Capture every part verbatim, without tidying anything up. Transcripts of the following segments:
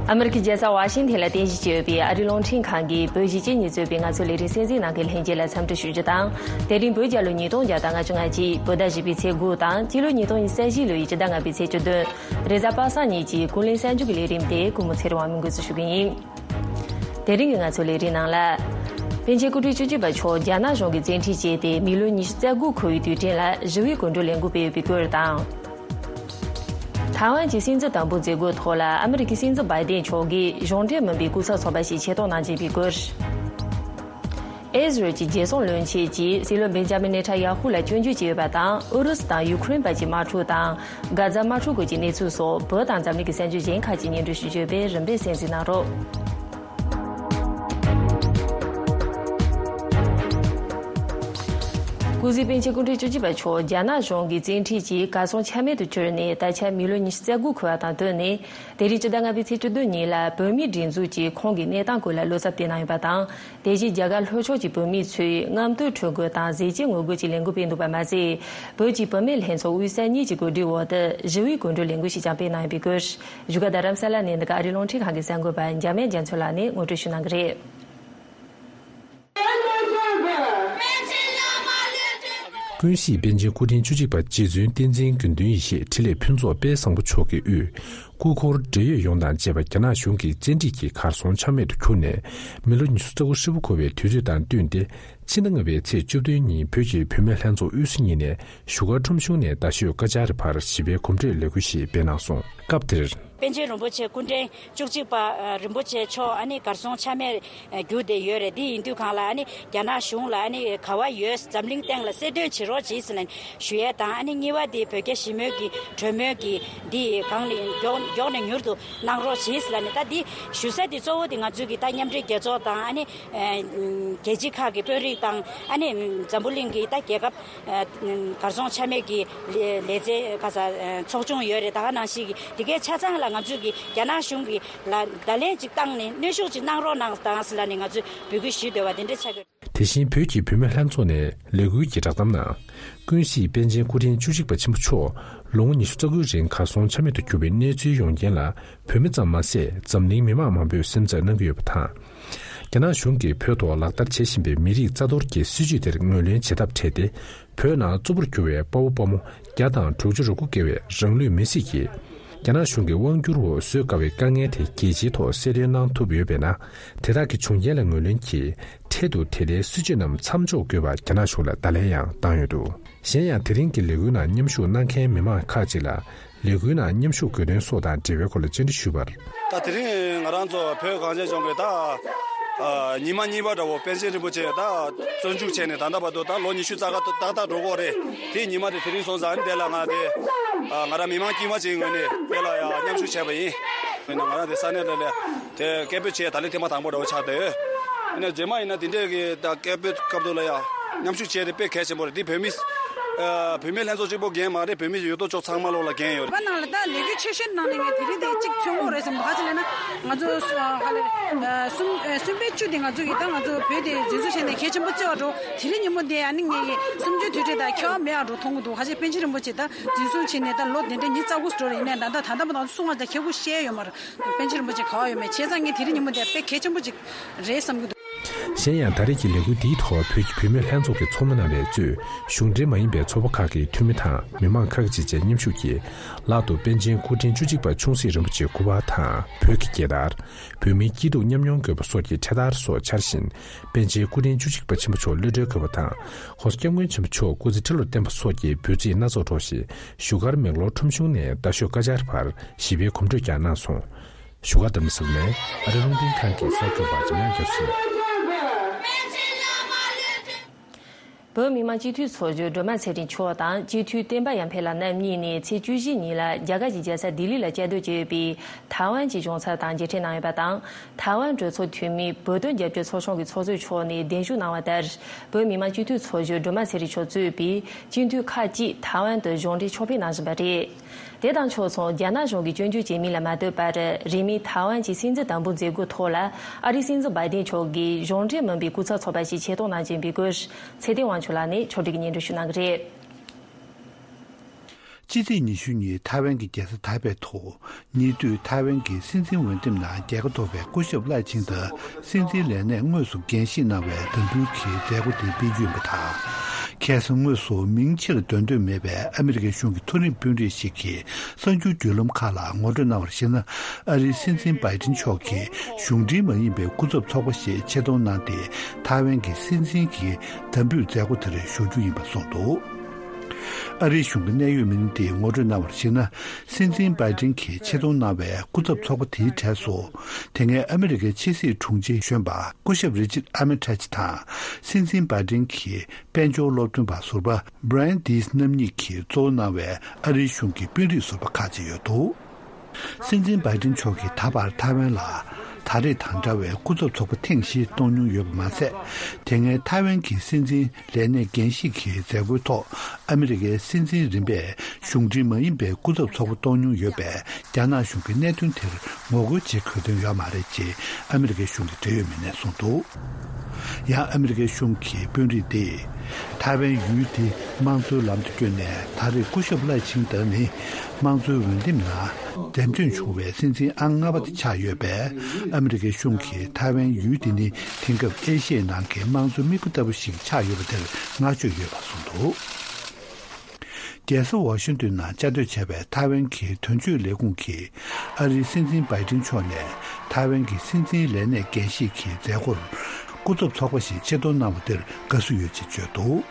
ཨ་མི་རི་ཀའི་རྒྱལ་ས་ཝ་ཤིང་ཐན་ལ་རྟེན་གཞི་བྱས་ཡོད་པའི་ཨ་རིའི་རླུང་འཕྲིན་ཁང་གིས་བོད་གཞིས་བྱེས་གཉིས་གཙོས་པའི་ང་ཚོའི་ལས་རིམ་གསན་གཟིགས་གནང་མཁན་ལྷན་རྒྱས་ལ་འཚམས་འདྲི་ཞུ་རྒྱུ་དང་། དེ་རིང་བོད་རྒྱལ་ལོ་ཉིས་སྟོང་བརྒྱ་དང་ལྔ་བཅུ་ང་གཅིག་བོད་ཟླ་བཞི་པའི་ཚེས་དགུ་དང་སྤྱི་ལོ་ཉིས་སྟོང་ཉི་ཤུ་རྩ་བཞི་ལོའི་སྤྱི་ཟླ་ལྔ་པའི་ཚེས་བཅུ་བདུན། རེས་གཟའ་པ་སངས་ཉིན་གྱི་ཀུན་གླེང་གསར་འགྱུར་གྱི་ལས་རིམ་དེ་ཀུན་མོ་ཚེ་རིང་དབང་མོས་འགོ་འཛུགས་ཞུ་གི་ཡིན། དེ་རིང་གི་ང་ཚོའི་ལས་རིམ་ནང་ལ། པཎ་ཆེན་སྐུ་ཕྲེང་བཅུ་གཅིག་པ་མཆོག་རྒྱ་ནག་གཞུང་གིས་བཙན་ཁྲིད་བྱས་ཏེ་མི་ལོ་ཉི་ཤུ་རྩ་དགུ་འཁོར་བའི་དུས་དྲན་ལ་ཞི་བའི་གོམ་བགྲོད་ལས་འགུལ་སྤེལ་ཡོད་པའི་སྐོར་དང་། ཐའེ་ཝན་གྱི་སྲིད་འཛིན་དམ་འབུལ་མཛད་སྒོའི་ཐོག་ལ་ཨ་མི་རི་ཀའི་སྲིད་འཛིན་བྷའི་ཏན་མཆོག་གིས་གཞུང་འབྲེལ་མིན་པའི་སྐུ་ཚབ་ཚོགས་པ་ཞིག་ཆེད་གཏོང་གནང་བཞིན་པའི་སྐོར། ཨི་ཟི་རལ་གྱི་རྒྱལ་སྲུང་བློན་ཆེན་གྱིས་སྲིད་བློན་བེན་ཇ་མིན་ནེ་ཐན་ཡ་ཧུ་ལ་སྐྱོན་བརྗོད་བྱས་ཡོད་པ་དང་ཨུ་རུ་སུ་དང་ཡུ་ཁུ་རེན་བར་གྱི་དམག་འཁྲུག་དང་། གྷ་ཛ་དམག་འཁྲུག་སྐོར་གྱི་གནས་ཚུལ་སོགས་བོད་དང་འཛམ་གླིང་གི་གསར་འགྱུར་གཞན་ཁག་ཅིག་སྙན་སྒྲོན་ཞུ་རྒྱུ་ཡོད་པས་རིམ་པས་གསན་གཟིགས་གནང་རོགས། སྐུ་ཚེ་པཎ་ཆེན་སྐུ་ཕྲེང་བཅུ་གཅིག་པ་མཆོག་རྒྱ་ནག་གཞུང་གིས་བཙན་ཁྲིད་ཀྱིས་གར་སོང་ཆ་མེད་དུ་གྱུར་ནས་ད་ཆ་མི་ལོ་ཉི་ཤུ་རྩ་དགུ་འཁོར་བ་དང་བསྟུན་ནས། དེ་རིང་སྤྱི་ཟླ་ལྔ་པའི་ཚེས་བཅུ་བདུན་ཉིན་ལ་བོད་མིའི་སྒྲིག་འཛུགས་ཀྱིས་ཁོང་གི་གནས་སྟངས་སྐོར་ལ་བློ་འཚབ་བསྟན་གནང་ཡོད་པ་དང་། དེ་བཞིན་རྒྱ་གར་ལྷོ་ཕྱོགས་ཀྱི་བོད་མི་ཚོས་རྔམ་སྟོན་ཁྲོམ་སྐོར་དང་གཟི་བརྗིད་ངོ་རྒོལ་གྱི་ལས་འགུལ་སྤེལ་འདུག་པ་མ་ཟད། བོད་ཀྱི་བུད་མེད་ལྷན་ཚོགས་དབུས་ས་གཉིས་ཀྱི་གོ་སྒྲིག་འོག་ཏུ་ཞི་བའི་གོམ་བགྲོད་ལས་འགུལ་ཞིག་ཀྱང་སྤེལ་གནང་ཡོད་པའི་སྐོར། བཞུགས་སྒར་རྡ་རམ་ས་ལ་ནས་འདི་ག་ཨ་རིའི་རླུང་འཕྲིན་ཁང་གི་གསར་འགོད་པ་འཇམ་དབྱངས་རྒྱ་མཚོ་ལགས་ནས་ངོ་སྤྲོད་ཞུ་གནང་གི་རེད། ཀུན་གཟིགས་པཎ་ཆེན་སྐུ་ཕྲེང་བཅུ་གཅིག་པ་རྗེ་བཙུན་བསྟན་འཛིན་དགེ་འདུན་ཡེ་ཤེས་འཕྲིན་ལས་ཕུན་ཚོགས་དཔལ་བཟང་པོ་མཆོག་གི་དབུས། སྐུ་འཁོར་འབྲེལ་ཡོད་ཡོངས་དང་བཅས་པ་རྒྱ་ནག་གཞུང་གིས་བཙན་ཁྲིད་ཀྱིས་གར་སོང་ཆ་མེད་དུ་གྱུར་ནས། མི་ལོ་ཉི་ཤུ་རྩ་དགུ་ཧྲིལ་པོ་འཁོར་བའི་དུས་ཚོད་དང་བསྟུན་ཏེ། ཕྱི་ཟླ་ལྔ་པའི་ཚེས་བཅུ་བདུན་ཉིན་བོད་ཀྱི་བུད་མེད་ལྷན་ཚོགས་དབུས་ས་གཉིས་ནས་བཞུགས་སྒར་ཁྲོམ་གཞུང་ནས་རྡ་ཤོད་ཀ་ཅཱ་རི་བར་ཞི་བའི་གོམ་བགྲོད་ལས་འགུལ་ཞིག་སྤེལ་གནང་སོང་། སྐབས་དེར། པཎ་ཆེན་རིན་པོ་ཆེ་སྐུ་ཕྲེང་བཅུ་གཅིག་པ་རིན་པོ་ཆེ་མཆོག་ཨ་ནི་གར་སོང་ཆ་མེད་གྱུར་བསྡད་ཡོད་རེད། དེ་ཡིན་དུས་གང་ལ་ཨ་ནི་རྒྱ་ནག་གཞུང་ལ་ཨ་ནི་ག་བ་ཡོད་འཛམ་གླིང་སྟེང་ལ་གསལ་སྟོན་བྱེད་རོགས་བྱེད་ཟེར་ནས་ཞུ་ཡས་དང་། ཨ་ནི་གཉིས་པ་དེ་བོད་རྒྱ་ཞི་མོལ་གྱི་གྲོས་མོལ་གྱི་འདི་གང་ནས་མགྱོགས་མགྱོགས་ནས་མྱུར་དུ་གནང་རོགས་བྱེད་ཟེར་ནས། ད་འདི་ཞུ་ས་དེ་གཙོ་བོ་དེ་ང་ཚོའི་གི་ད་མཉམ་འབྲེལ་རྒྱལ་ཚོགས་དང་ཨ་ནི་རྒྱལ་སྤྱི་ཁག་གི་དཔོན་རིགས་དང་ཨ་ནི་འཛམ་བུ་གླིང་གི་ད་རྒྱལ་ཁབ་གར་སོང་ཆ་མེད་ཀྱི་ལས་ལས་རྩལ་ག་ས་ཚོགས་ཆུང་ཡོད་རེད། ད་ག་ནང་བཞིན་གྱི་དེ་གའི་ཆ་ཚང་ལ་ང་ཚོས་ཀྱི་རྒྱ་ནག་གཞུང་གི་ལ་བརྡ་ལན་ཅིག་བཏང་ནས་གནོན་ཤུགས་ཅིག་གནང་རོགས་གནང་དང་ཟེར་ལ་ནས་ང་ཚོས་འབོད་སྐུལ་ཞུས་འདོད་པ་དེ་འདྲ་ཆགས་ཀྱི། དེ་བཞིན་བོད་ཀྱི་བུད་མེད་ལྷན་ཚོགས་ནས་ལས་འགུལ་གྱི་བསྒྲགས་གཏམ་ནང་། ཀུན་གཟིགས་པཎ་ཆེན་སྐུ་ཕྲེང་བཅུ་གཅིག་པ་ཆེན་པོ་མཆོག་ལོ་ངོ་ཉི་ཤུ་རྩ་དགུའི་རིང་གར་སོང་ཆ་མེད་དུ་གྱུར་བའི་གནས་ཚུལ་ཡོང་རྐྱེན་ལ་བོད་མི་ཙམ་མ་ཟད་འཛམ་གླིང་མི་མང་མང་པོས་སེམས་འཚབ་གནང་གི་ཡོད་པ་དང་། རྒྱ་ནག་གཞུང་གིས་བོད་ཐོག་ལག་བསྟར་བྱེད་བཞིན་པའི་མི་རིགས་རྩ་གཏོར་གྱི་སྲིད་བྱུས་དེར་ངོས་ལེན་བྱེད་ཐབས་བྲལ་ཏེ། བོད་ནང་གཙོ་བོར་གྱུར་བའི་དཔའ་བོ་དཔའ་མོ་བརྒྱ་དང་དྲུག་ཅུ་རེ་དགུ་བརྒལ་བའི་རང་ལུས་མེར་སྲེག་གིས། རྒྱ་ནག་གཞུང་གི་དབང་སྒྱུར་འོག་བཟོད་དཀའ་བའི་དཀའ་ངལ་དེ་རྒྱལ་སྤྱིའི་ཐོག་གསལ་སྟོན་གནང་ཐུབ་ཡོད་པས་ན། དེ་དག་གི་བྱུང་རྐྱེན་ལ་ངོས་ལེན་གྱིས་འཕྲལ་དུ་དེ་ལྟའི་སྲིད་བྱུས་རྣམས་མཚམས་འཇོག་དགོས་པར་རྒྱ་ནག་གཞུང་ལ་བརྡ་ལན་ཡང་བཏང་ཡོད་འདུག་གཞན་ཡང་། དེ་རིང་གི་ལས་འགུལ་ནང་མཉམ་ཞུགས་གནང་མཁན་མི་མང་ཁག་ཅིག་ལ། ལས་འགུལ་ནང་མཉམ་ཞུགས་དགོས་དོན་སོགས་དང་འབྲེལ་བའི་སྐོར་ལ་བཅར་འདྲི་ཞུས་པར། ད་དེ་རིང་ང་རང་ཚོ་བོད་གངས་ཅན་ལྗོངས་ཀྱི་ད་ཨ་ཉི་མ་གཉིས་པ་འདྲ་བོ་པཎ་ཆེན་རིན་པོ་ཆེ་ད་བཙོན་འཇུག་བྱས་ནས་ད་ལྟ་བར་དུ་ད་ལོ་ཉི་ཤུ་རྩ་ལྔ་ཏག་ཏག་འགྲོ་གི་རེད། དེ་ཉི་མ་དེ་དེ་རིང་སོང་ཙང་དེ་ལ་ང་དེ་ཨ་ང་རང་མི་མང་དཀྱུས་མ་ཅིག་ངོས་ནས་དེ་ལ་ཡང་མཉམ་ཞུགས་བྱས་པ་ཡིན། ཡིན་ན་ང་རང་དེ་ས་གནས་ལ་ལས་དེ་སྐད་འབོད་བྱས་ད་ལན་ཐེངས་མ་དང་པོ་འདྲ་བོ་ཆགས་བསྡད་ཡོད། ཡིན་ན་རྗེས་མ་ཡིན་ན་དེ་འདྲས་ཀྱི་ད་སྐད་འབོད་སྐབས་དུ་ལ་ཡང་མཉམ་ཞུགས་བྱས་དེ་དཔེ་གལ་ཆེན་པོ་རེད། དེ་བོད་མི་ཨ་བུད་མེད་ལྷན་ཚོགས་གཅིག་པོ་འགན་མ་རེད། བོད་མི་ཡོད་དོ་ཅོག་ཚང་མ་ལོག་ལ་འགན་ཡོད་རེད། བ་ནང་ལ་ད་ལས་འགུལ་ཆེ་ཤོས་གནང་ནས་ངས་དེ་རིང་དེ་གཅིག་མཚོན་གོ་རེད་བསམ་འདུག་ག་ཅི་ལབ་ན་ང་ཚོ་ཧ་ལས་གསུམ་གསུམ་པའི་བཅུ་དེ་ང་ཚོ་ཡི་ད་ང་ཚོ་བོད་དེ་འཛིན་བཟུང་བྱས་ནས་གལ་ཆེན་པོ་བརྩི་བ་འགྲོ། དེ་རིང་ཉིན་མོ་དེ་ཨ་ནི་ངས་ཀྱི་གསུམ་བཅུའི་དུས་དྲན་དང་ཁྱད་པར་མེད་པ་འགྲོ་མཐོང་གི་འདུག་ག་ཅི་པཎ་ཆེན་རིན་པོ་ཆེ་ད་འཛིན་བཟུང་བྱས་ནས་ད་ལོ་དེ་འདྲ་ཉི་ཤུ་རྩ་དགུ་འགྲོ་རེད། ཡིན་ནའི་ད་ལྟ་ད་ལྟ་མ་ད་གསུང་བ་ད་ཁྱེད་སྐུ་བཤད་ཡོད་མ་རེད། པཎ་ཆེན་རིན་པོ་ཆེ་ག་བ་ཡོད་མེད་བྱས་ཙང་ངས་དེ་རིང་ཉིན་མོ་དེ་དཔེ་གལ་ཆེན་པོ་ཅིག་རེད་བསམ་གྱི་འདུག་གཞན་ཡང་ད་རེས་ཀྱི་ལས་འགུལ་འདིའི་ཐོག་བོད་ཀྱི་བུད་མེད་ལྷན་ཚོགས་ཀྱི་ཚོགས་མི་རྣམ་པས་གཙོས་གཞུང་འབྲེལ་མ་ཡིན་པའི་ཚོགས་པ་ཁག་གི་འཐུས་མི་དང་མི་མང་ཁག་ཅིག་བཅས་མཉམ་ཞུགས་ཀྱིས་ལག་ཏུ་པཎ་ཆེན་སྐུ་ཕྲེང་བཅུ་གཅིག་པ་ཆུང་སྲིད་རིན་པོ་ཆེའི་སྐུ་པར་དང་བོད་ཀྱི་རྒྱལ་དར། བོད་མིའི་སྐྱིད་སྡུག་མཉམ་མྱོང་དགོས་པ་སོགས་ཀྱི་འཕྲེད་དར་སོགས་འཕྱར་བཞིན། པཎ་ཆེན་སྐུ་ཕྲེང་བཅུ་གཅིག་པ་ཆེན་པོ་མཆོག་གློད་གྲོལ་དགོས་པ་དང་། ༸གོང་ས་༸སྐྱབས་མགོན་ཆེན་པོ་མཆོག་སྐུ་ཚེ་ཁྲི་ལོར་བརྟན་པ་སོགས་ཀྱི་འབོད་ཚིག་སྣ་ཚོགས་སྒྲོགས་ཤིང་། བཞུགས་སྒར་མེག་ལོར་ཁྲོམ་གཞུང་ནས་རྡ་ཤོད་ཀ་ཅར་བར་ཞི་བའི་གོམ་བགྲོད་ཀྱང་གནང་སོང་། བཞུགས་སྒར་རྡ་རམ་ས་ལ་ནས་ཨ་རི་རླུང་འཕྲིན་ཁང་གི་གསར་འགོད་པ་འཇམ་དབྱངས་རྒྱ་མཚོ། བོད་མི་མང་སྤྱི་འཐུས་ཚོགས་གཞོན་སྒྲོལ་མ་ཚེ་རིང་མཆོག་དང་སྤྱི་འཐུས་བསྟན་པ་ཡར་འཕེལ་ལགས་རྣམ་གཉིས་ནས་ཚེས་བཅུ་བཞི་ཉིན་ལ་རྒྱ་གར་གྱི་རྒྱལ་ས་ལྡི་ལི་ལ་བཅའ་སྡོད་བྱས་ཡོད་པའི་ཐའེ་ཝན་གྱི་གཞུང་ཚབ་དང་མཇལ་འཕྲད་གནང་ཡོད་པ་དང་། ཐའེ་ཝན་གྲོས་ཚོགས་འཐུས་མི་བོད་དོན་རྒྱབ་སྐྱོར་ཚོགས་ཆུང་གི་ཚོགས་གཙོ་མཆོག་ནས་གདན་ཞུ་གནང་བ་ལྟར། བོད་མི་མང་སྤྱི་འཐུས་ཚོགས་གཞོན་སྒྲོལ་མ་ཚེ་རིང་མཆོག་གཙོས་པའི་སྤྱི་འཐུས་ཁག་ཅིག་ཐའེ་ཝན་དུ་གཞུང་འབྲེལ་ཕྱོགས་ཕེབས་གནང་བཞིན་པ་རེད། དེ་དང་ཕྱོགས་མཚུངས་རྒྱ་ནག་གཞུང་གིས་སྐྱོན་བརྗོད་བྱས་མིན་ལ་མ་ལྟོས་པར། རིང་མིན་ཐའེ་ཝན་གྱི་སྲིད་འཛིན་དམ་འབུལ་མཛད་སྒོའི་ཐོག་ལ་ཨ་རིའི་སྲིད་འཛིན་བྷའི་ཏན་མཆོག་གིས་གཞུང་འབྲེལ་མིན་པའི་སྐུ་ཚབ་ཚོགས་པ་ཞིག་ཆེད་གཏོང་གནང་བཞིན་པའི་སྐོར། ཚེ་བརྟན་དབང་ཕྱུག་ལགས་ནས་ཕྱོགས་སྒྲིག་གིས་སྙན་སྒྲོན་ཞུ་གནང་གི་རེད། ཕྱི་ཚེས་ཉི་ཤུ་ཉིན་ཐའེ་ཝན་གྱི་རྒྱལ་ས་ཐའེ་པེ་དུ། ཉེ་དུས་ཐའེ་ཝན་གྱི་སྲིད་འཛིན་འོས་འདེམས་ནང་རྒྱལ་ཁ་ཐོབ་པའི་སྐུ་ཞབས་ལའེ་ཆིང་ཏེ་སྲིད་འཛིན་ལས་གནས་དངོས་སུ་འགན་བཞེས་གནང་བའི་དམ་འབུལ་གྱི་མཛད་སྒོ་དེ་སྤེལ་རྒྱུ་ཡིན་པ་དང་། ཁ་སང་དངོས་སུ་མིང་ཕྱིར་འདོན་འདོད་མེད་པའི་ཨ་མི་རི་ཀའི་གཞུང་གི་མཐོ་རིམ་དཔོན་རིགས་ཤིག་གིས་གསར་འགྱུར་བརྒྱུད་ལམ་ཁག་ལ་ངོ་སྤྲོད་གནང་བར་གཞིགས་ན། ཨ་རིའི་སྲིད་འཛིན་བྷའི་ཏིན་མཆོག་གིས་གཞུང་འབྲེལ་མ་ཡིན་པའི་སྐུ་ཚབ་ཚོགས་པ་ཞིག་ཆེད་གཏོང་གནང་སྟེ། ཐའེ་ཝན་གྱི་སྲིད་འཛིན་གྱི་དམ་འབུལ་མཛད་སྒོ་དེར་ཞུགས་རྒྱུ་ཡིན་པ་གསུངས་འདུག་ཨ་རིའི་གཞུང་གི་གནད་ཡོད་མི་སྣ་དེས་ངོ་སྤྲོད་གནང་བར་གཞིགས་ན། སྲིད་འཛིན་བྷའི་ཏིན་གྱིས་ཆེད་གཏོང་གནང་བའི་སྐུ་ཚབ་ཚོགས་པ་དེའི་གྲས་སུ། དེ་སྔའི་ཨ་མི་རི་ཀའི་ཕྱི་སྲིད་དྲུང་ཆེ་གཞོན་པ་སྐུ་ཞབས་རི་ཅར་ཨར་མི་ཊེཇ་དང་། སྲིད་འཛིན་བྷའི་ཏིན་གྱི་དཔལ་འབྱོར་སློབ་སྟོན་པ་ཟུར་པ་བྷ་རན་ཌིས་རྣམ་གཉིས་ཀྱིས་གཙོ་བོ་གནང་བའི་ཨ་རིའི་གཞུང་གི་དཔོན་རིགས་ཟུར་པ་ཁག་ཅིག་ཡོད་འདུག་སྲིད་འཛིན་བྷའི་ཏིན་མཆོག་གིས་ད་བར་ཐའེ་ཝན་ལ་ད་རེས་དང་འདྲ་བའི་སྐུ་ཚབ་ཚོགས་པ་ཐེངས་བཞི་གཏོང་མྱོང་ཡོད་པ་མ་ཟད། དེ་སྔའི་ཐའེ་ཝན་གྱི་སྲིད་འཛིན་ལས་གནས་འགན་བཞེས་ཀྱི་མཛད་སྒོའི་ཐོག་ཨ་མི་རི་ཀའི་སྲིད་འཛིན་རིམ་པས་གཞུང་འབྲེལ་མ་ཡིན་པའི་སྐུ་ཚབ་ཚོགས་པ་གཏོང་མྱོང་ཡོད་པས། རྒྱ་ནག་གཞུང་གིས་གནད་དོན་དེར་ངོ་རྒོལ་བྱེད་དགོས་དོན་ཡོད་མ་རེད་ཅེས་ཨ་མི་རི་ཀའི་གཞུང་གི་འབྲེལ་ཡོད་མི་སྣས་གསུངས་འདུག་ཡང་ཨ་མི་རི་ཀའི་གཞུང་གི་དཔོན་རིགས་དེས། ཐའེ་ཝན་ཡུལ་དེ་དམངས་གཙོའི་ལམ་དུ་བསྐྱོད་ནས། ད་རེས་སྐུ་ཞབས་ལའེ་ཆིང་ཏེ་ནི་དམངས་གཙོའི་འོས་འདེམས་ནང་འདེམས་ཐོན་བྱུང་བའི་སྲིད་འཛིན་ཨང་ལྔ་པ་དེ་ཆགས་ཡོད་པས། ཨ་མི་རི་ཀའི་གཞུང་གིས་ཐའེ་ཝན་ཡུལ་དེ་ནི་དེང་སྐབས་ཨེ་ཤི་ཡའི་ནང་གི་དམངས་གཙོའི་མིག་དཔེ་ལྟ་བུ་ཞིག་ཆགས་ཡོད་པ་དེར་བསྔགས་བརྗོད་ཡོད་པ་གསུངས་འདུག་རྒྱལ་ས་ཝ་ཤིང་ཏོན་ནང་བཅའ་སྡོད་བྱས་པའི་ཐའེ་ཝན་གྱི་དོན་གཅོད་ལས་ཁུངས་ཀྱིས། ཨ་རིའི་སྲིད་འཛིན་བྷའི་ཏིན་མཆོག་ནས་ཐའེ་ཝན་གྱི་སྲིད་འཛིན་ལས་གནས་འགན་བཞེས་ཀྱི་མཛད་སྒོར་སྐུ་ཚབ་ཚོགས་པ་ཞིག་ཆེད་གཏོང་གནང་བ་དེར་དགའ་བསུ་ཡོད་ཅེས་བརྗོད་འདུག་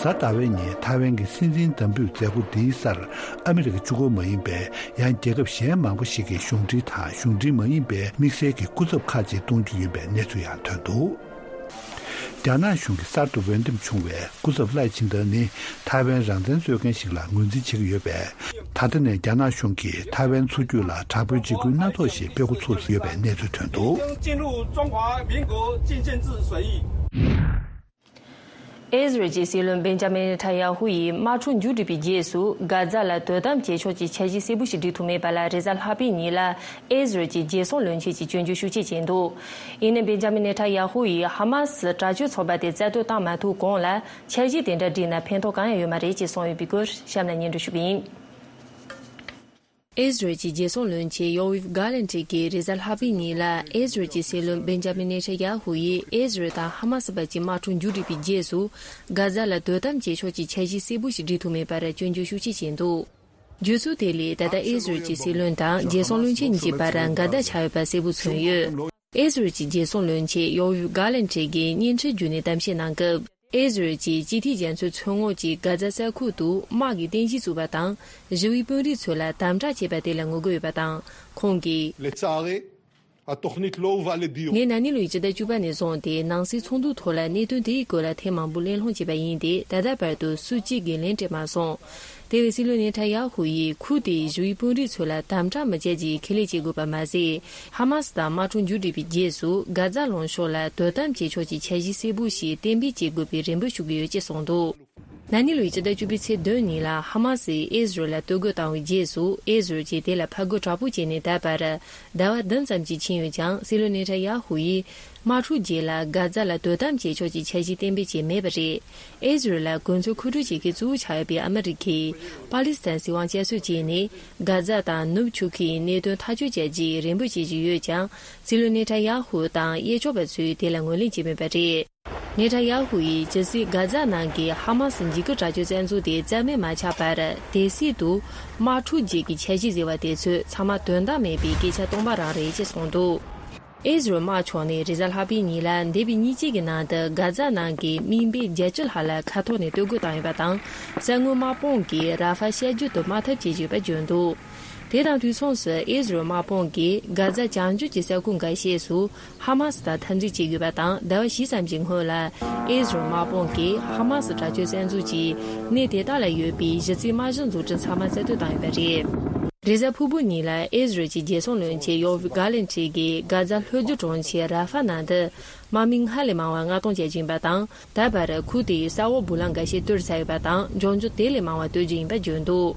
གཟའ་ཟླ་བའི་ཉིན་ཐའེ་ཝན་གྱི་སྲིད་འཛིན་འདེམས་ཕོད་མཛད་སྒོ་འདིའི་སར་ཨ་མི་རི་ཀ་གཅིག་པོ་མ་ཡིན་པའི་ཡང་རྒྱལ་ཁབ་གཞན་མང་པོ་ཞིག་གིས་གཞུང་འབྲེལ་དང་གཞུང་འབྲེལ་མ་ཡིན་པའི་དམིགས་བསལ་གྱི་སྐུ་ཚབ་ཁག་ཅིག་གཏོང་རྒྱུ་ཡིན་པའི་གནས་ཚུལ་ཡང་ཐོན་འདུག་རྒྱ་ནག་གཞུང་གི་གསར་དུ་འོས་འདེམས་བྱུང་བའི་སྐུ་ཚབ་ལའེ་ཆིང་ཏེ་ནི་ཐའེ་ཝན་རང་བཙན་རྩོད་མཁན་ཞིག་ལ་ངོས་འཛིན་བྱེད་ཀྱི་ཡོད་པས། ད་ལྟ་ནས་རྒྱ་ནག་གཞུང་གིས་ཐའེ་ཝན་མཚོ་རྒྱུད་ལ་དྲག་པོའི་འཇིགས་སྐུལ་སྣ་ཚོགས་ཤིག་སྤེལ་འགོ་ཚུགས་ཡོད་པའི་གནས་ཚུལ་ཐོན་འདུག 进入中华民国进政制审议。 ཨེ་ཟི་རལ་གྱི་སྲིད་བློན་སྦན་ཇ་མིན་ནེ་ཐན་ཡ་ཧུ་ཡིས་དམག་འཁྲུག་མཇུག་བསྒྲིལ་བའི་རྗེས་སུ། གྷ་ཛ་ལ་དོ་དམ་བྱེད་ཕྱོགས་ཀྱི་འཆར་གཞི་གསལ་པོ་ཞིག་སྒྲིག་ཐུབ་མེད་པ་ལ། རེས་གཟའ་ལྷག་པའི་ཉིན་ལ་ཨེ་ཟི་རལ་གྱི་རྒྱལ་སྲུང་བློན་ཆེན་གྱིས་སྐྱོན་བརྗོད་ཤུགས་ཆེ་བྱས་འདུག་ཡིན་ནའི་སྦན་ཇ་མིན་ནེ་ཐན་ཡ་ཧུ་ཡིས་ཧ་མ་སི་དྲག་སྤྱོད་ཚོགས་པ་དེ་རྩ་གཏོར་བཏང་མ་ཐུབ་གོང་ལ། འཆར་གཞི་དེ་འདྲ་བསྒྲིགས་ན་ཕན་ཐོགས་གང་ཡང་ཡོད་མ་རེད་ཅེས་གསུངས་ཡོད་པའི་སྐོར་གཤམ་ལ་སྙན་སྒྲོན་ཞུ་གི་ཡིན། ཨེ་ཟི་རལ་གྱི་རྒྱལ་སྲུང་བློན་ཆེན་ཡོ་ཝིབ་གྷ་ལན་ཏྲི་གིས་རེས་གཟའ་ལྷག་པའི་ཉིན་ལ་ཨེ་ཟི་རལ་གྱི་སྲིད་བློན་སྦན་ཇ་མིན་ནེ་ཐན་ཡ་ཧུ་ཡིས་ཨེ་ཟི་རལ་དང་ཧ་མ་སི་བར་གྱི་དམག་འཁྲུག་མཇུག་བསྒྲིལ་བའི་རྗེས་སུ། གྷ་ཛ་ལ་དོ་དམ་བྱེད་ཕྱོགས་ཀྱི་འཆར་གཞི་གསལ་པོ་ཞིག་སྒྲིག་ཐུབ་མེད་པར་སྐྱོན་བརྗོད་ཤུགས་ཆེ་བྱས་འདུག་བརྗོད་ཚུལ་དེ་ལས་ད་ལྟ་ཨེ་ཟི་རལ་གྱི་སྲིད་བློན་དང་རྒྱལ་སྲུང་བློན་ཆེན་གཉིས་ཀྱི་བར་འགལ་ཟླ་ཆགས་ཡོད་པ་གསལ་པོ་མཚོན་ཡོད། ཨེ་ཟི་རལ་གྱི་རྒྱལ་སྲུང་བློན་ཆེན་ཡོ་ཝིབ་གྷ་ལན་ཏྲི་གིས་བརྙན་འཕྲིན་བརྒྱུད་ནས་གཏམ་བཤད་གནང་སྐབས། ཨེ་ཟི་རལ་གྱིས་སྤྱི་འཐུས་རྒྱ་མཚོའི་མཚོ་ངོགས་ཀྱི་གྷ་ཛ་ས་ཁུལ་དུ་དམག་གི་རྟེན་གཞི་བཙུགས་པ་དང་། ཞི་བའི་དཔོན་རིགས་ཚོ་ལ་དམ་དྲག་བྱས་པ་དེ་ལ་ངོ་རྒོལ་ཡོད་པ་དང་། ཁོང་གིས། لצערי, התוכנית לא הובאה לדיון. ངས་ན་ནིང་ལོའི་སྤྱི་ཟླ་བཅུ་པ་ནས་བཟུང་སྟེ་ནང་སྲིད་ཚོགས་འདུའི་ཐོག་ལ་གནད་དོན་དེའི་སྐོར་ལ་ཐེངས་མང་པོ་གླེང་སློང་བྱས་པ་ཡིན་ཏེ། ད་ལྟ་བར་དུ་སུ་གཅིག་གིས་ལན་སྤྲད་མ་སོང་། དེ་བས་སྲིད་བློན་ནེ་ཐན་ཡ་ཧུ་ཡིས་ཁུལ་དེའི་ཞི་བའི་དཔོན་རིགས་ཚོ་ལ་དམ་དྲག་མི་བྱེད་ཅེས་ཁས་ལེན་བྱེད་དགོས་པ་མ་ཟད། ཧ་མ་སི་དང་དམག་འཁྲུག་མཇུག་བསྒྲིལ་བའི་རྗེས་སུ་གྷ་ཛ་ལུང་ཕྱོགས་ལ་དོ་དམ་བྱེད་ཕྱོགས་ཀྱི་འཆར་གཞི་གསལ་པོ་ཞིག་གཏན་འབེབས་བྱེད་དགོས་པའི་རེ་འབོད་ཞུ་གི་ཡོད་ཅེས་གསུངས་འདུག་ན་ནིང་ལོའི་སྤྱི་ཟླ་བཅུ་པའི་ཚེས་བདུན་ཉིན་ལ་ཧ་མ་སིས་ཨེ་ཟི་རལ་ལ་གཏོར་རྒོལ་བཏང་བའི་རྗེས་སུ། ཨེ་ཟི་རལ་གྱིས་དེ་ལ་ཕར་རྒོལ་དྲག་པོ་བྱས་ནས་ད་བར་ཟླ་བ་བདུན་ཙམ་ཞིག་ཕྱིན་ཡོད་ཀྱང་། སྲིད་བློན་ནེ་ཐན་ཡ་ཧུ་ཡིས། དམག་འཁྲུག་རྗེས་ལ་གྷ་ཛ་ལ་དོ་དམ་བྱེད་ཕྱོགས་ཀྱི་འཆར་གཞི་གཏན་འབེབས་བྱས་མེད་པ་རེད། ཨེ་ཟི་རལ་ལ་གོ་མཚོན་མཁོ་སྤྲོད་བྱེད་མཁན་གཙོ་བོ་ཆགས་ཡོད་པའི་ཨ་མི་རི་ཁས། པ་ལི་སི་ཐན་སྲིད་དབང་བསྐྱར་གསོ་བྱས་ནས། གྷ་ཛ་དང་ནུབ་ཆུ་ཁའི་གནད་དོན་ཐག་གཅོད་བྱ་རྒྱུའི་རེ་འབོད་བྱེད་ཀྱི་ཡོད་ཀྱང་། སྲིད་བློན་ནེ་ཐན་ཡ་ཧུ་དང་གཡས་ཕྱོགས་པ་ཚོས་དེ་ལ་ངོས་ལེན་བྱས་མེད་པ་རེད། ནེ་ཐན་ཡ་ཧུ་ཡིས་ཇི་སྲིད་གྷ་ཛ་ནང་གི་ཧ་མ་སི་འཇིགས་སྐུལ་དྲག་སྤྱོད་བཙན་འཛུལ་དེ་རྩ་མེད་མ་ཆགས་བར། དེ་སྲིད་དུ་དམག་འཁྲུག་རྗེས་ཀྱི་འཆར་གཞི་ཟེར་བ་དེ་ཚོ་ཚང་མ་དོན་དག་མེད་པའི་སྐད་ཆ་སྟོང་པ་རང་རེད་ཅེས་གསུངས་འདུག་ཨེ་ཟི་རལ་དམག་ཕྱོགས་ནས་རེས་གཟའ་ལྷག་པའི་ཉིན་ལ་འདས་པའི་ཉིན་གཅིག་གི་ནང་དུ་གྷ་ཛ་ནང་གི་དམིགས་འབེན་བརྒྱད་ཅུ་ལྷག་ལ་མཁའ་ཐོག་ནས་གཏོར་རྒོལ་བཏང་ཡོད་པ་དང་། ས་ངོས་དམག་དཔུང་གིས་ར་ཧྥ་བཤལ་རྒྱུ་དུ་དམག་འཐབ་བྱེད་ཀྱི་ཡོད་པ་བརྗོད་འདུག་དེ་དང་དུས་མཚུངས་སུ་ཨེ་ཟི་རལ་དམག་དཔུང་གིས་གྷ་ཛ་བྱང་རྒྱུད་ཀྱི་ས་ཁུལ་འགའ་ཤས་སུ་ཧ་མ་སི་དང་འཐབ་འཛིང་བྱེད་དགོས་པ་དང་། ཟླ་བ་བཞི་ཙམ་གྱི་སྔོན་ལ་ཨེ་ཟི་རལ་དམག་དཔུང་གིས་ཧ་མ་སི་དྲག་སྤྱོད་བཙན་འཛུལ་གྱིས་གནས་དེ་དག་ལ་ཡོད་པའི་གཞི་རྩའི་དམག་གཞི་འཛུགས་སྐྲུན་ཚང་མ་རྩ་གཏོར་བཏང་ཡོད་པ་རེད། རེས་གཟའ་ཕུར་བུ་ཉིན་ལ་ཨེ་ཟི་རལ་གྱི་རྒྱལ་སྲུང་བློན་ཆེན་ཡོ་ཝིབ་གྷ་ལན་ཏྲི་གིས་གྷ་ཛ་ལྷོ་རྒྱུད་གྲོང་ཁྱེར་ར་ཧྥ་ནང་དུ་དམག་མི་སྔར་ལས་མང་བ་མངགས་གཏོང་བྱེད་ཀྱི་ཡིན་པ་དང་། ད་བར་ཁུལ་དེའི་ས་འོག་སྦུག་ལམ་འགའ་ཤས་གཏོར་ཚར་ཡོད་པ་དང་། མགྱོགས་མྱུར་དེ་ལས་མང་བ་གཏོར་རྒྱུ་ཡིན་པ་བརྗོད་འདུག་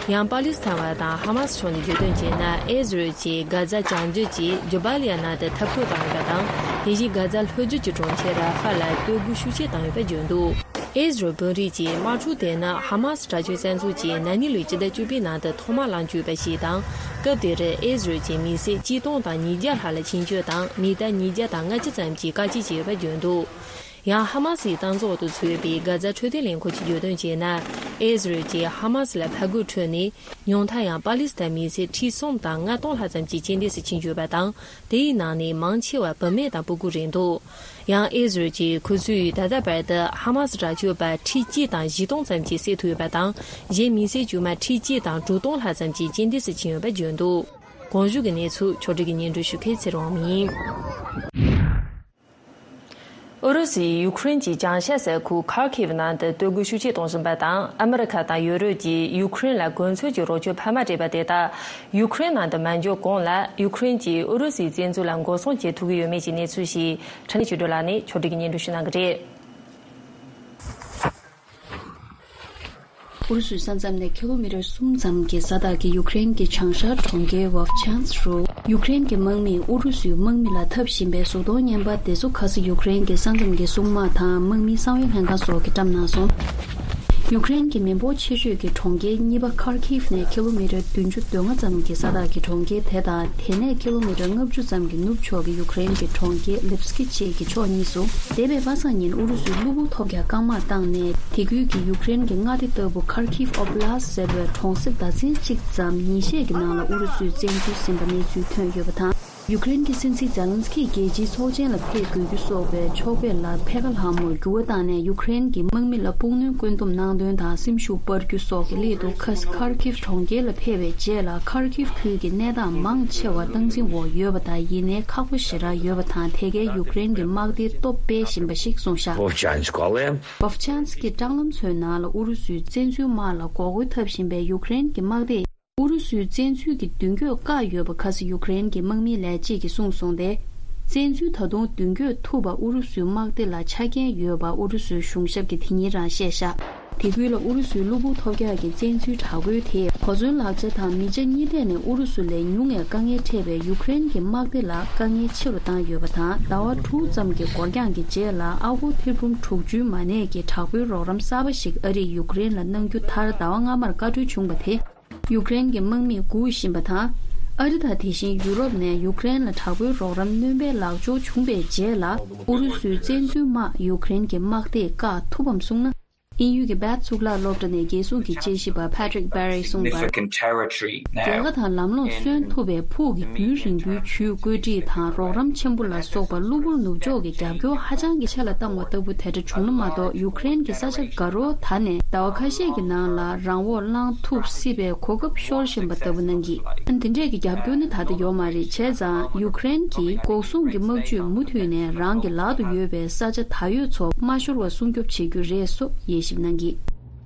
ཡང་པ་ལི་སི་ཐན་བ་དང་ཧ་མ་སི་ཕྱོགས་ནས་བརྗོད་དོན་བྱས་ན། ཨེ་ཟི་རལ་གྱིས་གྷ་ཛ་བྱང་རྒྱུད་ཀྱི་ཇོ་བྷ་ལི་ཡ་ནང་དུ་འཐབ་རྩོད་བཏང་ཡོད་པ་དང་། དེ་བཞིན་གྷ་ཛ་ལྷོ་རྒྱུད་ཀྱི་གྲོང་ཁྱེར་ར་ཧྥ་ལ་གཏོར་རྒོལ་ཤུགས་ཆེ་བཏང་ཡོད་པ་བརྗོད་འདུག་ཨི་ཟི་རལ་དཔོན་རིགས་ཀྱིས་དམག་འཁྲུག་དེ་ནི་ཧ་མ་སི་དྲག་སྤྱོད་བཙན་འཛུལ་གྱིས་ན་ནིང་ལོའི་སྤྱི་ཟླ་བཅུ་པའི་ནང་དུ་ཐོག་མར་ལངས་བཅུག་པ་ཞིག་དང་། སྐབས་དེར་ཨི་ཟི་རལ་གྱི་མི་སེར་གཅིག་སྟོང་དང་ཉིས་བརྒྱ་ལྷག་ལ་ཁྱིམ་སྤྱོད་དང་མི་ཐར་ཉིས་བརྒྱ་དང་ལྔ་བཅུ་ཙམ་གྱིས་བཀག་སྐྱིལ་བྱས་ཡོད་པ་བརྗོད་འདུག། ཡང་ཧ་མ་སིའི་གཏམ་བཟང་འོག་ཏུ་ཚུད་པའི་གྷ་ཛ་འཕྲོད་བསྟེན་ལས་ཁུངས་ཀྱིས་བརྗོད་དོན་བྱས་ན། ཨི་ཟི་རལ་གྱིས་ཧ་མ་སི་ལ་ཕར་རྒོལ་ཁྲོད་ནས་ཉུང་མཐར་ཡང་པ་ལི་སི་ཐན་མི་སེར་ཁྲི་གསུམ་དང་ལྔ་སྟོང་ལྷག་ཙམ་གྱི་རྐྱེན་འདས་སུ་ཕྱིན་ཡོད་པ་དང་། དེའི་ནང་ནས་མང་ཆེ་བ་བུད་མེད་དང་སྤུ་གུ་རེད་འདུག། ཡང་ཨི་ཟི་རལ་གྱིས་ཁོ་ཚོས་ད་ལྟ་བར་དུ་ཧ་མ་སི་དྲག་སྤྱོད་པ་ཁྲི་གཅིག་དང་བཞི་སྟོང་ཙམ་གྱིས་བསད་ཐུབ་ཡོད་པ་དང་། གཞན་མི་སེར་དཀྱུས་མ་ཁྲི་གཅིག་དང་དྲུག་སྟོང་ལྷག་ཙམ་གྱི་རྐྱེན་འདས་སུ་ཕྱིན་ཡོད་པ་བརྗོད་འདུག། གོང་ཞུས་ཀྱི་གནས་ཚུལ་ཕྱོགས་སྒྲིག་གིས་སྙན་སྒྲོན་ཞུ་མཁན་ཚེ་རིང་དབང་མོ་ཡིན། ཨུ་རུ་སུས་ཡུ་ཁུ་རེན་གྱི་བྱང་ཤར་ས་ཁུལ་ཁར་ཁིབ་ནང་དུ་སྟོད་སྒོ་ཤུགས་ཆེ་གཏོང་བཞིན་པ་དང་། ཨ་མི་རི་ཁ་དང་ཡུ་རོབ་ཀྱིས་ཡུ་ཁུ་རེན་ལ་གོ་མཚོན་གྱི་རོགས་སྐྱོར་འཕར་མ་སྤྲད་པ་དེ་དག་ཡུ་ཁུ་རེན་ནང་དུ་མ་འཇོག་གོང་ལ། ཡུ་ཁུ་རེན་གྱིས་ཨུ་རུ་སུའི་བཙན་འཛུལ་ལ་འགོག་སྲུང་བྱེད་ཐུབ་ཀྱི་ཡོད་མེད་ཀྱི་གནས་ཚུལ་ཞིག་ཕྲན་ནས་ཆོས་སྒྲོན་ལགས་ནས་ཕྱོགས་སྒྲིག་གིས་སྙན་སྒྲོན་ཞུ་གནང་གི་རེད། ཨུ་རུ་སུའི་ས་མཚམས་ནས་ཀི་ལོ་མི་ཊར་གསུམ་ཙམ་གྱི་ས་ཐག་གི་ཡུ་ཀེ་རེན་གྱི་བྱང་ཤར་གྲོང་ཁྱེར་ཝོབ་ཆན་སི་རུ། ཡུ་ཀེ་རེན་གྱི་དམག་མིས་ཨུ་རུ་སུའི་དམག་མི་ལ་འཐབ་བཞིན་པའི་གཟུགས་མཐོང་བརྙན་པར་དེ་ཚོ་ཁ་སང་ཡུ་ཀེ་རེན་གྱི་ས་མཚམས་ཀྱི་སྲུང་དམག་དང་དམག་མིའི་གསང་བའི་ལྷན་ཁང་སོགས་ཀྱིས་བཀྲམ་གནང་སོང་། ཡུ་ཀེ་རེན་གྱི་མི་འབོར་ཆེ་ཤོས་ཀྱི་གྲོང་ཁྱེར་གཉིས་པ་ཁར་ཁིབ་ནས་ཀི་ལོ་མི་ཊར་བདུན་ཅུ་དོན་ལྔ་ཙམ་གྱི་ས་ཐག་གི་གྲོང་ཁྱེར་དེ་དང་། དེ་ནས་ཀི་ལོ་མི་ཊར་ལྔ་བཅུ་ཙམ་གྱི་ནུབ་ཕྱོགས་ཀྱི་ཡུ་ཀེ་རེན་གྱི་གྲོང་ཁྱེར་ལིབ་སི་ཀི་བཅས་ཀྱི་ཕྱོགས་གཉིས་སུ། འདས་པའི་པ་སངས་ཉིན་ཨུ་རུ་སུས་གློ་བུར་ཐོལ་རྒྱག་རྐང་དམག་བཏང་ནས། དེ་ཁུལ་གྱི་ཡུ་ཀེ་རེན་གྱི་མངའ་སྡེ་ལྟ་བུ་ཁར་ཁིབ་ཨོབ་ལ་སི་ཟེར་བའི་གྲོང་གསེབ་ཟླ་ཚན་གཅིག་ཙམ་ཉིན་ཤས་ཀྱི་ནང་ལ་ཨུ་རུ་སུས་བཙན་འཛུལ་ཟིན་པ་གནས་ཚུལ་ཐོན་ཡོད་པ་དང་། ཡུ་ཀེ་རེན་གྱི་སྲིད་འཛིན་ཛེ་ལན་སི་ཀི་རྒྱལ་སྤྱིའི་ཚོགས་ཆེན་ལ་ཕེབས་དགོས་རྒྱུ་སོགས་པའི་ཕྱོགས་ཕེབས་ལ་ཕེ་ཁ་ལྷ་མོར་འགྱུར་བ་བཏང་ནས། ཡུ་ཀེ་རེན་གྱི་དམག་མི་ལ་སྤུངས་སྣོན་བཀོད་འདོམས་གནང་དོན་དང་སེམས་ཤུགས་སྤར་རྒྱུ་སོགས་ཀྱི་སླད་དུ། ཁ་སང་ཁར་ཁིབ་གྲོང་ཁྱེར་ལ་ཕེབས་པའི་རྗེས་ལ། ཁར་ཁིབ་ཁུལ་གྱི་གནས་སྟངས་མང་ཆེ་བ་སྟངས་འཛིན་འོག་ཡོད་པ་དང་། ཡིན་ནའི་ཁག་པོ་ཞེ་དྲག་ཡོད་པ་དང་། དེ་གའི་ཡུ་ཀེ་རེན་གྱི་དམག་སྡེའི་སྟོབས་སྤེལ་བཞིན་པ་ཞིག་གསུངས་བཞག། Vovchansk ཀྱི་སྲང་ལམ་ཚོའི་ནང་ལ་ཨུ་རུ་སུའི་བཙན་འཛུལ་དམག་ལ་འགོག་རྒོལ་འཐབ་བཞིན་པའི་ཡུ་ཀེ་རེན་གྱི་དམག་སྡེས། ཨུ་རུ་སུའི་བཙན་འཛུལ་གྱི་མདུན་སྐྱོད་བཀག་ཡོད་པ་ཁ་སང་ཡུ་ཀེ་རེན་གྱི་དམག་མིའི་ལས་བྱེད་ཀྱིས་གསུངས་སོང་སྟེ། བཙན་འཛུལ་ད་དུང་མདུན་སྐྱོད་ཐུབ་པ་ཨུ་རུ་སུའི་དམག་སྡེ་ལ་ཆ་རྐྱེན་ཡོད་པ་ཨུ་རུ་སུའི་གཞུང་ཞབས་ཀྱིས་དེ་ཉིན་རང་བཤད་བཞག། དེ་ཁུལ་ལ་ཨུ་རུ་སུའི་གློ་བུར་ཐོལ་རྒྱག་གི་བཙན་འཛུལ་དྲག་རྒོལ་དེས་གོ་མཚོན་ལག་ཆ་དང་མི་ཆ་གཉིས་ཐད་ནས་ཨུ་རུ་སུ་ལས་ཉུང་བའི་དཀའ་ངལ་འཕྲད་པའི་ཡུ་ཀེ་རེན་གྱི་དམག་སྡེ་ལ་དཀའ་ངལ་ཆེ་རུ་བཏང་ཡོད་པ་དང་། ཟླ་བ་དྲུག་ཙམ་གྱི་འགོར་འགྱངས་ཀྱི་རྗེས་ལ་ཨ་སྒོར་ཐེར་འབུམ་དྲུག་ཅུའི་མ་གནས་ཀྱི་དྲག་པོའི་རོགས་རམ་གསར་པ་ཞིག་ཨ་རིས་ཡུ་ཀེ་རེན་ལ་གནང་རྒྱུ་མཐར་ཟླ་བ་སྔ་མར་བཀའ་འཁྲོལ་བྱུང་བ་དེ། ཡུ་ཀེ་རེན་གྱི་དམག་མིས་སྒུག་བཞིན་པ་དང་། ཨ་རི་དང་དེ་བཞིན་ཡུ་རོབ་ནས་ཡུ་ཀེ་རེན་ལ་དྲག་པོའི་རོགས་རམ་སྣོན་པའི་ལག་འབྱོར་བྱུང་བའི་རྗེས་ལ། ཨུ་རུ་སུའི་བཙན་འཛུལ་དམག་ཡུ་ཀེ་རེན་གྱི་དམག་སྡེས་བཀག་ཐུབ་བམ་གསུངས་ན། དབྱིན་ཡུལ་གྱི་བྷད་གཙུག་ལག་སློབ་གྲྭ་ནས་རྒྱལ་སྲུང་གི་དཔྱད་ཞིབ་པ་Patrick Barry གསུངས་པར། Significant territory now. རྒྱལ་ཁ་དང་ལམ་ལྷོང་སོན་ཐུབ་པའི་ཕུགས་ཀྱི་རྒྱུན་རིང་པོའི་ཇུས་བཀོད་སྒྲིག་དང་རོགས་རམ་ཆེན་པོ་ལ་སོགས་པ་གློ་བུར་ནུབ་ཕྱོགས་ཀྱི་རྒྱབ་སྐྱོར་ཧ་ཅང་གི་ཆེ་ལ་བཏང་བ་ལྟ་བུ་དེ་འདྲ་བྱུང་ན་མ་གཏོགས། ཡུ་ཀེ་རེན་གྱི་ས་ཆ་དགའ་རོགས་དག་ནས་ཟླ་བ་ཁ་ཤས་ཀྱི་ནང་ལ་རང་དབང་བླངས་ཐུབ་སྲིད་པའི་གོ་སྐབས་ཤོར་བཞིན་པ་ལྟ་བུ་གནང་གིས། འདི་འདྲས་ཀྱི་རྒྱབ་སྐྱོར་ནི་ད་ལྟ་ཡོད་མ་རེད། བྱས་ཙང་ཡུ་ཀེ་རེན་གྱིས་འགོག་སྲུང་གི་དམག་ཇུས་མུ་མཐུད་ནས་རང་གི་ལག་ཏུ་ཡོད་པའི་ས་ཆ་ད་ཡོད་ཚོ་མ་ཤོར་བ་སྲུང་སྐྱོབ་བྱེད་རྒྱུ་རེད་སོགས་དབྱེ་ཞིབ་གནང་གིས།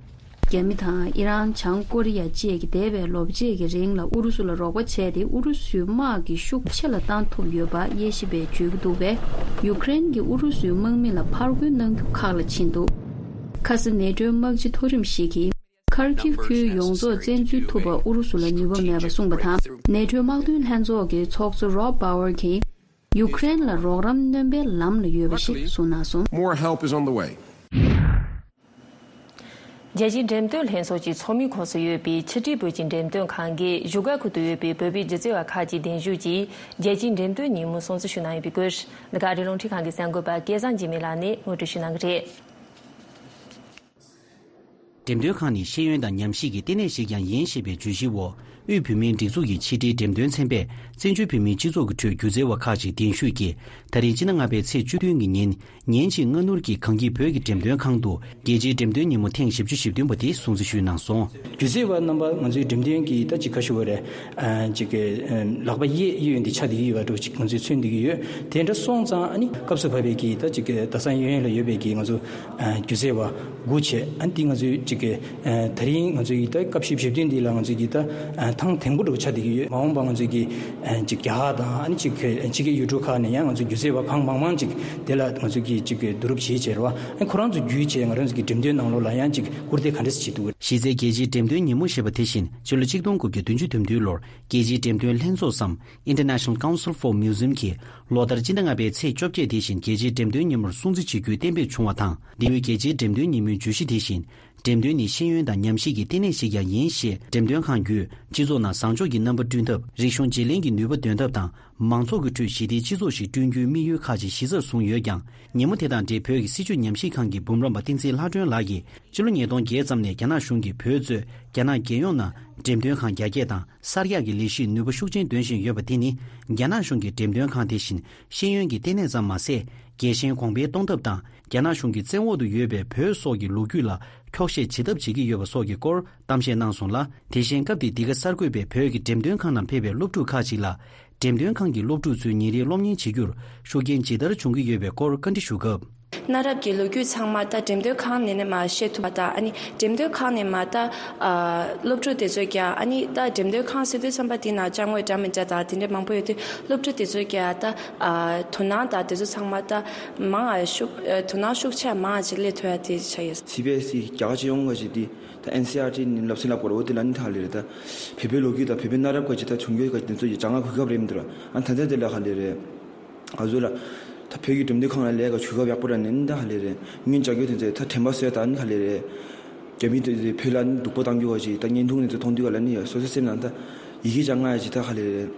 རྒྱ་མི་དང་ཨི་རན། བྱང་ཀོ་རི་ཡ་བཅས་ཀྱི་འདས་པའི་ལོ་ཕྱེད་ཀྱི་རིང་ལ་ཨུ་རུ་སུ་ལ་རོགས་པ་བྱས་ཏེ། ཨུ་རུ་སུའི་དམག་གི་ཤུགས་ཆེ་ལ་བཏང་ཐུབ་ཡོད་པ་དབྱེ་ཞིབ་པས་བརྗོད་ཀྱི་འདུག་པས། ཡུ་ཀེ་རེན་གྱིས་ཨུ་རུ་སུའི་དམག་མི་ལ་ཕར་རྒོལ་གནང་རྒྱུ་ཁག་ལ་ཕྱིན་འདུག། ཁ་སང་ནེ་ཊོའི་དམག་སྤྱི་མཐོ་རིམ་ཞིག་གིས། ཁར་ཁིབ་ཁུལ་ཡོངས་རྫོགས་བཙན་འཛུལ་ཐུབ་པར་ཨུ་རུ་སུ་ལ་ནུས་པ་མེད་པ་གསུངས་པ་དང་། ནེ་ཊོའི་དམག་དོན་ལྷན་ཚོགས་ཀྱི་ཚོགས་གཙོ་Rob Bauer གྱིས། ཡུ་ཀེ་རེན་ལ་རོགས་རམ་སྣོན་པའི་ལམ་ལ་ཡོད་པ་ཞིག་གསུངས་གནང་སོང་། More help is on the way. རྒྱལ་སྤྱིའི་འགྲེམས་སྟོན་ལྷན་ཚོགས་ཀྱི་ཚོགས་མིའི་ཁོངས་སུ་ཡོད་པའི་ཕྱི་དྲིལ་བོད་ཀྱི་འགྲེམས་སྟོན་ཁང་གིས་བཞུགས་སྒར་ཁུལ་དུ་ཡོད་པའི་བོད་པའི་སྒྱུ་རྩལ་བ་ཁག་ཅིག་གདན་ཞུས་ཀྱིས་རྒྱལ་སྤྱིའི་འགྲེམས་སྟོན་ཉིན་མོ་སྲུང་བརྩི་ཞུས་གནང་ཡོད་པའི་སྐོར། འདི་ག་ཨ་རིའི་རླུང་འཕྲིན་ཁང་གི་གསར་འགོད་པ་སྐལ་བཟང་འཇིགས་མེད་ལགས་ནས་ངོ་སྤྲོད་ཞུས་གནང་གི་རེད། འགྲེམས་སྟོན་ཁང་ནི་ཤེས་ཡོན་དང་ཉམས་ཞིབ་ཀྱི་ལྟེ་གནས་ཤིག་ཀྱང་ཡིན་ཞེས་པའི་བརྗོད་གཞིའི་འོག་དབུས་བོད་མིའི་སྒྲིག་འཛུགས་ཀྱི་ཕྱི་དྲིལ་འགྲེམས་སྟོན་ཚན་པས་བཙན་བྱོལ་བོད་མིའི་སྤྱི་ཚོགས་ཀྱི་ཁྲོད་སྒྱུ་རྩལ་བ་ཁག་ཅིག་གདན་ཞུས་ཀྱིས། ད་རིང་སྤྱི་ཟླ་ལྔ་པའི་ཚེས་བཅུ་བདུན་གྱི་ཉིན། ཉིན་གཅིག་སྔ་སྣུར་གྱིས་གངས་སྐྱིད་བོད་ཀྱི་འགྲེམས་སྟོན་ཁང་དུ་རྒྱལ་སྤྱིའི་འགྲེམས་སྟོན་ཉིན་མོ་ཐེངས་བཞི་བཅུ་ཞེ་བདུན་པ་དེ་སྲུང་བརྩི་ཞུས་གནང་སོང་། སྒྱུ་རྩལ་བ་རྣམ་པ་ང་ཚོའི་འགྲེམས་སྟོན་གྱི་ད་ཅིག་ག་ཞུ་བ་རེད། ཨ་ཅིག་གི་ཨ་ལག་པ་གཡས་གཡས་འདི་ཆ་དེ་ཡོད་པ་འདྲ་ཅིག་ང་ཚོས་མཚོན་བསྡད་ཀྱི་ཡོད། དེ་འདྲ་སོང་ཙང་ཨ་ནི་སྐབས་སུ་བབས་པའི་གི་ད་ཅིག་གི་ད་ས་ཡོན་ཡོན་ལ་ཡོད་པའི་གི་ང་ཚོ་ཨ་སྒྱུ་རྩལ་བ་དགུ་བྱས། ཨ་ནི་དེ་ང་ཚོའི་ཅིག་གི་ཨ་ད་རིང་ང་ཚོའི་ད་སྐབས་བཞི་བཅུ་ཞེ་བདུན་འདི་ལ་ང་ཚོའི་གི་ད་ཨ་ ཐང་དེང་པོ་འདྲ་བོ་ཆགས་བསྡད་ཀྱི་ཡོད། མ་འོངས་པ་ང་ཚོས་ཀྱི་ཨ་ཅིག་རྒྱ་གར་དང་ཨ་ནི་ཅིག་ཕྱི་རྒྱལ་ཡུལ་གྲུ་ཁག་ནས་ཡང་ང་ཚོ་སྒྱུ་རྩལ་བ་གང་མང་མང་ཅིག་དེ་ལ་ང་ཚོས་ཀྱི་ཅིག་བསྡུ་རུབ་བྱེད་བྱས་རེད་བ། ཨ་ཁོ་རང་ཚོ་བརྒྱུད་བྱས་ང་རང་ཚོ་གི་འགྲེམས་སྟོན་ནང་ལོགས་ལ་ཡང་ཅིག་སྐུར་འདེབས་ག་འདྲ་སེ་བྱེད་ཐུབ་ཀྱི་རེད། གཞི་རྩའི་རྒྱལ་སྤྱིའི་འགྲེམས་སྟོན་ཉིན་མོ་ཞེས་པ་དེ་བཞིན་ཕྱི་ལོ་ཆིག་སྟོང་དགུ་བརྒྱ་བདུན་ཅུ་དོན་བདུན་ལོར་རྒྱལ་སྤྱིའི་འགྲེམས་སྟོན་ལྷན་ཚོགས་སམ། International Council for Museum གྱིས་ལོ་ལྟར་སྤྱི་ཟླ་ལྔ་པའི་ཚེས་བཅོ་བརྒྱད་དེ་བཞིན་རྒྱལ་སྤྱིའི་འགྲེམས་སྟོན་ཉིན་མོར་སྲུང་བརྩི་བྱེད་རྒྱུའི་གཏན་འབེབས་བྱུང་བ་དང་། འདི་ལོའི་རྒྱལ་སྤྱིའི་འགྲེམས་སྟོན་ཉིན་མོའི་བརྗོད་གཞི་དེ་བཞིན། འགྲེམས་སྟོན་ནི་ཤེས་ཡོན་དང་ཉམས་ཞིབ་ཀྱི་ལྟེ་གནས་ཤིག་ཀྱང་ཡིན་ཞེས་འགྲེམས་སྟོན་ཁང་བརྒྱུད་སྤྱི་ཚོགས་ནང་བཟང་ཕྱོགས་ཀྱི་རྣམ་པ་བསྐྲུན་ཐབས། རིག་གཞུང་བརྗེ་ལེན་གྱི་ནུས་པ་འདོན་ཐབས་དང་། མང་ཚོགས་ཀྱི་ཁྲོད་ཞི་བདེའི་སྤྱི་ཚོགས་ཤིག་བསྐྲུན་རྒྱུའི་དམིགས་ཡུལ་ཁག་ཅིག་གཞི་རྩར་བཟུང་ཡོད་ཀྱང་། ཉིན་མོ་དེ་དང་འབྲེལ་བོད་ཀྱི་སྲིད་བྱུས་ཉམས་ཞིབ་ཁང་གི་འབུམ་རམས་པ་བསྟན་འཛིན་ལྷ་སྒྲོན་ལགས་ཀྱིས། ཕྱི་ལོ་ཉིས་སྟོང་བརྒྱད་ཙམ་ནས་རྒྱ་ནག་གཞུང་གིས་བོད་གཙོས་རྒྱ་ནག་རྒྱལ་ཡོངས་ནང་འགྲེམས་སྟོན་ཁང་རྒྱ་སྐྱེད་དང་གསར་རྒྱག་གི་ལས་གཞིས་ནུས་པ་ཤུགས་ཆེན་འདོན་བཞིན་ཡོད་པ་དེ་ནི། རྒྱ་ནག་གཞུང་གིས་འགྲེམས་སྟོན་ཁང་དེ་བཞིན་ཤེས་ཡོན་གྱི་ལྟེ་གནས་ཙམ་མ་ཟད། རྒྱལ་ཞེན་གོང་འཕེལ་གཏོང་ཐབས་དང་། རྒྱ་ནག་གཞུང་གི་བཙན་འོག་ཏུ་ཡོད་པའི་བོད་སོགས་ཀྱི་ལོ་རྒྱུས་ལ་འཁྱོག་བཤད་བྱེད་ཐབས་བྱེད་ཀྱི་ཡོད་པ་སོགས་ཀྱི་སྐོར་གཏམ་བཤད་གནང་སོང་ལ། དེ་བཞིན་སྐབས་དེའི་འདི་ག་གསར་འགོད་པས་བོད་ཀྱི་འགྲེམས་སྟོན་ཁང་ནང་ཕེབས་པའི་སློབ་ཕྲུག་ཁག་ཅིག་ལ། འགྲེམས་སྟོན་ཁང་གི་སློབ་ཕྲུག་ཚོའི་ཉིན་རེའི་སློབ་གཉེར་བྱེད་རྒྱུར་ཤུགས་རྐྱེན་ཇི་ལྟར་བྱུང་གི་ཡོད་པའི་སྐོར་བཀའ་འདྲི་ཞུ་སྐབས། གནའ་རབས་ཀྱི་ལོ་རྒྱུས་ཚང་མ་ད་འགྲེམས་སྟོན་ཁང་ནས་ནས་མར་ཤེས་ཐུབ་པ་དང་། ཨ་ནི་འགྲེམས་སྟོན་ཁང་ནས་མར་ད་ཨ་སློབ་ཕྲུག་དེ་ཚོས་ཀྱང་། ཨ་ནི་ད་འགྲེམས་སྟོན་ཁང་ཟེར་དུས་ཙམ་པ་དེ་ནང་ཅ་དངོས་འདྲ་མི་འདྲ་དང་དེ་འདྲ་མང་པོ་ཡོད་དུས། སློབ་ཕྲུག་དེ་ཚོས་ཀྱང་ད་ཨ་དོ་སྣང་དང་དེ་ཚོ་ཚང་མ་ད་མང་ང་ཤུགས་ཨ་དོ་སྣང་ཤུགས་ཆེ་མང་ང་ཅིག་སླེབས་ཐུབ་ཡ་དེ་ཆགས་ཡོད། སི་བི་ཨེས་ཨི་རྒྱ་གར་སྤྱི་ཡོངས་ཀྱི་དེ་ད་ཨེན་སི་ཨར་ཊི་ནི་ལབ་སེ་ལབ་དགོས་རེད། འོ་དེ་ལ་ནི་ད་ལེ་རེད། ད་བོད་པའི་ལོ་རྒྱུས་དང་བོད་པའི་གནའ་རབས་ཀྱི་ད་བྱུང་རྒྱུ་ག་དེ་ཚོ་ཡི་ཅ་ལག་གོ་སྐབས་རེད་མི་འདུག་ར། ཨ་ད་ལྟ་དེ་ལ་ག་ལེ་རེད། ང་ཚོ་ལ་ད་བོད་ཀྱི་འགྲེམས་སྟོན་ཁང་ལ་ལས་ཀ་གོ་སྐབས་ཡག་པོ་ར་ནི་ད་ལེ་རེད། སྔོན་ཅ་རྒྱུ་དེ་ཚོ་ད་དྲན་པ་གསོས་ད་ནི་ག་ལེ་རེད། རྒྱ་མི་དེ་ཚོས་བོད་ལ་ནི་སྡུག་པོ་བཏང་རྒྱུ་བ་ཞིག་ད་བརྙན་ཐུང་ནི་ཚོ་མཐོང་དུས་ག་ལ་ནི་སོ་སོའི་སེམས་ནང་ད་ཡི་གེ་ཅང་ང་ཡ་ཅིག་ད་ག་ལེ་རེད།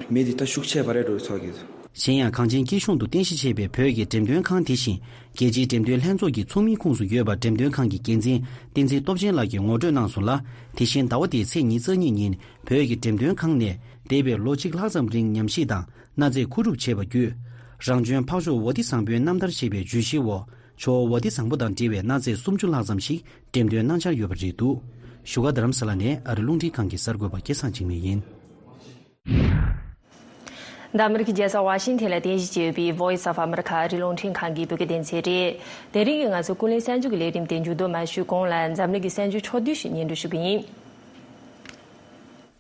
མེད་དེ་ད་ཤུགས་ཆེ་བ་རེད་འགྲོ་ཚོགས་ཀྱི། གཞན་ཡང་གངས་ཅན་སྐྱིད་གཤོངས་དུ་རྟེན་གཞི་བྱས་པའི་བོད་ཀྱི་འགྲེམས་སྟོན་ཁང་དེ་བཞིན་རྒྱལ་སྤྱིའི་འགྲེམས་སྟོན་ལྷན་ཚོགས་ཀྱི་ཚོགས་མིའི་ཁོངས་སུ་ཡོད་པ་འགྲེམས་སྟོན་ཁང་གི་འགན་འཛིན་བསྟན་འཛིན་སྟོབས་ཆེན་ལགས་ཀྱིས་ངོ་སྤྲོད་གནང་སོང་ལ། དེ་བཞིན་ཟླ་བ་འདིའི་ཚེས་ཉི་ཤུ་རྩ་གཉིས་ཉིན་བོད་ཀྱི་འགྲེམས་སྟོན་ཁང་ནས་འདས་པའི་ལོ་གཅིག་ལྷག་ཙམ་རིང་ཉམས་ཞིབ་དང་གནའ་རྫས་མཁོ་སྒྲུབ་བྱས་པ་བརྒྱུད། རང་བྱོན་འཕགས་མཆོག་ཝ་ཏི་བཟང་པོའི་རྣམ་ཐར་ཞེས་པའི་བརྗོད་གཞིའི་འོག་ཇོ་བོ་ཝ་ཏི་བཟང་པོ་དང་འབྲེལ་བའི་གནའ་རྫས་སུམ་ཅུ་ལྷག་ཙམ་ཞིག་འགྲེམས་སྟོན་གནང་འཆར་ཡོད་པ་རེད་འདུག་བཞུགས་སྒར་རྡ་རམ་ས་ལ་ནས་ཨ་རི་རླུང་འཕྲིན་ཁང་གི་གསར་འགོད་པ་སྐལ་བཟང་འཇིགས་མེད་ཡིན། འདི་ཨ་མི་རི་ཀའི་རྒྱལ་ས་ཝ་ཤིང་ཐན་ལ་རྟེན་གཞི་བྱས་ཡོད་པའི་Voice of America ཨ་རིའི་རླུང་འཕྲིན་ཁང་གི་བོད་སྐད་སྡེ་ཚན་རེད། དེ་རིང་གི་ང་ཚོའི་ཀུན་གླེང་གསར་འགྱུར་གྱི་ལས་རིམ་དེ་མཇུག་བསྡོམས་མ་ཞུས་གོང་ལ་འཛམ་གླིང་གི་གསར་འགྱུར་ཕྱོགས་བསྡུས་ཤིག་སྙན་སྒྲོན་ཞུ་གི་ཡིན།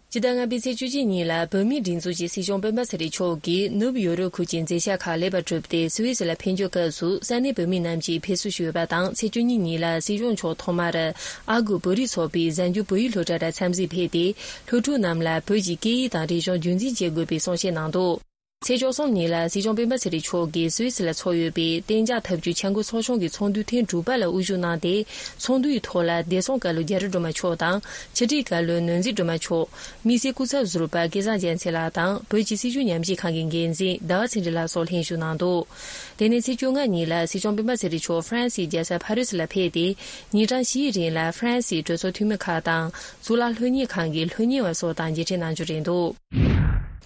སྤྱི་ཟླ་ལྔ་པའི་ཚེས་བཅུ་གཅིག་ཉིན་ལ་བོད་མིའི་སྒྲིག་འཛུགས་ཀྱི་སྲིད་སྐྱོང་སྤེན་པ་ཚེ་རིང་མཆོག་གིས་ནུབ་ཡོ་རོབ་ཁུལ་གྱི་མཛད་འཆར་ཁག་ལེགས་པར་གྲུབ་སྟེ་སུད་སི་ལ་ཕེབས་འབྱོར་སྐབས་སུ་ས་གནས་བོད་མི་རྣམས་ཀྱིས་ཕེབས་བསུ་ཞུས་ཡོད་པ་དང་། ཚེས་བཅུ་གཉིས་ཉིན་ལ་སྲིད་སྐྱོང་མཆོག་ཐོག་མར་ཨ་སྒོར་བོད་རིགས་ཚོགས་པའི་གཟའ་མཇུག་བོད་ཡིག་སློབ་གྲྭ་ལ་འཚམས་གཟིགས་ཕེབས་ཏེ། སློབ་ཕྲུག་རྣམས་ལ་བོད་ཀྱི་སྐད་ཡིག་དང་རིག་གཞུང་རྒྱུན་འཛིན་བྱེད་དགོས་པའི་གསུང་བཤད་གནང་འདུག་ཚེས་བཅུ་གསུམ་ཉིན་ལ་སྲིད་སྐྱོང་སྤེན་པ་ཚེ་རིང་མཆོག་གིས་སུད་སི་ལ་ཚོགས་ཡོད་པའི་གཏན་འཇགས་ཐབས་ཇུས་འཆར་འགོད་ཚོགས་ཆུང་གི་ཚོགས་འདུ་ཐེངས་དྲུག་པ་ལ་དབུ་བཞུགས་གནང་སྟེ། ཚོགས་འདུ་ཡི་ཐོག་ལ་བདེ་སྲུང་བཀའ་བློན་རྒྱ་རི་སྒྲོལ་མ་མཆོག་དང་། ཕྱི་དྲིལ་བཀའ་བློན་ནོར་འཛིན་སྒྲོལ་མ་མཆོག་དམིགས་བསལ་སྐུ་ཚབ་ཟུར་པ་སྐལ་བཟང་རྒྱལ་མཚན་ལགས་དང་། བོད་ཀྱི་སྲིད་བྱུས་ཉམས་ཞིབ་ཁང་གི་འགན་འཛིན་ཟླ་བ་ཚེ་རིང་ལགས་སོགས་ལྷན་ཞུགས་གནང་འདུག་དེ་ནས་ཚེས་བཅོ་ལྔ་ཉིན་ལ་སྲིད་སྐྱོང་སྤེན་པ་ཚེ་རིང་མཆོག་ཧྥ་རན་སིའི་རྒྱལ་ས་ཕ་རི་སི་ལ་ཕེབས་ཏེ། ཉིན་གྲངས་བཞིའི་རིང་ལ་ཧྥ་རན་སིའི་གྲོས་ཚོགས་འཐུས་མི་ཁག་དང་། གཙུག་ལག་སློབ་གཉེར་ཁང་གི་སློབ་གཉེར་བ་སོགས་དང་མཇལ་འཕྲད་གནང་རྒྱུ་རེད་འདུག་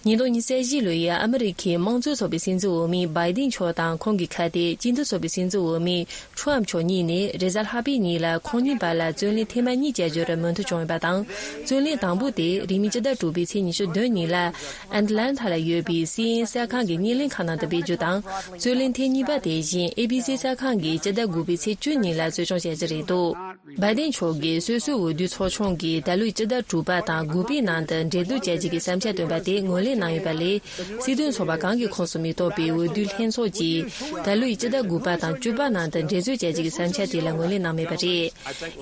ཉིས་སྟོང་ཉི་ཤུ་རྩ་བཞི་ལོའི་ཨ་མི་རི་ཁའི་དམངས་གཙོའི་ཚོགས་པའི་སྲིད་འཛིན་འོས་མི་བྷའི་ཏིན་མཆོག་དང་ཁོང་གི་ཁ་གཏད་སྤྱི་མཐུན་ཚོགས་པའི་སྲིད་འཛིན་འོས་མི་ཁྲོམ་མཆོག་གཉིས་ནས་རེས་གཟའ་ལྷག་པའི་ཉིན་ལ་ཁོང་གཉིས་བར་ལ་རྩོད་གླེང་ཐེངས་མ་གཉིས་བྱ་རྒྱུར་མོས་མཐུན་བྱུང་ཡོད་པ་དང་། རྩོད་གླེང་དང་པོ་དེ་རིང་མིན་སྤྱི་ཟླ་དྲུག་པའི་ཚེས་ཉི་ཤུ་བདུན་ཉིན་ལ་ཨེ་ཏི་ལན་ཐ་ལ་ཡོད་པའི་སི་ཨེན་ཨེན་གསར་ཁང་གི་བརྙན་ལེན་ཁང་ནང་དུ་སྤེལ་རྒྱུ་དང་། རྩོད་གླེང་ཐེངས་གཉིས་པ་དེ་བཞིན་ཨེ་བྷི་སི་གསར་ཁང་གིས་སྤྱི་ཟླ་དགུ་པའི་ཚེས་བཅུ་ཉིན་ལ་རྩོལ་བཅོམ་བྱ་རྒྱུ་རེད་འདུག་བྷའི་ཏིན་མཆོག་གིས་སོ་སོའི་འོས་བསྡུའི་ཚོགས་ཆུང་གིས་ད་ལོའི་སྤྱི་ཟླ་དྲུག་པ་དང་དགུ་པའི་ནང་དུ་འབྲེལ་གཏུག་བྱ་རྒྱུ་གི་བསམ་འཆར་བཏོན་པ་དེ་ངོས་ལེན་གནང་ཡོད་པ་ལས། སྲིད་དོན་ཚོགས་པ་གང་གི་ཁོངས་སུ་མི་གཏོགས་པའི་འོས་བསྡུ་ལྷན་ཚོགས་ཀྱིས་ད་ལོའི་སྤྱི་ཟླ་དགུ་པ་དང་བཅུ་པ་ནང་དུ་འབྲེལ་གཏུག་བྱ་རྒྱུ་གི་བསམ་འཆར་དེ་ལ་ངོས་ལེན་གནང་མེད་པ་རེད།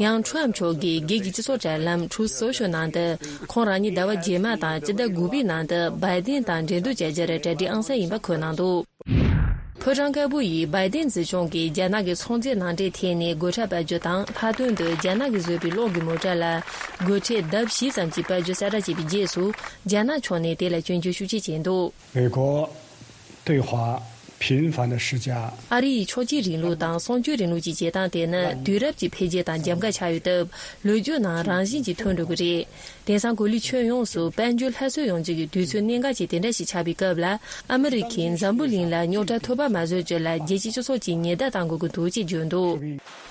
ཡང་ཁྲོམ་མཆོག་གིས་སྒེར་གྱི་སྤྱི་ཚོགས་དྲ་ལམ་Truth Social ནང་དུ་ཁོང་རང་ཉིད་ཟླ་བ་རྗེས་མ་དང་སྤྱི་ཟླ་དགུ་པའི་ནང་དུ་བྷའི་ཏིན་དང་འབྲེལ་གཏུག་བྱ་རྒྱུར་གྲ་སྒྲིག་ཨང་གསར་ཡིན་པ་འཁོད་གནང་འདུག་ཕོ་བྲང་དཀར་པོ་ཡིས་བྷའི་ཏིན་སྲིད་སྐྱོང་གིས་རྒྱ་ནག་གི་ཚོང་རྫས་ནང་འདྲེན་ཐད་ནས་སྒོ་ཁྲལ་སྤར་རྒྱུ་དང་། ལྷག་དོན་དུ་རྒྱ་ནག་གིས་བཟོས་པའི་གློག་གི་མོ་ཊ་ལ་སྒོ་ཁྲལ་ལྡབ་བཞི་ཙམ་གྱིས་སྤར་རྒྱུ་གསལ་བསྒྲགས་བྱས་པའི་རྗེས་སུ། རྒྱ་ནག་ཕྱོགས་ནས་དེ་ལ་སྐྱོན་བརྗོད་ཤུགས་ཆེ་བྱས་འདུག 美国对华频繁的施加。 ཨ་རི་ཡི་ཆོག་མཆན་རིང་ལུགས་དང་གསང་སྤྱོད་རིང་ལུགས་ཀྱི་བྱེད་སྟངས་དེ་ནི་དུས་རབས་ཀྱི་འཕེལ་རྒྱས་དང་འཇམ་དཀའ་ཆགས་ཡོད་སྟབས། ལོ་རྒྱུས་ནང་རང་བཞིན་གྱིས་ཐོན་འགྲོ་གི་རེད། དེང་སང་གོ་ལའི་ཁྱོན་ཡོངས་སུ་དཔལ་འབྱོར་སླར་གསོ་ཡོང་རྒྱུ་གི་དུས་ཚོད་གནད་འགག་ཅིག་དེ་འདྲ་ཞིག་ཆགས་པའི་སྐབས་ལ། ཨ་མི་རི་ཁས་འཛམ་བུ་གླིང་ལ་རྙོག་དྲ་ཐོལ་པ་མ་བཟོ་རྒྱུ་ལ་རྒྱལ་སྤྱིའི་སྤྱི་ཚོགས་ཀྱིས་ཉེན་བརྡ་གཏང་དགོས་ཀྱི་འདུག་ཅེས་བརྗོད་འདུག་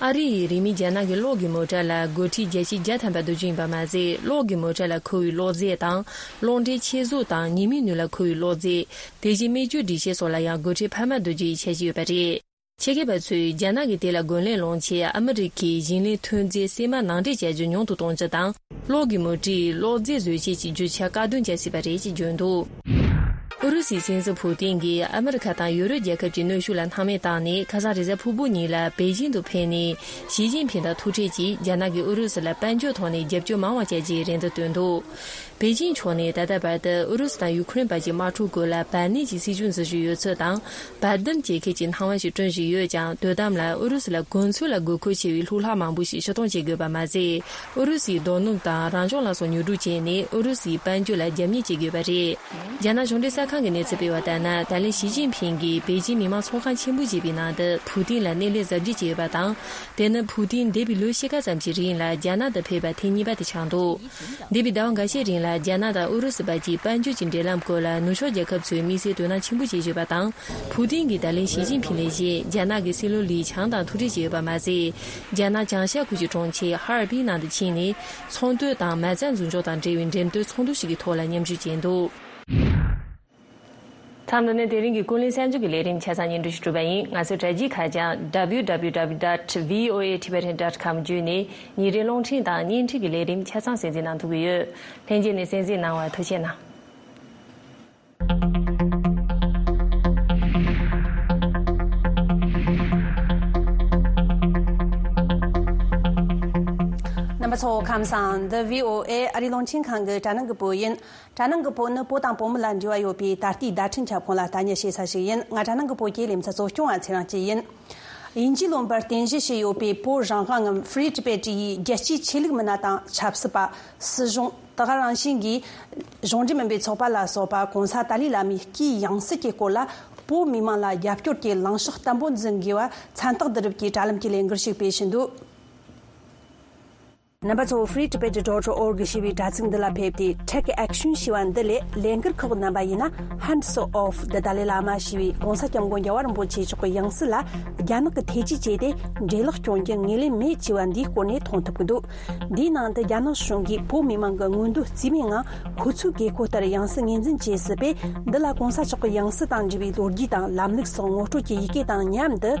ཨ་རི་ཡིས་རིང་མིན་རྒྱ་ནག་གི་གློག་གི་མོ་ཊ་ལ་སྒོ་ཁྲལ་བརྒྱ་ཆ་བརྒྱ་ཐམ་པ་བསྡུ་རྒྱུ་ཡིན་པ་མ་ཟད། གློག་གི་མོ་ཊ་ལ་འཁོར་བའི་གློག་རྫས་དང་། གློག་འདྲེན་ཆེད་གཟུགས་དང་ཉི་མའི་ནུས་ལ་འཁོར་བའི་གློག་རྫས། དེ་བཞིན་སྨན་བཅོས་སྒྲིག་ཆས་སོགས་ལ་ཡང་སྒོ་ཁྲལ་འཕར་མ་བསྡུ་རྒྱུ་ཡི་འཆར་གཞི་ཡོད་པ་རེད། ཆེད་མཁས་པ་ཚོས་རྒྱ་ནག་གིས་དེ་ལ་རྒོལ་ལན་སློང་ཆེད་ཨ་མི་རི་ཀའི་ཞིང་ལས་ཐོན་རྫས་སྲན་མ་ནང་འདྲེན་བྱ་རྒྱུ་ཉུང་དུ་གཏོང་རྒྱུ་དང་། གློག་གི་མུ་ཏིག་གློག་རྫས་བཟོ་བྱེད་ཀྱི་རྒྱུ་ཆ་བཀག་སྡོམ་བྱ་སྲིད་པ་རེད་ཅེས་བརྗོད་འདུག་ཨུ་རུ་སུའི་སྲིད་འཛིན་ཕུ་ཏིན་གྱིས་ཨ་མི་རི་ཁ་དང་ཡུ་རོབ་རྒྱལ་ཁབ་ཀྱི་གནོན་ཤུགས་ལ་སྣང་མེད་བཏང་ནས། ཁ་སང་རེས་གཟའ་ཕུར་བུ་ཉིན་ལ་པེ་ཅིང་དུ་ཕེབས་ནས། ཞི་ཅིན་ཕིང་དང་ཐུག་འཕྲད་ཀྱིས་རྒྱ་ནག་གིས་ཨུ་རུ་སུ་ལ་དཔལ་འབྱོར་ཐོག་ནས་རྒྱབ་སྐྱོར་མང་བ་བྱ་རྒྱུའི་རེ་འདུན་བཏོན་འདུག་པེ་ཅིང་ཕྱོགས་ནས་ད་ལྟ་བར་དུ་ཨུ་རུ་སུ་དང་ཡུ་ཁུ་རེན་བར་གྱི་དམག་འཁྲུག་སྐོར་ལ་བར་གནས་ཀྱི་སྲིད་ཇུས་འཛིན་བཞིན་ཡོད་ཚུལ་དང་། བར་འདུམ་བྱེད་མཁན་གྱི་སྣང་བ་ཞིག་བསྐྲུན་བཞིན་ཡོད་ཀྱང་། དོ་དམ་ལ་ཨུ་རུ་སུ་ལ་གོ་མཚོན་ལ་དགོས་མཁོ་ཆེ་བའི་ལྷུག་ལྷག་མང་པོ་ཞིག་ཕྱིར་གཏོང་བྱེད་དགོས་པ་མ་ཟད། ཨུ་རུ་སུའི་རྡོ་སྣུམ་དང་རང་བྱུང་ལ་སོགས་ཉོ་སྒྲུག་བྱས་ནས་ཨུ་རུ་སུའི་དཔལ་འབྱོར་ལ་རྒྱབ་གཉེར་བྱེད་དགོས་པ་རེད། རྒྱ་ནག་གཞུང་འབྲེལ་གསར་ཁང་གིས་གནས་ཚུལ་སྤེལ་བ་ལྟར་ན། ད་ལན་ཞི་ཅིན་ཕིང་གིས་པེ་ཅིང་མི་དམངས་ཚོགས་ཁང་ཆེན་པོར་བཞེས་པའི་ནང་དུ་ཕུ་ཏིན་ལ་སྣེ་ལེན་གཟབ་རྒྱས་བྱས་ཡོད་པ་དང་། དེ་ནི་ཕུ་ཏིན་འདས་པའི་ལོ་ཕྱེད་ཀ་ཙམ་གྱི་རིང་ལ་རྒྱ་ནག་ཏུ་ཕེབས་པ་ཐེངས་གཉིས་པ་དེ་ཆགས་འདུག་འདས་པའི་ཟླ་བ་འགའ་ཤས་རིང་ལ་རྒྱ་ནག་དང་ཨུ་རུ་སུ་བར་གྱི་དཔལ་འབྱོར་གྱི་འབྲེལ་ལམ་སྐོར་ལ་ནུབ་ཕྱོགས་རྒྱལ་ཁབ་ཚོས་དམིགས་བསལ་དོ་སྣང་ཆེན་པོ་བྱེད་བཞིན་པ་དང་། ཕུ་ཏིན་གྱིས་ད་ལན་ཞི་ཅིན་ཕིང་ལས་བཞིན་རྒྱ་ནག་གི་སྲིད་བློན་ལི་ཆང་དང་ཐུག་འཕྲད་བྱས་ཡོད་པ་མ་ཟད། རྒྱ་ནག་བྱང་ཤར་ཁུལ་གྱི་གྲོང་ཁྱེར་ཧ་ཨར་པིན་ནང་དུ་ཕྱིན་ནས། ཚོང་དོན་དང་མ་རྩ་འཛུགས་འཇོག་དང་འབྲེལ་བའི་འགྲེམས་སྟོན་ཚོགས་འདུ་ཞིག་གི་ཐོག་ལ་མཉམ་ཞུགས་བྱས་འདུག་མཚམས་འདི་ནས་དེ་རིང་གི་ཀུན་གླེང་གསར་འགྱུར་གྱི་ལས་རིམ་ཆ་ཚང་སྙན་སྒྲོན་ཞུ་གྲུབ་པ་ཡིན། ང་ཚོའི་དྲ་རྒྱའི་ཁ་བྱང་W W W dot V O A Tibetan dot com བརྒྱུད་ནས་ཉིན་རེའི་རླུང་འཕྲིན་དང་བརྙན་འཕྲིན་གྱི་ལས་རིམ་ཆ་ཚང་གསན་གཟིགས་གནང་ཐུབ་ཀྱི་ཡོད། ལྷན་རྒྱས་ནས་གསན་གཟིགས་གནང་བར་ཐུགས་རྗེ་གནང་། རྣམ་པ་ཚོ་ཁམས་བཟང་། འདི་V O A ཨ་རིའི་རླུང་འཕྲིན་ཁང་གི་དྲ་ནང་གི་བོད་ཡིན། དྲ་ནང་གི་བོད་ནི་བོད་དང་བོད་མི་ལ་འབྲེལ་བ་ཡོད་པའི་ད་ལྟའི་བརྡ་འཕྲིན་ཁྱབ་ཁོངས་ལ་ལྟ་ཉན་བྱེད་ས་ཞིག་ཡིན། ང་དྲ་ནང་གི་བོད་ཀྱི་ལེ་ཚན་གཙོ་སྐྱོང་བ་ཚེ་རིང་སྐྱིད་ཡིན། དབྱིན་ཇིའི་ལུང་པར་རྟེན་གཞི་བྱས་ཡོད་པའི་བོད་རང་དབང་ངམ་Free Tibet ཡི་རྒྱལ་སྤྱིའི་ཆོས་ལུགས་མི་སྣ་དང་ཆབ་སྲིད་པ། སྲིད་གཞུང་། དེ་ག་རང་བཞིན་གྱི་གཞུང་འབྲེལ་མིན་པའི་ཚོགས་པ་ལ་སོགས་པ་༸གོང་ས་ཏཱ་ལའི་བླ་མའི་སྐུའི་ཡང་སྲིད་ཀྱི་སྐོར་ལ་བོད་མི་མང་ལ་རྒྱབ་སྐྱོར་གྱི་ལངས་ཕྱོགས་བརྟན་པོ་འཛིན་དགོས་པ་མཚན་རྟགས་བསྡུ་རུབ་ཀྱི་དྲ་ལམ་གྱི་ལས་འགུལ་ཞིག་སྤེལ་བཞིན་འདུག་རྣམ་པ་ཚོ་Free Tibet dot org ཞེས་པའི་དྲ་ཚིགས་འདི་ལ་ཕེབས་ཏེ། Take Action ཞེས་པ་འདི་ལས་ལས་འགུལ་ཁག་རྣམ་པ་ཡིན་ན། Hands Off the Dalai Lama ཞེས་པའི་༸གོང་ས་༸སྐྱབས་མགོན་རྒྱལ་བ་རིན་པོ་ཆེ་མཆོག་གི་ཡང་སྲིད་ལ་རྒྱ་ནག་གིས་ཐེ་ཇུས་བྱས་ཏེ་འབྲས་ལོག་སྐྱོན་རྒྱུ་ངོས་ལེན་མེད་ཅེས་པ་འདིའི་སྐོར་ནས་མཐོང་ཐུབ་ཀྱི་འདུག་འདིའི་ནང་དུ་རྒྱ་ནག་གཞུང་གིས་བོད་མི་མང་གི་མངོན་འདོད་རྩིས་མེད་ངང་ཁོ་ཚོའི་དགོས་མཁོ་ལྟར་ཡང་སྲིད་ངོས་འཛིན་བྱེད་སྲིད་པས། འདི་ལ་༸གོང་ས་མཆོག་གི་ཡང་སྲིད་དང་འབྲེལ་བའི་ལོ་རྒྱུས་དང་ལམ་ལུགས་སོགས་ངོ་སྤྲོད་ཀྱི་ཡི་གེ་དང་མཉམ་དུ།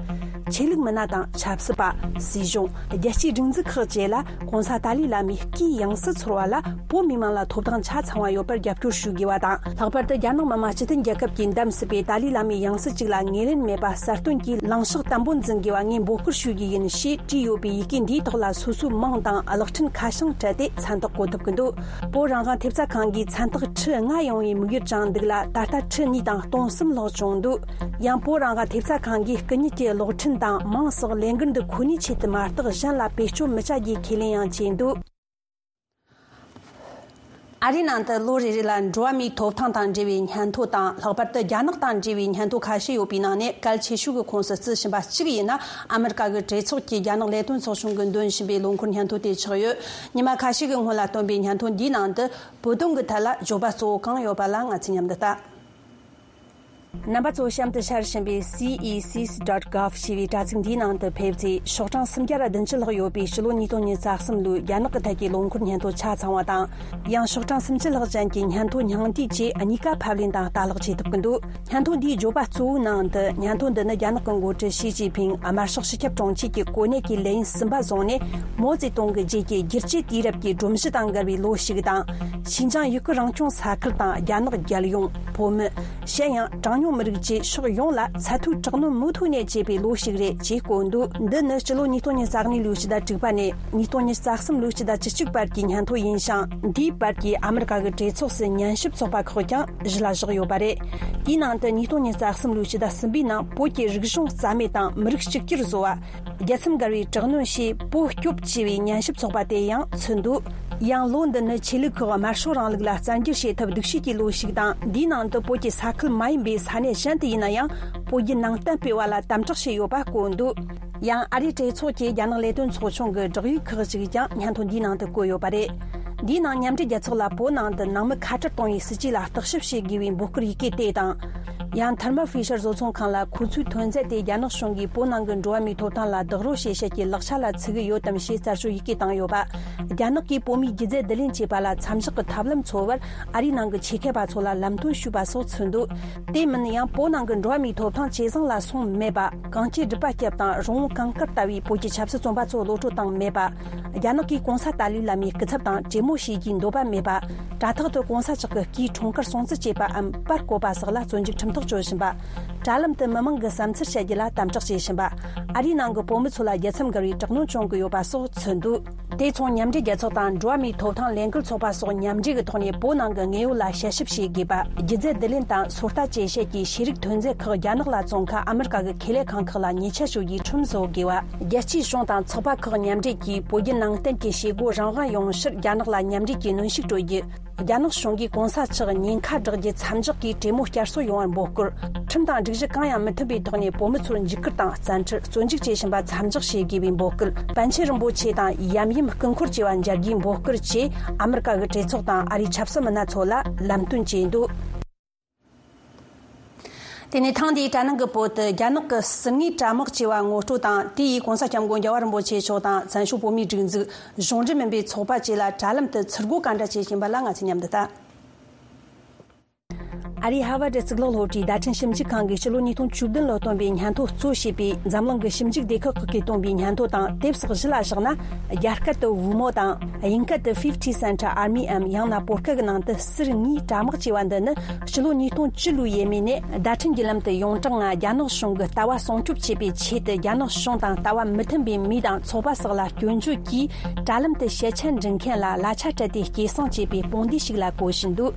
ཆོས་ལུགས་མི་སྣ་དང་ཆབ་སྲིད་པ། སྲིད་གཞུང་། རྒྱལ་སྤྱིའི་སྒྲིག་འཛུགས་ཁག་བཅས་ལ་༸གོང་ས་ཏཱ་ལའི་བླ་མའི་སྐུའི་ཡང་སྲིད་ཚོར་བ་ལ་བོད་མི་མང་ལ་ཐོབ་ཐང་ཆ་ཚང་བ་ཡོད་པར་རྒྱབ་སྐྱོར་ཞུ་དགོས་པ་དང་། ལྷག་པར་དུ་རྒྱ་ནག་མི་དམངས་སྤྱི་མཐུན་རྒྱལ་ཁབ་ཀྱིས་འདེམས་སྲིད་པའི་ཏཱ་ལའི་བླ་མའི་ཡང་སྲིད་ཅིག་ལ་ངོས་ལེན་མེད་པ་གསལ་སྟོན་གྱིས་ལངས་ཕྱོགས་བརྟན་པོ་འཛིན་དགོས་པ་ངས་འབོད་སྐུལ་ཞུ་རྒྱུ་ཡིན་ཞེས་བྲིས་ཡོད་པའི་ཡི་གེ་འདིའི་ཐོག་ལ་སོ་སོའི་མིང་དང་གློག་འཕྲིན་ཁ་བྱང་སྤྲད་དེ་མཚན་རྟགས་བཀོད་ཐུབ་ཀྱི་འདུག་བོད་རང་དབང་ཐེབས་རྩ་ཁང་གིས་མཚན་རྟགས་ཁྲི་ལྔ་ཡོང་བའི་དམིགས་ཡུལ་དྲངས་འདུག་ལ། ད་ལྟ་ཁྲི་གཉིས་དང་སྟོང་གསུམ་ལྷག་བྱུང་འདུག་ཡང་བོད་རང་དབང་ཐེབས་རྩ་ཁང་གིས་སྐུ་ཉིད་ཀྱི་གློག་འཕྲིན་དང་མིང་སོགས་ལས་འགུལ་འདི་ཁོ་ནའི་ཆེད་དུ་མ་གཏོགས་གཞན་ལ་བེད་སྤྱོད་མི་བྱ་རྒྱུའི་ཁས་ལེན་ཡང་བྱས་འདུག་ཨ་རིའི་ནང་དུ་ལོ་རེ་རེ་ལ་འགྲོ་བ་མིའི་ཐོབ་ཐང་དང་འབྲེལ་བའི་སྙན་ཐོ་དང་། ལྷག་པར་དུ་རྒྱ་ནག་དང་འབྲེལ་བའི་སྙན་ཐོ་ཁ་ཤས་ཡོད་པའི་ནང་ནས་གལ་ཆེ་ཤོས་ཀྱི་ཁོངས་སུ་བརྩི་བཞིན་པ་གཅིག་ཡིན་ན། ཨ་མི་རི་ཀ་གི་གྲོས་ཚོགས་ཀྱིས་རྒྱ་ནག་ལས་དོན་ཚོགས་ཆུང་གིས་འདོན་བཞིན་པའི་ལོ་འཁོར་སྙན་ཐོ་དེ་ཆགས་ཡོད། ཉི་མ་ཁ་ཤས་ཀྱི་སྔོན་ལ་བཏོན་པའི་སྙན་ཐོ་འདིའི་ནང་དུ། བོད་དོན་གྱི་ཐད་ལ་བརྗོད་པ་གཙོ་བོ་གང་ཡོད་པ་ལ་ང་ཚོས་མཉམ་དུ་ལྟ། རྣམ་པ་ཚོ་གཤམ་དུ་ཤར་བཞིན་པའི་C E C S dot gov ཞེས་པའི་དྲ་ཚིགས་འདིའི་ནང་དུ་ཕེབས་ཚེ། ཤོག་གྲངས་སུམ་བརྒྱ་ར་བདུན་ཅུ་ལྷག་ཡོད་པའི་ཕྱི་ལོ་ཉིས་སྟོང་ཉི་ཤུ་རྩ་གསུམ་ལོའི་རྒྱ་ནག་གི་ཐད་ཀྱི་ལོ་འཁོར་སྙན་ཐོ་ཆ་ཚང་བ་དང་། ཡང་ཤོག་གྲངས་སུམ་ཅུ་ལྷག་ཅན་གྱི་སྙན་ཐོ་སྙིང་བསྡུས་བཅས་གཉིས་ཀ་ཕབ་ལེན་དང་ལྟ་ཀློག་བྱེད་ཐུབ་ཀྱི་འདུག་སྙན་ཐོ་འདིའི་བརྗོད་པ་གཙོ་བོའི་ནང་དུ། སྙན་ཐོ་འདི་ནི་རྒྱ་ནག་གི་འགོ་ཁྲིད་ཞི་ཅིན་ཕིང་དམར་ཤོག་སྤྱི་ཁྱབ་དྲུང་ཆེ་གི་གོ་གནས་ཀྱི་ལས་ཡུན་གསུམ་པ་བཟུང་ནས། མའོ་ཙེ་ཏུང་གི་རྗེས་ཀྱི་བསྒྱུར་བཅོས་དུས་རབས་ཀྱི་སྒྲོམ་གཞི་དང་འགལ་བའི་ལོ་ཞིག་དང་། ཞིན་ཅང་ཡུ་གུར་རང་སྐྱོང་ས་ཁུལ་དང་རྒྱ་ནག་རྒྱལ་ཡོངས། བོད་མི། གཞན་ཡང་གྲངས་ཉུང་མི་རིགས་བཅས་ཕྱོགས་ཡོངས་ལ་ཚད་མཐོའི་དྲག་གནོན་མུ་མཐུད་ནས་བྱེད་པའི་ལོ་ཞིག་རེད་ཅེས་བཀོད་འདུག་འདི་ནི་སྤྱི་ལོ་ཉིས་སྟོང་ཉི་ཤུ་རྩ་གཉིས་ལོའི་ཕྱི་ཟླ་དྲུག་པ་ནས་ཉིས་སྟོང་ཉི་ཤུ་རྩ་གསུམ་ལོའི་ཕྱི་ཟླ་བཅུ་གཅིག་བར་གྱི་སྙན་ཐོ་ཡིན་ཞིང་། འདིའི་བར་གྱི་ཨ་མི་རི་ཀ་གི་གྲོས་ཚོགས་སུ་ཉན་ཞིབ་ཚོགས་པ་ཁག་ཀྱང་གཞི་ལ་བཞག་ཡོད་པ་རེད། དེའི་ནང་དུ་ཉིས་སྟོང་ཉི་ཤུ་རྩ་གསུམ་ལོའི་ཕྱི་ཟླ་གསུམ་པའི་ནང་བོད་ཀྱི་རིག་གཞུང་རྩ་མེད་དང་མི་རིགས་གཅིག་གྱུར་བཟོ་བ། རྒྱལ་མཚམས་བརྒལ་བའི་དྲག་གནོན་ཞེས་བོད་སྐྱོབ་ཅེས་པའི་ཉན་ཞིབ་ཚོགས་པ་དེ་ཡང་ཚུད་འདུག་ཡང་ལོ་འདི་ནི་ཆོས་ལུགས་ཁག་དམར་ཤོག་རིང་ལུགས་ལ་བཙན་འགྱུར་བྱེད་ཐབས་སྡུག་ཤོས་ཀྱི་ལོ་ཞིག་དང་། འདིའི་ནང་དུ་བོད་ཀྱི་ས་ཁུལ་མ་ཡིན་པའི་ས་གནས་གཞན་དུ་ཡིན་ན་ཡང་བོད་བརྒྱུད་ནང་བསྟན་སྤེལ་བ་ལ་དམ་དྲག་བྱས་ཡོད་པ་བཀོད་འདུག་ཡང་ཨ་རིའི་གྲོས་ཚོགས་ཀྱི་རྒྱ་ནག་ལས་དོན་ཚོགས་ཆུང་གི་བསྒྲགས་ཡིག་ཁག་ཅིག་ཀྱང་སྙན་ཐོ་འདིའི་ནང་དུ་བཀོད་ཡོད་པ་རེད། འདིའི་ནང་མཉམ་འབྲེལ་རྒྱལ་ཚོགས་ལ་བོད་ནང་དུ་ནང་མི་ཁ་བྲལ་གཏོང་བའི་སྲིད་ཇུས་ལ་བརྟག་ཞིབ་བྱེད་དགོས་པའི་འབོད་སྐུལ་ཡི་གེ་དེ་དང་། ཡང་Thermo Fisher་བཟོ་ཚོང་ཁང་ལ་ཁོ་ཚོའི་ཐོན་རྫས་དེ་རྒྱ་ནག་གཞུང་གིས་བོད་ནང་གི་འགྲོ་བ་མིའི་ཐོབ་ཐང་ལ་རྡོག་རོལ་བྱེད་བྱེད་ཀྱི་ལག་ཆ་ལ་ཚུད་ཀྱི་ཡོད་དམ་ཞེས་རྩད་གཅོད་ཡི་གེ་བཏང་ཡོད་པ། རྒྱ་ནག་གིས་བོད་མིའི་སྒྱུ་རྩལ་བསྡུ་ལེན་བྱས་པ་ལ་མཚམས་བཞག་གི་ཐབས་ལམ་འཚོལ་བར་ཨ་རིའི་ནང་གི་ཆེད་མཁས་པ་ཚོ་ལ་ལམ་སྟོན་ཞུས་པ་སོགས་མཚོན་འདུག་དེ་མིན་ཡང་བོད་ནང་གི་འགྲོ་བ་མིའི་ཐོབ་ཐང་ཇེ་བཟང་ལ་སོང་མེད་པ། གང་ཅི་སྒྲུབ་པ་སྐྱབས་དང་རང་དབང་གངས་དཀར་ལྟ་བུའི་བོད་ཀྱི་ཆབ་སྲིད་བཙོན་པ་ཚོ་གློད་བཀྲོལ་བཏང་མེད་པ། རྒྱ་ནག་གིས་གོང་ས་ཏཱ་ལའི་བླ་མའི་སྐུ་ཚབ་དང་གྲོས་མོལ་བྱེད་རྒྱུའི་འདོད་པ་མེད་པ། དྲ་ཐོག་ཏུ་གོང་ས་མཆོག་གི་སྐུའི་འཁྲུངས་སྐར་སྲུང་བརྩི་བྱས་པའམ་པར་བརྐོས་པ་སོགས་ལ་བཙོན་འཇུག་ཁྲིམས་ཐག་གཅོད་བཞིན་པ། དྲ་ལམ་དུ་མི་མང་གི་བསམ་ཚུལ་བཤད་རྒྱུ་ལ་དམ་དྲག་བྱེད་བཞིན་པ། ཨ་རིའི་ནང་གི་བོད་མི་ཚོ་ལ་རྒྱལ་མཚམས་བརྒལ་བའི་དྲག་གནོན་བྱུང་གི་ཡོད་པ་སོགས་མཚོན་འདུག་དེ་མཚུངས་མཉམ་འབྲེལ་རྒྱལ་ཚོགས་དང་འགྲོ་བ་མིའི་ཐོབ་ཐང་ལས་འགུལ་ཚོགས་པ་སོགས་མཉམ་འབྲེལ་གྱི་ཐོག་ནས་བོད་ནང་གི་དངོས་ཡོད་ལ་དཔྱད་ཞིབ་བྱེད་དགོས་པ། སྒྱུ་རྩལ་བསྡུ་ལེན་དང་སོ་ལྟ་བཅས་བྱེད་ཀྱི་ཤེས་རིག་ཐོན་རྫས་ཁག་རྒྱ་ནག་ལ་བཙོང་ཁ་ཨ་མི་རི་ཀ་གི་ཁེ་ལས་ཁང་ཁག་ལ་ཉེས་ཆད་གཅོད་རྒྱུའི་ཁྲིམས་བཟོ་དགོས་པ། རྒྱལ་སྤྱིའི་གཞུང་དང་ཚོགས་པ་ཁག་མཉམ་འབྲེལ་གྱིས་བོད་བརྒྱུད་ནང་བསྟན་གྱི་བྱེད་སྒོ་རང་དབང་ཡོང་ཕྱིར་རྒྱ་ནག་ལ་མཉམ་འབྲེལ་གྱིས་གནོན་ཤུགས་སྤྲོད་རྒྱུ། རྒྱ་ནག་གཞུང་གིས་གོང་ས་མཆོག་ཉེན་ཁ་བསྒྲགས་རྒྱུ་མཚམས་འཇོག་གིས་གྲོས་མོལ་བསྐྱར་གསོ་ཡོང་བར་འབོད་སྐུལ། ཁྲིམས་དང་སྒྲིག་གཞི་གང་ཡང་མི་མཐུན་པའི་ཐོག་ནས་བོད་མི་ཚོར་འཇིགས་སྐུལ་དང་བཙན་ཁྲིད། བཙོན་འཇུག་བྱེད་བཞིན་པ་མཚམས་འཇོག་བྱེད་དགོས་པའི་འབོད་སྐུལ། པཎ་ཆེན་རིན་པོ་ཆེ་དང་ཡབ་ཡུམ་སྐུ་འཁོར་བཅས་པ་མཇལ་རྒྱུའི་འབོད་སྐུལ་བཅས་ཨ་མི་རི་ཀ་གི་གྲོས་ཚོགས་དང་ཨ་རིའི་ཆབ་སྲིད་མི་སྣ་ཚོ་ལ་ལམ་སྟོན་བྱས་འདུག་དེ་ནས་ཐེངས་འདིའི་དྲ་ནང་གི་བོད་དུ་རྒྱ་ནག་གི་ཟུར་ངོས་དྲ་དམག་ཅེས་པ་ངོ་སྤྲོད་དང་དེ་ཡིས་གོང་ས་སྐྱབས་མགོན་རྒྱལ་བ་རིན་པོ་ཆེ་མཆོག་དང་བཙན་བྱོལ་བོད་མིའི་སྒྲིག་འཛུགས། གཞུང་འབྲེལ་མིན་པའི་ཚོགས་པ་བཅས་ལ་དྲ་ལམ་དུ་ཚུར་རྒོལ་ག་འདྲ་བྱེད་བཞིན་པ་ལ་ང་ཚོས་མཉམ་དུ་ལྟ། ཨ་རིའི་ཧར་ཝར་གཙུག་ལག་སློབ་གྲྭའི་བརྡ་འཕྲིན་ཞིབ་འཇུག་ཁང་གིས་ཕྱི་ལོ་ཉིས་སྟོང་བཅུ་བདུན་ལོར་བཏོན་པའི་སྙན་ཐོ་གཙོ་བྱས་པའི་འཛམ་གླིང་གི་ཞིབ་འཇུག་སྡེ་ཁག་ཁག་གིས་བཏོན་པའི་སྙན་ཐོ་དང་དེབ་སོགས་བཞི་ལ་བཞག་ན། རྒྱ་སྐད་དུ་Wumo་དང་དབྱིན་སྐད་དུ་Fifty Cent Army་འམ་ཡང་ན་བོད་སྐད་ཀྱི་ནང་དུ་ཟུར་ངོས་དྲ་དམག་ཅེས་པ་འདི་ནི་ཕྱི་ལོ་ཉིས་སྟོང་བཅུ་ལོའི་ཡས་མས་ནས་བརྡ་འཕྲིན་གྱི་ལམ་དུ་ཡོངས་གྲགས་ངང་རྒྱ་ནག་གཞུང་གི་ལྟ་བ་སྲུང་སྐྱོབ་བྱེད་པའི་ཆེད་དུ་རྒྱ་ནག་གཞུང་དང་ལྟ་བ་མི་མཐུན་པའི་མི་དང་ཚོགས་པ་སོགས་ལ་སྐྱོན་བརྗོད་ཀྱིས་དྲ་ལམ་དུ་ཞལ་ཆད་འབྲི་མཁན་ལ་གླ་ཆ་སྤྲད་དེ་སྐྱེད་སྲིང་བྱེད་པའི་དཔུང་སྡེ་ཞིག་ལ་གོ་བཞིན་འདུག་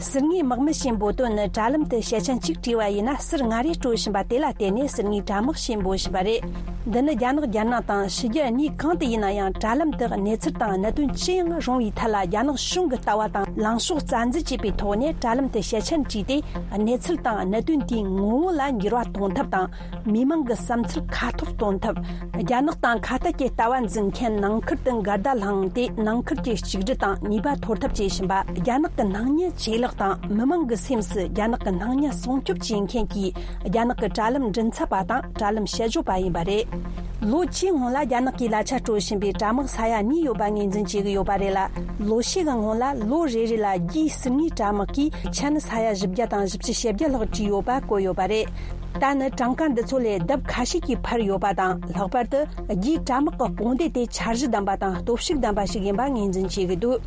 ཟུར་ངོས་དམག་མི་ཞེས་འབོད་དོན་ནི་དྲ་ལམ་དུ་ཞལ་ཆད་གཅིག་བྲིས་པ་ཡིན་ན་ཟུར་ལྔ་རེ་སྤྲོད་བཞིན་པ་དེ་ལ་བརྟེན་ནས་ཟུར་ངོས་དྲ་དམག་ཞེས་འབོད་བཞིན་པ་རེད། འདི་ནི་རྒྱ་ནག་རྒྱལ་ནང་དང་ཕྱི་རྒྱལ་གཉིས་གང་དུ་ཡིན་ན་ཡང་དྲ་ལམ་དུ་གནས་ཚུལ་དང་གནད་དོན་ཅི་ཡང་རུང་བའི་ཐད་ལ་རྒྱ་ནག་གཞུང་གི་ལྟ་བ་དང་ལངས་ཕྱོགས་རྩ་འཛིན་བྱེད་པའི་ཐོག་ནས་དྲ་ལམ་དུ་ཞལ་ཆད་བྲིས་ཏེ་གནས་ཚུལ་དང་གནད་དོན་དེའི་ངོ་བོ་ལ་འགྱུར་བ་གཏོང་ཐབས་དང་། མི་མང་གི་བསམ་ཚུལ་ཁ་ཐོར་གཏོང་ཐབས། རྒྱ་ནག་དང་ཁ་གཏད་ཀྱི་ལྟ་བ་འཛིན་མཁན་ནང་ཁུལ་དུ་འགལ་ཟླ་བསླངས་ཏེ་ནང་ཁུལ་གྱི་གཅིག་སྒྲིལ་དང་ནུས་པ་འཐོར་ཐབས་བྱེད་བཞིན་པ། རྒྱ་ནག་གི་སྣང་བརྙན་ཇེ་ལེགས་དང་མི་མང་གི་སེམས་སུ་རྒྱ་ནག་གི་སྣང་བརྙན་སྲུང་སྐྱོབ་བྱེད་མཁན་གྱི་རྒྱ་ནག་གི་དྲ་ལམ་མགྲིན་ཚབ་པ་དང་དྲ་ལམ་དཔྱད་བརྗོད་པ་ཡིན་པ་རེད། ལོ་བཅུའི་སྔོན་ལ་རྒྱ་ནག་གིས་གླ་ཆ་སྤྲོད་བཞིན་པའི་དྲ་དམག་ས་ཡ་གཉིས་ཡོད་པ་ངོས་འཛིན་བྱེད་ཀྱི་ཡོད་པ་རེད་ལ། ལོ་ཤས་ཀྱི་སྔོན་ལ་ལོ་རེ་རེ་ལ་རྒྱའི་ཟུར་ངོས་དྲ་དམག་གིས་ཆན་ས་ཡ་བཞི་བརྒྱ་དང་བཞི་བཅུ་ཞེ་བརྒྱད་ལྷག་བྲིས་ཡོད་པ་བཀོད་ཡོད་པ་རེད། ད་ནི་གྲངས་ཀ་འདི་ཚོ་ལས་ལྡབ་ཁ་ཤས་ཀྱིས་འཕར་ཡོད་པ་དང་། ལྷག་པར་དུ་རྒྱའི་དྲ་དམག་གི་དཔུང་སྡེ་དེ་འཆར་གཞི་ལྡན་པ་དང་སྟོབས་ཤུགས་ལྡན་པ་ཞིག་ཡིན་པ་ངོས་འཛིན་བྱེད་ཀྱི་འདུག་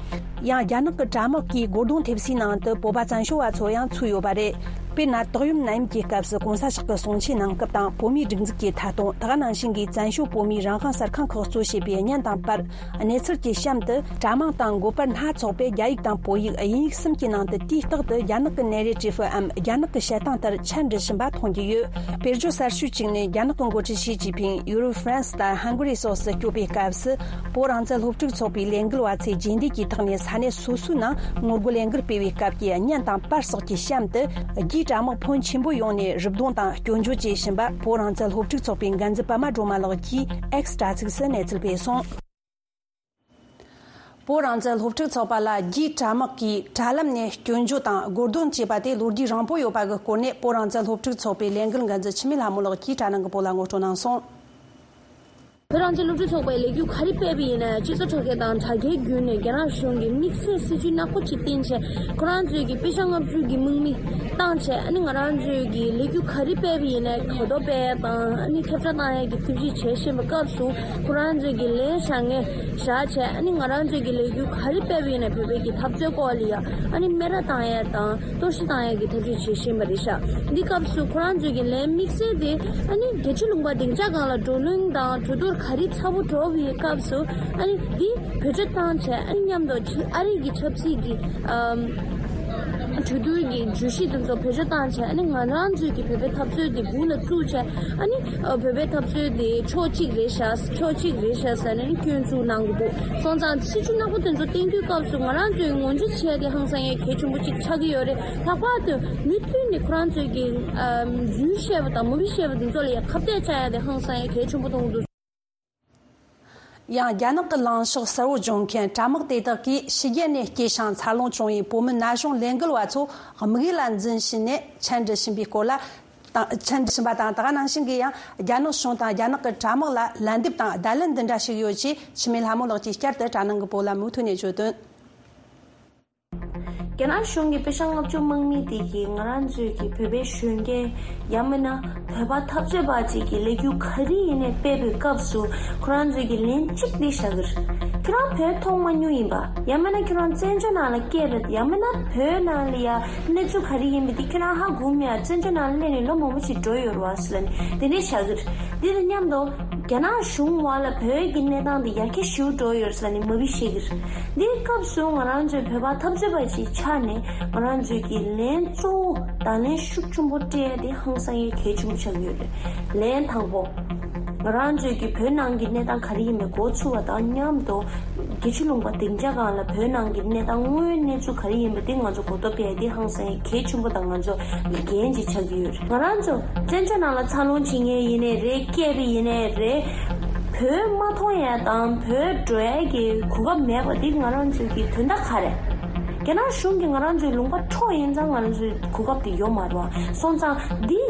ཡང་རྒྱ་ནག་གི་དྲ་དམག་གིས་སྒོ་རྡུང་ཐེབས་སའི་ནང་དུ་བོད་པ་བཙན་བྱོལ་བ་ཚོ་ཡང་ཚུད་ཡོད་པ་རེད། དཔེར་ན། ཏོག་ཡོམ་ནད་ཡམས་ཀྱི་སྐབས་སུ་གོང་ས་མཆོག་གི་གསུང་ཆོས་གནང་སྐབས་དང་བོད་མིའི་སྒྲིག་འཛུགས་ཀྱི་ཐད་གཏོང་། ད་ག་ནང་བཞིན་གྱི་བཙན་བྱོལ་བོད་མིའི་རང་དབང་གསར་ཁང་ཁག་གཙོ་བྱས་པའི་བརྙན་དང་པར། གནས་ཚུལ་གྱི་གཤམ་དུ་དྲ་དམངས་དང་འགོ་པར་སྣ་ཚོགས་པས་རྒྱ་ཡིག་དང་བོད་ཡིག་དབྱིན་ཡིག་གསུམ་གྱི་ནང་དུ་དུས་རྟག་ཏུ་རྒྱ་ནག་གི་ནེ་རེ་ཊིབ་འམ་རྒྱ་ནག་གི་བཤད་སྟངས་ལྟར་ཆ་འབྲི་བཞིན་པ་མཐོང་རྒྱུ་ཡོད། དཔེར་བརྗོད་གསར་ཤོས་གཅིག་ནི། རྒྱ་ནག་གི་འགོ་ཁྲིད་ཞི་ཅིན་ཕིང་ཡུ་རོབ། ཧྥ་རན་སི་དང་ཧང་གོ་རི་སོགས་སུ་སྐྱོད་པའི་སྐབས་སུ། བོད་རང་བཙན་སློབ་ཕྲུག་ཚོགས་པའི་ལས་འགུལ་བ་ཚོས་རྗེས་འདེད་ཀྱི་ཐོག་ནས་ས་གནས་སོ་སོའི་ནང་ངོ་རྒོལ་ལས་འགུལ་སྤེལ་བའི་སྐབས་ཀྱི་བརྙན་དང་པར་སོགས་ཀྱི་གཤམ་དུ། རྒྱའི་དྲ་དམག་ཕོན་ཆེན་པོ་ཡོང་ནས་རུབ་རྡུང་དང་སྐྱོན་བརྗོད་བྱེད་བཞིན་པ། བོད་རང་བཙན་སློབ་ཕྲུག་ཚོགས་པའི་འགན་འཛིན་པད་མ་སྒྲོལ་མ་ལགས་ཀྱིས་ཨེགསི་དྲ་ཚིགས་སུ་གནས་ཚུལ་སྤེལ་སོང་། བོད་རང་བཙན་སློབ་ཕྲུག་ཚོགས་པ་ལ་རྒྱའི་དྲ་དམག་གིས་དྲ་ལམ་ནས་སྐྱོན་བརྗོད་དང་རྒོལ་རྡུང་བྱས་པ་དེ་ལོ་རྒྱུས་རིང་པོ་ཡོད་པ་གི་སྐོར་ནས། བོད་རང་བཙན་སློབ་ཕྲུག་ཚོགས་པའི་ལས་འགུལ་འགན་འཛིན་འཆི་མེད་ལྷ་མོ་ལགས་ཀྱིས་དྲ་ནང་གི་བོད་ལ་ངོ་སྤྲོད་གནང་སོང་། བོད་རང་བཙན་སློབ་ཕྲུག་ཚོགས་པའི་ལས་འགུལ་ག་རེ་སྤེལ་བ་ཡིན་ན། སྤྱི་ཚོགས་དྲ་རྒྱ་དང་དྲ་རྒྱའི་བརྒྱུད་ནས་རྒྱ་ནག་གཞུང་གིས་དམིགས་བསལ་སྲིད་ཇུས་ནག་པོ་ཅིག་བཏིང་བྱས། ཁོ་རང་ཚོས་ཀྱི་པེ་ཤ་ལྔ་བཅུ་གི་དམག་མི་བཏང་བྱས། ཨ་ནི་ང་རང་ཚོས་ཀྱི་ལས་འགུལ་ག་རེ་སྤེལ་བ་ཡིན་ན། གོ་རྟོགས་སྤེལ་ཡ་དང་། ཨ་ནི་ཁྱབ་བསྒྲགས་བཏང་ཡ་གི་ཐབས་ཤེས་བྱེད་བཞིན་པའི་སྐབས་སུ། ཁོ་རང་ཚོས་ཀྱི་ལན་བཞག་མཁན་བཞག་བྱས། ཨ་ནི་ང་རང་ཚོས་ཀྱི་ལས་འགུལ་ག་རེ་སྤེལ་བ་ཡིན་ན། བོད་པའི་གི་འཐབ་རྩོད་སྐོར་ལ་ཡ་ཨ་ནི་སྨད་ར་བཏང་ཡ་དང་གཏོར་བཤིག་བཏང་ཡ་གི་ཐབས་ཤེས་བྱེད་བཞིན་པ་རེད་ཤག་འདི་སྐབས་སུ་ཁོ་རང་ཚོས་ཀྱི་ལན་དམིགས་བསལ་དེ། ཨ་ནི་རྒྱལ་སྤྱིའི་ལུང་པ་སྡིངས་ཆ་སྒང་ལ་བགྲོ་གླེང་དང་གྲོས་བསྡུར་ག་རེ་ཚ་པོ་འགྲོ་བའི་སྐབས་སུ། ཨ་ནི་འདི་བེད་སྤྱོད་བཏང་བྱས། ཨ་ནི་མཉམ་དུ་ཕྱི་ཨ་རི་གི་ཆབ་སྲིད་ཀྱི་ཨམ་གྲོས་བསྡུར་གྱི་བརྗོད་གཞི་དེ་ཚོ་བེད་སྤྱོད་བཏང་བྱས། ཨ་ནི་ང་རང་ཚོའི་གི་བོད་པའི་འཐབ་རྩོད་དེ་སྦུག་ལ་བཙུགས་བྱས། ཨ་ནི་ཨ་བོད་པའི་འཐབ་རྩོད་དེ་ཕྱོགས་གཅིག་རེད་ཤག་ཕྱོགས་གཅིག་རེད་ཤག་ཟེར་ནས་ནི་སྐྱོན་འཛུགས་གནང་གི་འདུག་སོང་ཙང་སྲིད་ཇུས་ནག་པོ་དེ་ཚོ་བཏིང་དུས་སྐབས་སུ་ང་རང་ཚོས་ངོས་འཛིན་བྱས་ཏེ་ཧང་སང་ཡ་གལ་ཆེན་པོ་གཅིག་ཆགས་ཀྱི་ཡོད་རེད། ལྷག་པར་དུ་མུ་མཐུད་ནས་ཁོ་རང་ཚོས་ཀྱི་ཨམ་རྫུན་བཤད་པ་དང་མུ་གེ་བཤད་པ་དེ་ཚོ་ལ་ཡ་ཁ་གཏད་བཅག་ཡ་དེ་ཧང་སང་ཡ་གལ་ཆེན་པོ་མཐོང་གི་འདུག་ཡང་རྒྱ་ནག་གི་ལངས་ཕྱོགས་གསལ་བོ་བྱུང་མཁན་དྲ་དམག་དེ་དག་གིས་ཕྱི་རྒྱལ་ནས་སྐྱེས་ཤིང་འཚར་ལོངས་བྱུང་བའི་བོད་མི་ན་གཞོན་ལས་འགུལ་བ་ཚོ་དམིགས་ཡུལ་ལ་འཛིན་བྱས་ནས་འཆན་འབྲི་བྱིན་པའི་སྐོར་ལ་དང་། འཆན་འབྲི་བྱིན་པ་དང་། ད་ག་ནང་བཞིན་གྱི་ཡང་རྒྱ་ནག་གཞུང་དང་རྒྱ་ནག་གི་དྲ་དམག་ལ་ལན་འདེབས་དང་བརྡ་ལན་འདི་འདྲ་ཞིག་ཡོད་ཅེས་འཆི་མེད་ལྷ་མོ་ལགས་ཀྱིས་བསྐྱར་དུ་དྲ་ནང་གི་བོད་ལ་མུ་མཐུད་ནས་བརྗོད་དོན། རྒྱ་ནག་གཞུང་གི་པེ་ཤ་ལྔ་བཅུ་དམག་མི་དེ་གིས་ང་རང་ཚོའི་གི་བོད་པའི་གཞོན་སྐྱེས་ཡང་མིན་ན་བོད་པ་འཐབ་རྩོད་པ་ཅིག་གི་ལས་འགུལ་ག་རེ་ཡིན་ནའི་སྤེལ་བའི་སྐབས་སུ་ཁོ་རང་ཚོས་ཀྱི་ལན་གཅིག་འདི་བཞག་གི་རེད། ཁྱོད་རང་བོད་མཐོང་མ་མྱོང་ཡིན་པ། ཡང་མིན་ན་ཁྱོད་རང་བཙན་བྱོལ་ནང་ལ་སྐྱེས་པ། ཡང་མིན་ན་བོད་ནང་ལ་ཡ་གནས་ཚུལ་ག་རེ་ཡིན་པ་འདི་ཁྱོད་རང་ཧ་གོ་མེད། བཙན་བྱོལ་ནང་ལ་སླེབས་ནས་ལོ་མང་པོ་ཞིག་འགྲོ་ཡོད་རེད་བ་ཟེར་ནས་དེ་འདྲས་བཞག་གི་རེད། འདི་དང་མཉམ་དུ་རྒྱ་ནག་གཞུང་བར་ལ་བོད་ཀྱི་གནས་སྟངས་འདི་ཡར་རྒྱས་ཞེ་པོ་འགྲོ་ཡོད་རེད་ཟེར་ནས་མ་བི་བཤད་གི་རེད། འདིའི་སྐབས་སུ་ང་རང་ཚོའི་བོད་པ་འཐབ་རྩོད་པ་ཞིག་ཆགས་ནས་ང་རང་ཚོའི་གི་ལན་གཙོ་བོ་དང་ལན་ཤུགས་ཆེན་པོ་སྤྲད་ཡ་དེ་ཧང་སང་ཡ་གལ་ཆེན་པོ་ཆགས་ཡོད་རེད། ལན་དང་པོ། ང་རང་ཚོའི་གི་བོད་ནང་གི་གནས་སྟངས་ག་རེ་ཡིན་མིན་གོ་ཚུགས་པ་དང་མཉམ་དུ་རྒྱལ་སྤྱི་ལུང་པ་སྡིངས་ཆ་སྒང་ལ་བོད་ནང་གི་གནས་སྟངས་དངོས་ཡོད་གནས་ཚུལ་ག་རེ་ཡིན་པ་དེ་ང་ཚོ་གོ་རྟོགས་སྤེལ་ཡ་དེ་ཧང་སང་ཡ་གལ་ཆེན་པོ་དང་ང་ཚོ་འགན་ཅིག་ཆགས་ཀྱི་ཡོད་རེད། ང་རང་ཚོ་བཙན་བྱོལ་ནང་ལ་འཚར་ལོངས་བྱེད་མཁན་ཡིན་ནའི་རེད། སྐྱེས་པ་ཡིན་ནའི་རེད། བོད་མ་མཐོང་ཡ་དང་བོད་འགྲོ་ཡ་གི་གོ་སྐབས་མེད་པ་འདི་ང་རང་ཚོའི་གི་དོན་དག་ག་རེད། རྒྱ་ནག་གཞུང་གིས་ང་རང་ཚོའི་ལུང་པ་འཕྲོག་ཡིན་ཙང་ང་རང་ཚོའི་གོ་སྐབས་དེ་ཡོད་མ་རེད་བ། སོང་ཙང་འདི་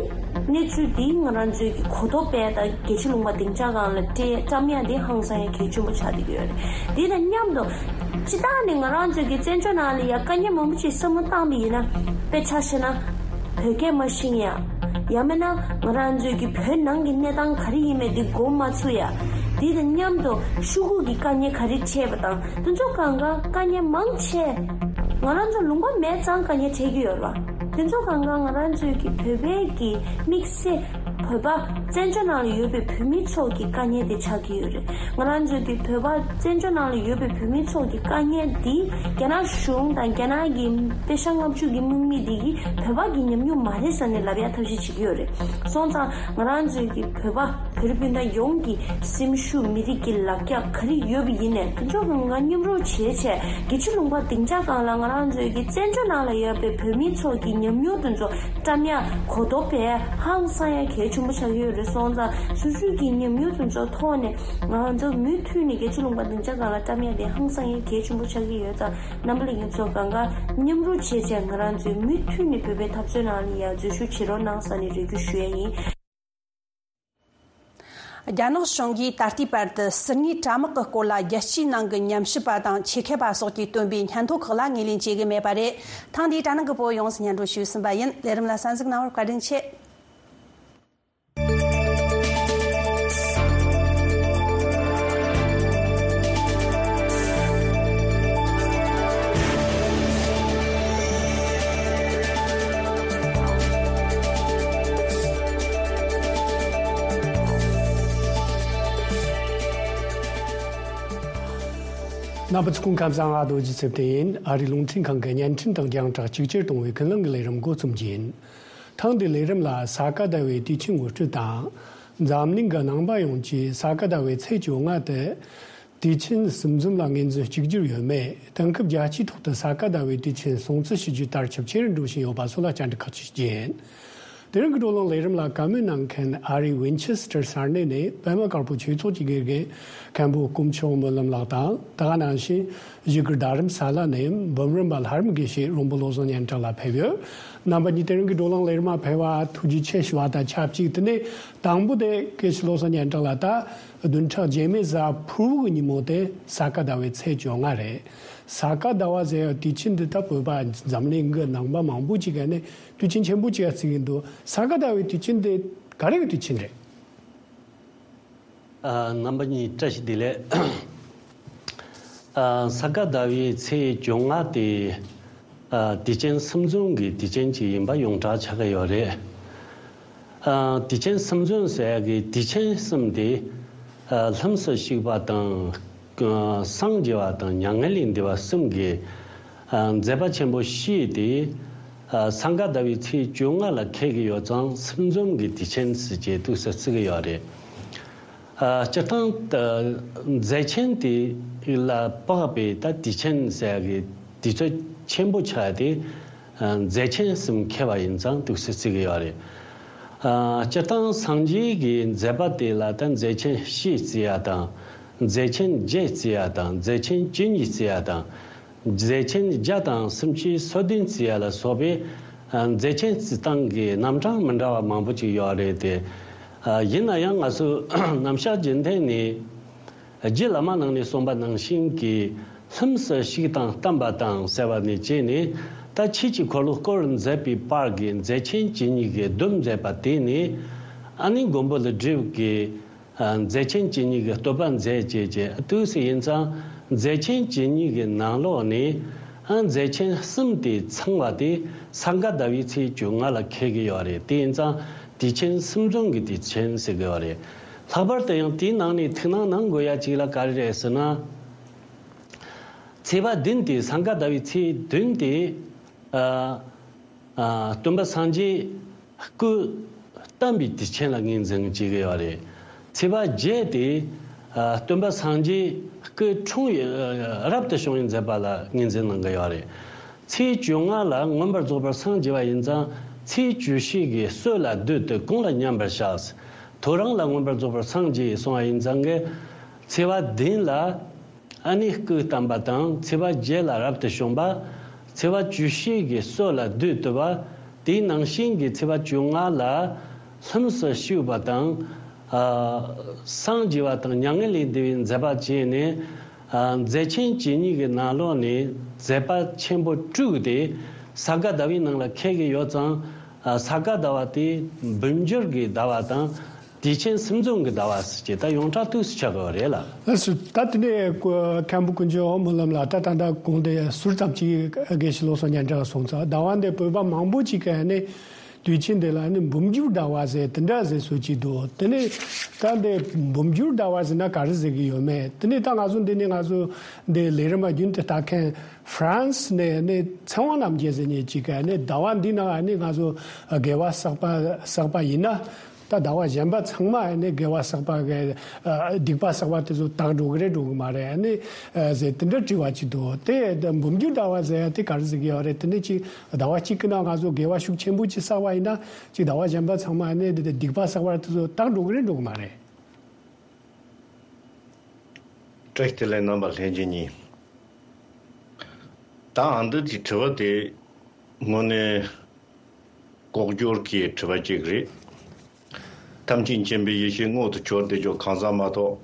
གནས་ཚུལ་འདི་ང་རང་ཚོའི་གི་གོ་རྟོགས་སྤེལ་དང་རྒྱལ་སྤྱི་ལུང་པ་སྡིངས་ཆ་སྒང་ལ་སྤྲད་བཀྲམ་ཡ་འདི་ཧང་སང་ཡ་གལ་ཆེན་པོ་ཆགས་བསྡད་ཀྱི་ཡོད་རེད། འདི་དང་མཉམ་དུ་སྤྱིར་བཏང་ནས་ང་རང་ཚོའི་གི་བཙན་བྱོལ་ནང་ལ་ཡ་དཀའ་ངལ་མང་པོ་ཅིག་བསམ་བློ་བཏང་བ་ཡིན་ན། དཔེ་ཆ་བཞག་ན། བོད་སྐད་མ་ཤེས་ཡ། ཡང་མིན་ན་ང་རང་ཚོའི་གི་བོད་ནང་གི་གནས་སྟངས་ག་རེ་ཡིན་མིན་དེ་མགོ་མ་ཚོས་ཡ། དེ་དང་མཉམ་དུ་ཤོག་གུ་གི་དཀའ་ངལ་ག་རེ་འཕྲད་པ་དང་དེ་ཚོ་གང་ག་དཀའ་ངལ་མང་ཆེ་ང་རང་ཚོ་ལུང་པ་མེད་ཙང་དཀའ་ངལ་འཕྲད་ཀྱི་ཡོད་རེད་བ། དེ་ཚོ་གང་ག་ང་རང་ཚོའི་གི་བོད་པའི་གི་དམིགས་བསལ་བོད་པ་བཙན་བྱོལ་ནང་ལ་ཡོད་པའི་བོད་མི་ཚོ་གི་དཀའ་ངལ་དེ་ཆགས་ཀྱི་ཡོད་རེད། ང་རང་ཚོའི་གི་བོད་པ་བཙན་བྱོལ་ནང་ལ་ཡོད་པའི་བོད་མི་ཚོ་གི་དཀའ་ངལ་འདི་རྒྱ་ནག་གཞུང་དང་རྒྱ་ནག་གི་པེ་ཤ་ལྔ་བཅུ་གི་དམག་མི་འདི་གིས་བོད་པ་གི་ཉམས་མྱོང་མ་རེད་ཟེར་ནས་ལབ་ཡ་ཐབས་ཤེས་བྱེད་ཀྱི་ཡོད་རེད། སོང་ཙང་ང་རང་ཚོའི་གི་བོད་པ་བོད་རིགས་སྤུན་ཟླ་ཡོངས་ཀྱི་སེམས་ཤུགས་མི་རིགས་ཀྱི་ལག་རྒྱ་ག་རེ་ཡོད་པ་ཡིན་ནའི་དེ་ཚོ་གང་ག་མཉམ་རུབ་བྱས་བྱས་རྒྱལ་སྤྱི་ལུང་པ་སྡིངས་ཆ་སྒང་ལ་ང་རང་ཚོའི་གི་བཙན་བྱོལ་ནང་ལ་ཡོད་པའི་བོད་མི་ཚོ་གི་ཉམས་མྱོང་དེ་ཚོ་བཀྲམ་ཡ་གོ་རྟོགས་སྤེལ་ཧང་སང་ཡ་གལ་ཆེན་པོ་ཆགས་ཀྱི་ཡོད་རེད། སོང་ཙང་སོ་སོའི་གི་ཉམས་མྱོང་དེ་ཚོ་ཐོག་ནས་ང་ཚོ་མུ་མཐུད་ནས་རྒྱལ་སྤྱི་ལུང་པ་སྡིངས་ཆ་སྒང་ལ་བཀྲམ་ཡ་དེ་ཧང་སང་ཡ་གལ་ཆེན་པོ་ཆགས་ཀྱི་ཡོད་ཙང་རྣམ་པ་ལྷན་རྒྱས་ཚོ་གང་ག་མཉམ་རུབ་བྱས་བྱས་ང་རང་ཚོའི་མུ་མཐུད་ནས་བོད་པའི་འཐབ་རྩོད་ནང་ལ་ཡ་འཛུལ་ཞུགས་བྱེད་རོགས་གནང་ཟེར་ནས་རེ་སྐུལ་ཞུ་ཡ་ཡིན། རྒྱ་ནག་གཞུང་གིས་ད་ལྟའི་བར་དུ་ཟུར་ཉན་དྲ་དམག་གི་སྐོར་ལ་རྒྱལ་སྤྱིའི་ནང་གི་ཉམས་ཞིབ་པ་དང་ཆེད་མཁས་པ་སོགས་ཀྱིས་བཏོན་པའི་སྙན་ཐོ་ཁག་ལ་ངོས་ལེན་བྱེད་ཀྱི་མེད་པ་རེད། ཐེངས་འདིའི་དྲ་ནང་གི་བོད་ཡོངས་སུ་སྙན་སྒྲོན་ཞུས་ཟིན་པ་ཡིན། ལས་རིམ་ལ་གསན་གཟིགས་གནང་བར་བཀའ་དྲིན་ཆེ། རྣམ་པ་ཚོ་སྐུ་ཁམས་བཟང་། ང་རྡོ་རྗེ་ཚེ་བརྟན་ཡིན། ཨ་རིའི་རླུང་འཕྲིན་ཁང་གི་བརྙན་འཕྲིན་དང་རྒྱང་བསྒྲགས་གཅིག་གྱུར་གཏོང་བའི་ཀུན་གླེང་གི་ལས་རིམ་འགོ་རྩོམ་རྒྱུ་ཡིན། ཐེངས་འདིའི་ལས་རིམ་ལ་ས་ག་ཟླ་བའི་དུས་ཆེན་ངོ་སྤྲོད་དང་། འཛམ་གླིང་གི་ནང་པ་ཡོངས་ཀྱིས་ས་ག་ཟླ་བའི་ཚེས་བཅོ་ལྔ་དེ་དུས་ཆེན་སིམ་འཛོམས་ལ་ངོས་འཛིན་གཅིག་གྱུར་ཡོད་མེད། དེང་སྐབས་རྒྱལ་སྤྱིའི་ཐོག་ཏུ་ས་ག་ཟླ་བའི་དུས་ཆེན་སྲུང་བརྩི་ཞུ་རྒྱུ་དར་ཁྱབ་ཆེ་རུ་འགྲོ་བཞིན་ཡོད་པ་སོགས་ལ་བཅར་འདྲི་ཁག་ཅིག་བྱེད་རྒྱུ་ཡིན། དེ་རིང་གི་བགྲོ་གླེང་ལས་རིམ་ལ་བཀའ་མོལ་གནང་མཁན་ཨ་རིའི་ཝིན་ཆེ་སི་ཊར་ས་གནས་ནས་པད་མ་དཀར་པོ་ཆོས་ཚོགས་ཀྱི་དགེ་རྒན་མཁན་པོ་དཀོན་མཆོག་སྨོན་ལམ་ལགས་དང་། ད་ག་ནང་བཞིན་བཞུགས་སྒར་རྡ་རམ་ས་ལ་ནས་འབུམ་རམས་པ་ལྷ་རམས་དགེ་བཤེས་རོང་པོ་བློ་བཟང་སྙན་གྲགས་ལགས་ཕེབས་ཡོད། རྣམ་པ་གཉིས་དེ་རིང་གི་བགྲོ་གླེང་ལས་རིམ་མ་ཕེབས་པ་ཐུགས་རྗེ་ཆེ་ཞུ་བ་དང་ཆབས་ཅིག་དེ་ནས་དང་པོ་དེ་དགེ་བཤེས་བློ་བཟང་སྙན་གྲགས་ལགས། ད་བདུན་ཕྲག་རྗེས་མའི་གཟའ་ཕུར་བུ་གི་ཉིན་མོ་དེ་ས་ག་ཟླ་བའི་ཚེས་བཅོ་ལྔ་རེད། ས་ག་ཟླ་བ་ཟེར་ཡ་དུས་ཆེན་འདི་ད་བོད་པ་འཛམ་གླིང་གི་ནང་པ་མང་པོ་ཅིག་ག་ནས་དུས་ཆེན་ཆེན་པོ་ཅིག་ཡ་བརྩི་གི་འདུག་ས་ག་ཟླ་བའི་དུས་ཆེན་དེ་ག་རེ་གི་དུས་ཆེན་རེད། ཨ། རྣམ་པ་གཉིས་བཀྲ་ཤིས་བདེ་ལེགས། ཨ། ས་ག་ཟླ་བའི་ཚེས་བཅོ་ལྔ་དེ། ཨ། དུས་ཆེན་སིམ་འཛོམས་ཀྱི་དུས་ཆེན་ཅིག་ཡིན་པ་ཡོངས་གྲགས་ཆགས་ཀྱི་ཡོད་རེད། ཨ། དུས་ཆེན་སིམ་འཛོམས་ཟེར་ཡ་གི་དུས་ཆེན་གསུམ་དེ། ཨ། ལྷུམས་སུ་ཞུགས་པ་དང་། སངས་རྒྱས་པ་དང་མྱ་ངན་ལས་འདས་པ་གསུམ་གྱི། ཨ། མཛད་པ་ཆེན་པོ་བཞི་དེ། ཨ། ས་ག་ཟླ་བའི་ཚེས་བཅོ་ལྔ་ལ་འཁེལ་གྱི་ཡོད་ཙང་སིམ་འཛོམས་ཀྱི་དུས་ཆེན་ཟེར་བྱས་འདུག་སེ་བརྩི་གི་ཡོད་རེད། ཨ། སྤྱིར་བཏང་། ཨ། མཛད་ཆེན་དེ་ལ་དཔག་པའི་ད་དུས་ཆེན་ཟེར་ཡ་གི་དུས་ཚོད་ཆེན་པོ་ཆགས་ཏེ། ཨ། མཛད་ཆེན་གསུམ་འཁེལ་བ་ཡིན་ཙང་འདུག་སེ་བརྩི་གི་ཡོད་རེད། ཨ། སྤྱིར་བཏང་སངས་རྒྱས་ཀྱི་མཛད་པ་དེ་ལ་ད་མཛད་ཆེན་བཞི་བརྩི་ཡ་དང་། མཛེས་ཆེན་བརྒྱད་བརྩི་ཡ་དང་མཛེས་ཆེན་བཅུ་གཉིས་བརྩི་ཡ་དང་། མཛེས་ཆེན་བརྒྱ་དང་སུམ་ཅུ་སོ་བདུན་བརྩི་ཡ་ལ་སོགས་པའི་ཨ་མཛེས་ཆེན་བརྩི་སྟངས་ཀྱི་རྣམ་གྲངས་མི་འདྲ་བ་མང་པོ་ཅིག་ཡོད་རེད་དེ། ཨ་ཡིན་ན་ཡང་ང་ཚོས་རྣམ་གཞག་རྒྱུན་ལྡན་ནས་རྗེ་བླ་མ་རྣམས་ནས་གསུངས་པ་ནང་བཞིན་གྱི་ལྷུམས་སུ་ཞུགས་དང་བལྟམས་པ་དང་ཟེར་བ་ནས་བྱས་ནས། ད་ཆོས་ཀྱི་འཁོར་ལོ་བསྐོར་མཛད་པའི་བར་གྱི་མཛེས་ཆེན་བཅུ་གཉིས་ཀྱི་སྡོམ་མཛད་པ་དེ་ནི་ཨ་ནི་མགོན་པོ་ཀླུ་སྒྲུབ་ཀྱིས། ཨ་མཛེས་ཆེན་བཅུ་གཉིས་ཀྱི་བསྟོད་པ་མཛད་ཅེས་བྱས་དུས་སུ་ཡིན་ཙང་། མཛེས་ཆེན་བཅུ་གཉིས་ཀྱི་ནང་ལོགས་ནས་ཨ་མཛེས་ཆེན་གསུམ་དེ་ཚང་བ་དེ་ས་ག་ཟླ་བའི་ཚེས་བཅོ་ལྔ་ལ་འཁེལ་གྱི་ཡོད་རེད། དེ་ཡིན་ཙང་དུས་ཆེན་གསུམ་འཛོམས་ཀྱི་དུས་ཆེན་ཟེར་གྱི་ཡོད་རེད། ལྷག་པར་དུ་ཡང་དེའི་ནང་ནས་ཐུགས་སྣང་གནང་དགོས་ཡ་གཅིག་ལ་ག་རེ་རེད་ཟེར་ན། ཚེས་པ་བདུན་དེ་ས་ག་ཟླ་བའི་ཚེས་བདུན་དེ། ཨ། ཨ། སྟོན་པ་སངས་རྒྱས་སྐུ་བལྟམས་པའི་དུས་ཆེན་ལ་ངོས་འཛིན་བྱེད་ཀྱི་ཡོད་རེད། ཚེས་པ་བརྒྱད་དེ། ཨ། སྟོན་པ་སངས་རྒྱས་སྐུ་འཁྲུངས་ཡུལ་རབ་ཏུ་བྱུང་བའི་མཛད་པ་ལ་ངོས་འཛིན་གནང་གི་ཡོད་རེད། ཚེས་བཅོ་ལྔ་ལ་མངོན་པར་རྫོགས་པར་སངས་རྒྱས་པ་ཡིན་ཙང་། ཚེས་བཅུ་བཞི་གི་སྲོད་ལ་བསྡུས་ཏེ་གུང་ལ་མཉམ་པར་བཞག་ཐོ་རངས་ལ་མངོན་པར་རྫོགས་པར་སངས་རྒྱས་གསུངས་པ་ཡིན་ཙང་གི། ཚེས་པ་བདུན་ལ་ཨ་ནི་སྐུ་བལྟམས་པ་དང་། ཚེས་པ་བརྒྱད་ལ་རབ་ཏུ་བྱུང་བ། ཚེས་པ་བཅུ་བཞི་གི་སྲོད་ལ་བསྡུས་ཏེ་བ། དེའི་ནང་བཞིན་གྱི་ཚེས་པ་བཅོ་ལྔ་ལ་ལྷུམས་སུ་ཞུགས་པ་དང་། ཨ། སངས་རྒྱས་པ་དང་མྱ་ངན་ལས་འདས་པའི་མཛད་པ་བྱས་ནས། ཨ། མཛེས་ཆེན་བཅུ་གཉིས་ཀྱི་ནང་ལོགས་ནས་མཛད་པ་ཆེན་པོ་དྲུག་དེ་ས་ག་ཟླ་བའི་ནང་ལ་འཁེལ་གྱི་ཡོད་ཙང་། ཨ། ས་ག་ཟླ་བ་དེ་འབུམ་འགྱུར་གྱི་ཟླ་བ་དང་། དུས་ཆེན་གསུམ་འཛོམས་ཀྱི་ཟླ་བ་ཟེར་གྱི་ད་ཡོངས་གྲགས་དུས་སུ་ཆགས་དགོས་པ་རེད་ལ། ལགས་སོ། ད་དེ་ནས་མཁན་པོ་ཀུན་མཁྱེན་སྨོན་ལམ་ལགས། ད་ད་ལྟ་གོང་དེ་ཟུར་ཙམ་ཅིག་དགེ་བཤེས་བློ་བཟང་སྙན་གྲགས་གསུངས་ཚར། ཟླ་བ་འདི་བོད་པ་མང་པོ་ཅིག་གིས་ནི་དུས་ཆེན་འདི་ལ་ནི་འབུམ་འགྱུར་ཟླ་བ་ཟེར་དེ་འདྲ་ཟེར་སྲོལ་ཅིག་འདུག་དེ་ནས་ད་འདི་འབུམ་འགྱུར་ཟླ་བ་ཟེར་ན་ག་རེ་ཟེར་གྱི་ཡོད་མེད། དེ་ནས་ད་ང་ཚོ་འདི་ནས་ང་ཚོ་འདི་ལས་རིམ་རྒྱུན་དུ་ལྟ་མཁན་ཧྥ་རན་སི་ནས་ནི་ཚེ་དབང་རྣམ་རྒྱལ་ཟེར་མཁན་ཅིག་གིས་ནི་ཟླ་བ་འདི་ནང་ནི་ང་ཚོ་དགེ་བ་བསགས་པ་བསགས་པ་ཡིན་ན། ད་ཟླ་བ་གཞན་པ་ཚང་མ་ནི་དགེ་བ་བསགས་པ་གི་ཨ་སྡིག་པ་བསགས་པ་དེ་ཚོ་དག་འགྲོ་གི་རེད་འགྲོ་གི་མ་རེད་ནི་ཨ་ཟེར་དེ་འདྲ་དྲི་བ་ཅིག་འདུག་དེ་འབུམ་འགྱུར་ཟླ་བ་ཟེར་ཡ་དེ་ག་རེ་ཟེར་གི་ཡོད་རེད། དེ་ནི་ཅིག་ཟླ་བ་གཅིག་གི་ནང་ང་ཚོ་དགེ་བ་ཤུགས་ཆེན་པོ་ཅིག་བསགས་པ་ཡིན་ན་ཅིག་ཟླ་བ་གཞན་པ་ཚང་མ་ནི་དེ་སྡིག་པ་བསགས་པ་དེ་ཚོ་དག་འགྲོ་གི་རེད་འགྲོ་གི་མ་རེད། བཀྲ་ཤིས་བདེ་ལེགས། རྣམ་པ་ལྷན་རྒྱས་གཉིས། ད་ཨ་འདི་གི་དྲི་བ་དེ་དངོས་གནས་ལྐོག་གྱུར་གྱི་དྲི་བ་ཅིག་རེད། ཐམས་ཅད་མཁྱེན་པའི་ཡེ་ཤེས་མངོན་དུ་གྱུར་ཏེ་ཆོག་གང་ཟག་མ་གཏོགས།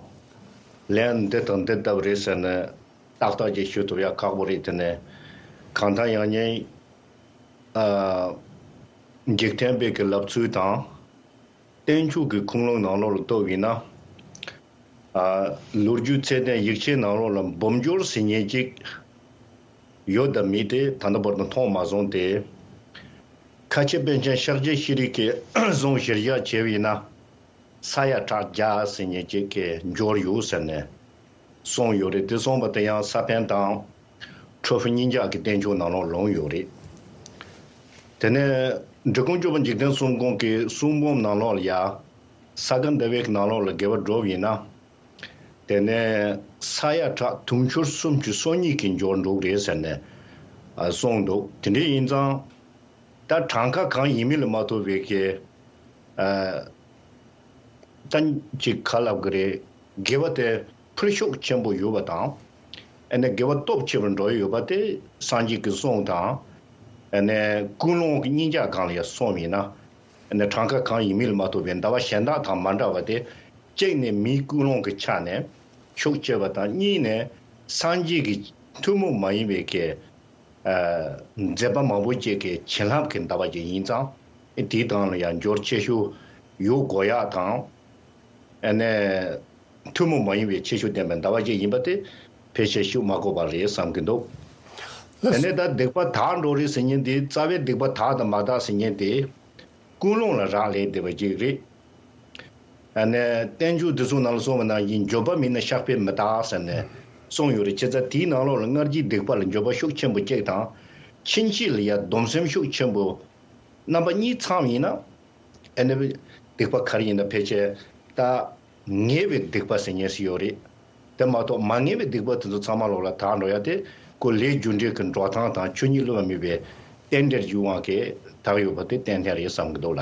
ལན་འདི་དང་འདི་ལྟ་བུ་རེད་ཟེར་ནས་ཏག་ཏག་ཅིག་ཞུ་ཐུབ་ཡ་ཁག་པོ་རེད། དེ་ནས་གང་ལྟར་ཡང་སྙིང་ཨ་འཇིག་རྟེན་པའི་གི་ལབ་ཚུལ་དང་། བསྟན་བཅོས་ཀྱི་ཁུངས་ལུང་ནང་ལོགས་ལ་ལྟོས་པ་ཡིན་ན། ཨ་ལོ་རྒྱུས་ཚད་ལྡན་ཡིག་ཆའི་ནང་ལོགས་ལ་འབུམ་འགྱུར་ཟེར་མཁན་ཅིག་ཡོད་དམ་མེད་དེ་ད་ལྟ་བར་དུ་མཐོང་མ་སོང་སྟེ། ཁ་ཆེ་པཎ་ཆེན་ཤཱཀྱ་ཤྲཱི་གིས་གསུང་གཞིར་བཞག་བྱས་པ་ཡིན་ན། ས་ཡ་ཕྲག་བརྒྱ་ཟེར་མཁན་ཅིག་གི་འབྱོར་ཡོད་ཟེར་ནས་གསུངས་ཡོད་རེད། དེ་གསུངས་པ་དེ་ཡང་ས་པཎ་དང་། ཁྲོ་ཕུ་གཉིས་ཆ་གི་བསྟན་བཅོས་ནང་ལོགས་ལོངས་ཡོད་རེད། དེ་ནས་འབྲི་གུང་སྐྱོབ་པ་འཇིག་རྟེན་གསུམ་མགོན་གྱི་གསུང་འབུམ་ནང་ལོགས་ལ་ཡ། ས་ག་ཟླ་བའི་ནང་ལོགས་ལ་དགེ་བ་སྒྲུབ་ཡིན་ན། དེ་ནས་ས་ཡ་ཕྲག་དུང་ཕྱུར་སུམ་ཅུ་སོ་གཉིས་ཀྱི་འབྱོར་འགྲོ་གི་རེད་ཟེར་ནས་ཨ་གསུངས་འདུག་དེ་འདྲ་ཡིན་ཙང་། ད་གྲངས་ཀ་གང་ཡིན་མིན་ལ་མ་ལྟོས་པའི་གི་ཨ་ད་ཅིག་ག་ལབ་གི་རེད། དགེ་བ་དེ་ཕུལ་ཤུགས་ཆེན་པོ་ཡོད་པ་དང་། ཨ་ནི་དགེ་བ་སྟོབས་ཆེ་བར་འགྲོ་ཡི་ཡོད་པ་དེ་སངས་རྒྱས་ཀྱི་གསུང་དང་། ཨ་ནི་ཀུན་སློང་གི་གཉིས་ཆ་སྒང་ལ་ཡང་སོང་བ་ཡིན་ན། ཨ་ནི་གྲངས་ཀ་གང་ཡིན་མིན་ལ་མ་ལྟོས་པའི་ཟླ་བ་གཞན་དག་དང་མ་འདྲ་བ་དེ། གཅིག་ནས་མིའི་ཀུན་སློང་གི་ཆ་ནས་ཤུགས་ཆེ་བ་དང་། གཉིས་ནས་སངས་རྒྱས་ཀྱི་ཐུན་མོང་མ་ཡིན་པའི་གི་ཨ་མཛད་པ་མང་པོ་ཅིག་གི་བྱིན་རླབས་ཀྱི་ཟླ་བ་ཅིག་ཡིན་ཙང་། དེའི་སྟེང་ལ་ཡང་འབྱོར་ཆེ་ཤོས་ཡོད་དགོས་ཡག་དང་། ཨ་ནི་ཐུན་མོང་མ་ཡིན་པའི་ཁྱད་ཆོས་ལྡན་པའི་ཟླ་བ་ཅིག་ཡིན་པ་དེ་ཕལ་ཆེར་ཞུ་མ་དགོས་པ་རེད་བསམ་གྱི་འདུག་ཨ་ནི་ད་སྡིག་པ་དག་འགྲོ་རེད་ཟེར་མཁན་དེ། རྩ་བའི་སྡིག་པ་དག་དང་མ་དག་ཟེར་མཁན་དེ། ཀུན་སློང་ལ་རག་ལས་བསྡད་པ་ཅིག་རེད། ཨ་ནི་བསྟན་བཅོས་འདི་ཚོ་ནང་ལ་གསུངས་པ་ནང་བཞིན་འགྱོད་པ་མེད་ན་བཤགས་པས་མི་དག་ཟེར་ནས་གསུངས་ཡོད་རེད། བྱས་ཙང་དེའི་ནང་ལོགས་ལ་སྔར་གྱི་སྡིག་པ་ལ་འགྱོད་པ་ཤུགས་ཆེན་པོ་གཅིག་དང་། ཕྱིན་ཆད་ལ་ཡང་སྡོམ་སེམས་ཤུགས་ཆེན་པོ་རྣམ་པ་གཉིས་ཚང་བ་ཡིན་ན། ཨ་ནི་སྡིག་པ་ག་རེ་ཡིན་ན་ཕལ་ཆེར་ད་ངེས་པའི་སྡིག་པ་ཟེར་མཁན་ཞིག་ཡོད་རེད། དེ་མ་གཏོགས་མ་ངེས་པའི་སྡིག་པ་དེ་ཚོ་ཚང་མ་ལོག་ལ་དག་འགྲོ་ཡ་དེ་ཁོ་ལས་རྒྱུ་འབྲས་ཀྱི་འགྲོ་སྟངས་དང་ཆོས་ཉིད་བསླུ་བ་མེད་པའི་རྟེན་འབྲེལ་གྱི་དབང་གིས་དག་ཡོད་པ་དེ་ཏན་ཏན་རེད་བསམ་གྱི་འདུག་ལ།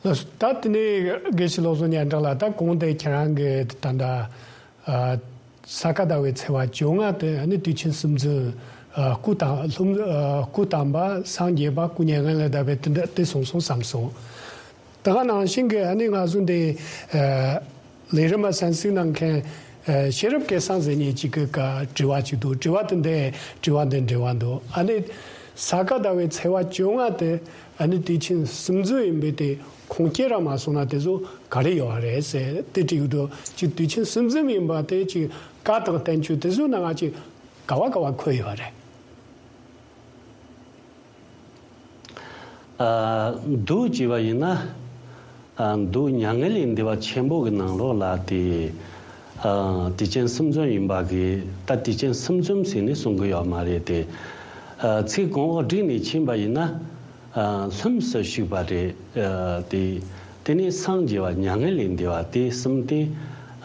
ལགས་སོ། ད་དེ་ནས་དགེ་བཤེས་བློ་བཟང་སྙན་གྲགས་ལགས། ད་གོང་དེ་ཁྱེད་རང་གིས་ད་ལྟ་ ཨ། ས་ག་ཟླ་བའི་ཚེས་པ་བཅོ་ལྔ་དེ་ཨ་ནི་དུས་ཆེན་གསུམ་འཛོམས། ཨ། སྐུ་བལྟམས། ལྷུམས། ཨ། སྐུ་བལྟམས་པ་སངས་རྒྱས་པ་སྐུ་མྱ་ངན་ལས་འདས་པའི་དེ་འདྲ་དེ་སོང་སོང་བསམ་སོང་། དེ་ག་ནང་བཞིན་གྱི་ཨ་ནི་ང་ཚོ་འདི། ཨ། ལས་རིམ་མ་གསན་གཟིགས་གནང་མཁན། ཨ། ཤེས་རབ་སྐལ་བཟང་ཟེར་མཁན་ཅིག་གི་ཀ་དྲི་བ་ཅིག་འདུག་དྲི་བ་དེ་འདི་དྲི་བ་འདི་འབྲེལ་བ་འདུག་ཨ་ནི་ས་ག་ཟླ་བའི་ཚེས་པ་བཅོ་ལྔ་དེ་ཨ་ནི་དུས་ཆེན་གསུམ་འཛོམས་ཡིན་པས་དེ་ཁུངས་སྐྱེལ་ར་མ་སོང་ན་དེ་ཚོ་ག་རེ་ཡོད་རེད་ཟེར་དེ་དྲི་གི་འདུག་ཅིག་དུས་ཆེན་གསུམ་འཛོམས་ཡིན་པ་དེ་ཅིག་བཀའ་དང་བསྟན་བཅོས་དེ་ཚོའི་ནང་ང་ཅིག་ག་བ་ག་བ་འཁོད་ཡོད་རེད། ཨ། འདུག་ཅེས་པ་ཡིན་ན། ཨ། འདུག་མྱ་ངན་ལས་འདས་པ་ཆེན་པོ་གི་ནང་ལོགས་ལ་དེ། ཨ། དུས་ཆེན་གསུམ་འཛོམས་ཡིན་པ་གི་ད་དུས་ཆེན་གསུམ་འཛོམས་ཟེར་ནས་གསུང་གི་ཡོད་མ་རེད་དེ། ཨ། ཚིག་གོང་འོག་བསྒྲིགས་ནས་ཕྱིན་པ་ཡིན་ན། ཨ། ལྷུམས་སུ་ཞུགས་པ་རེད། ཨ། དེ། དེ་ནས་སངས་རྒྱས་པ་མྱ་ངན་ལས་འདས་པ་དེ་གསུམ་དེ།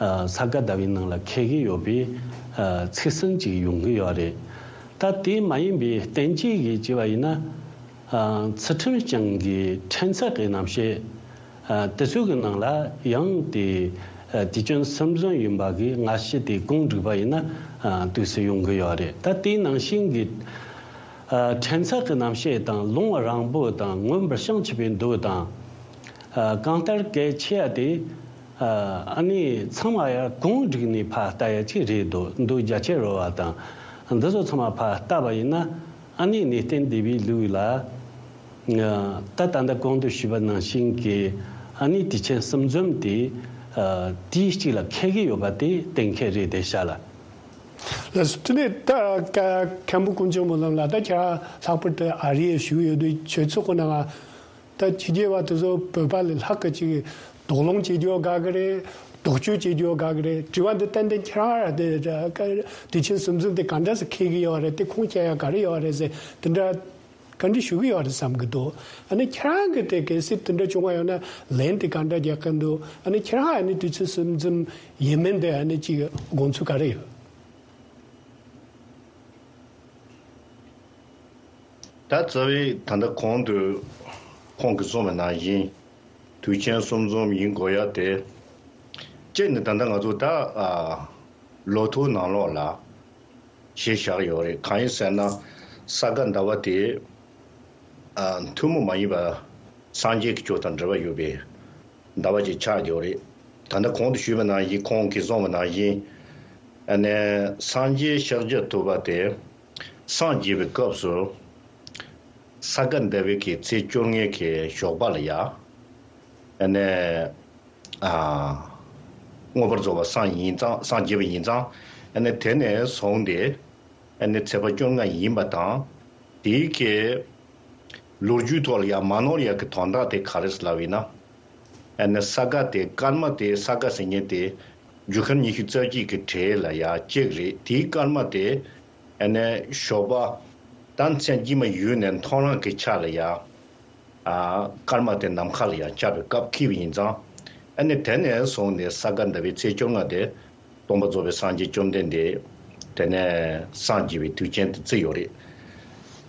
ཨ། ས་ག་ཟླ་བའི་ནང་ལ་འཁེལ་གྱི་ཡོད་པའི། ཨ། ཚིག་ཟིན་ཅིག་ཡོང་གི་ཡོད་རེད། ད་དེ་མ་ཡིན་པའི་བསྟན་བཅོས་ཀྱི་ཅེས་པ་ཡིན་ན། ཨ། ཚུལ་ཁྲིམས་བསྐྱངས་ཀྱི་ཕྲན་ཚེགས་ཀྱི་རྣམ་བཤད། ཨ། དེ་ཚོའི་གི་ནང་ལ་ཡང་དེ། ཨ། དུས་ཆེན་གསུམ་འཛོམས་ཡིན་པ་གི་སྔ་ཕྱི་དེ་གོང་བསྒྲིགས་པ་ཡིན་ན། ཨ། དུས་སུ་ཡོང་གི་ཡོད་རེད། ད་དེའི་ནང་བཞིན་གྱི། ཨ། ཕྲན་ཚེགས་ཀྱི་རྣམ་བཤད་དང་ལུང་རིང་པོ་དང་མངོན་པར་བྱང་ཆུབ་པའི་མདོ་དང་། ཨ། གང་ལྟར་གལ་ཆེ་བ་དེ། ཨ། ཨ་ནི་ཚང་མ་ཡར་གོང་བསྒྲིགས་ནས་ཕར་ལྟ་ཡ་ཅིག་རེད་འདུག་མདོ་རྒྱ་ཆེར་རོལ་པ་དང་། འདི་ཚོ་ཚང་མ་ཕར་བལྟས་པ་ཡིན་ན། ཨ་ནི་གནས་བརྟན་སྡེ་པའི་ལུགས་ལ། ད་ད་ལྟ་གོང་དུ་ཞུས་པ་ནང་བཞིན་གྱི་ཨ་ནི་དུས་ཆེན་གསུམ་འཛོམས་དེ། ཨ། དུས་གཅིག་ལ་འཁེལ་གྱི་ཡོད་པ་དེ་གཏན་འཁེལ་རེད་དེ་ཤ་ལ། ལགས་སོ། དེ་ནས་ད་ཀ་མཁན་པོ་ཀུན་མཆོག་སྨོན་ལམ་ལགས། ད་ཁྱེད་རང་ལྷག་པར་དུ་ཨ་རིའི་བཞུགས་ཡོད་དུས་ཆོས་ཚོགས་ཀྱི་ནང་ད་ཕྱི་རྒྱལ་བ་དེ་ཚོ་བོད་པ་ལས་ལྷག་གི་ཅིག་དོགས་སློང་བྱེད་རྒྱུ་དགའ་གི་རེད། དོགས་གཅོད་བྱེད་རྒྱུ་དགའ་གི་རེད། དྲི་བ་འདི་ཏན་ཏན་ཁྱེད་རང་ར་དེ་དུས་ཆེན་གསུམ་འཛོམས་དེ་ག་འདྲ་སེ་འཁེལ་གི་ཡོད་རེད། དེ་ཁུངས་སྐྱེལ་ཡ་ག་རེ་ཡོད་རེད་ཟེར་དེ་འདྲ་བཀའ་འདྲི་ཞུ་གི་ཡོད་རེད་བསམ་གི་འདུག་ཨ་ནི་ཁྱེད་རང་གི་དེ་གལ་སྲིད་དེ་འདྲ་བྱུང་བ་ཡོད་ན་ལན་དེ་ག་འདྲ་རྒྱག་གི་འདུག་ཨ་ནི་ཁྱེད་རང་ཨ་ནི་དུས་ཚོད་གསུམ་འཛོམས་ཡིན་མིན་དེ་ཨ་ནི་ཅིག་དགོངས་ཚུལ་ག་རེ་ཡོད། ད་རྩ་བའི་ད་ལྟ་གོང་དུ་ཁོང་གིས་གསུངས་པ་ནང་བཞིན་དུས་ཆེན་གསུམ་འཛོམས་ཡིན་དགོས་ཡ་དེ། གཅིག་ནི་ད་ལྟ་ང་ཚོ་ད་ཨ། ལོ་ཐོའི་ནང་ལོགས་ལ་གཞི་བཞག་ཡོད་རེད། གང་ཡིན་ཟེར་ན་ས་ག་ཟླ་བ་དེ་ཨ། ཐུན་མོང་མ་ཡིན་པ་སངས་རྒྱས་ཀྱི་ཆོས་དང་འབྲེལ་བ་ཡོད་པའི་ཟླ་བ་ཅིག་ཆགས་ཡོད་རེད། ད་ལྟ་གོང་དུ་ཞུས་པ་ནང་བཞིན་ཁོང་གིས་གསུངས་པ་ནང་བཞིན་ཨ་ནི་སངས་རྒྱས་ཤཱཀྱ་ཐུབ་པ་དེ་སངས་རྒྱས་པའི་སྐབས་སུ་ས་ག་ཟླ་བའི་གི་ཚེས་བཅོ་ལྔའི་གི་ཞོགས་པ་ལ་ཡ་ཨ་ནི། ཨ། མངོན་པར་རྫོགས་པར་སངས་ཡིན་ཙང་སངས་རྒྱས་པ་ཡིན་ཙང་ཨ་ནི་དེ་ནས་བཟུང་སྟེ་ཨ་ནི་ཚེས་པ་བཅོ་ལྔ་ཡིན་པ་དང་དེའི་གི་ལོ་རྒྱུས་ཐོག་ལ་ཡང་མ་ནོར་ཡག་གི་དོན་དག་དེ་ག་རེ་ཟེར་ལབ་ཡིན་ན་ཨ་ནི་ས་ག་དེ་སྐར་མ་དེ་ས་ག་ཟེར་མཁན་དེ་རྒྱུ་སྐར་ཉི་ཤུ་རྩ་གཅིག་གི་གྲས་ལ་ཡང་གཅིག་རེད། དེའི་སྐར་མ་དེ་ཨ་ནི་ཞོགས་པ་ད་མཚན་དཀྱིལ་མ་ཡོལ་ནས་མཐོང་རང་གི་ཆ་ལ་ཡང་། ཨ། སྐར་མ་དེ་ནམ་མཁའ་ལ་ཡང་ཁྱབ་པའི་སྐབས་འཁེལ་བ་ཡིན་ཙང་། ཨ་ནི་དེ་ནས་བཟུང་ནས་ས་ག་ཟླ་བའི་ཚེས་བཅོ་ལྔ་དེ་སྟོན་པ་རྫོགས་པའི་སངས་རྒྱས་བཅོམ་ལྡན་འདས་དེ་ནས་སངས་རྒྱས་པའི་དུས་ཆེན་དུ་བརྩིས་ཡོད་རེད།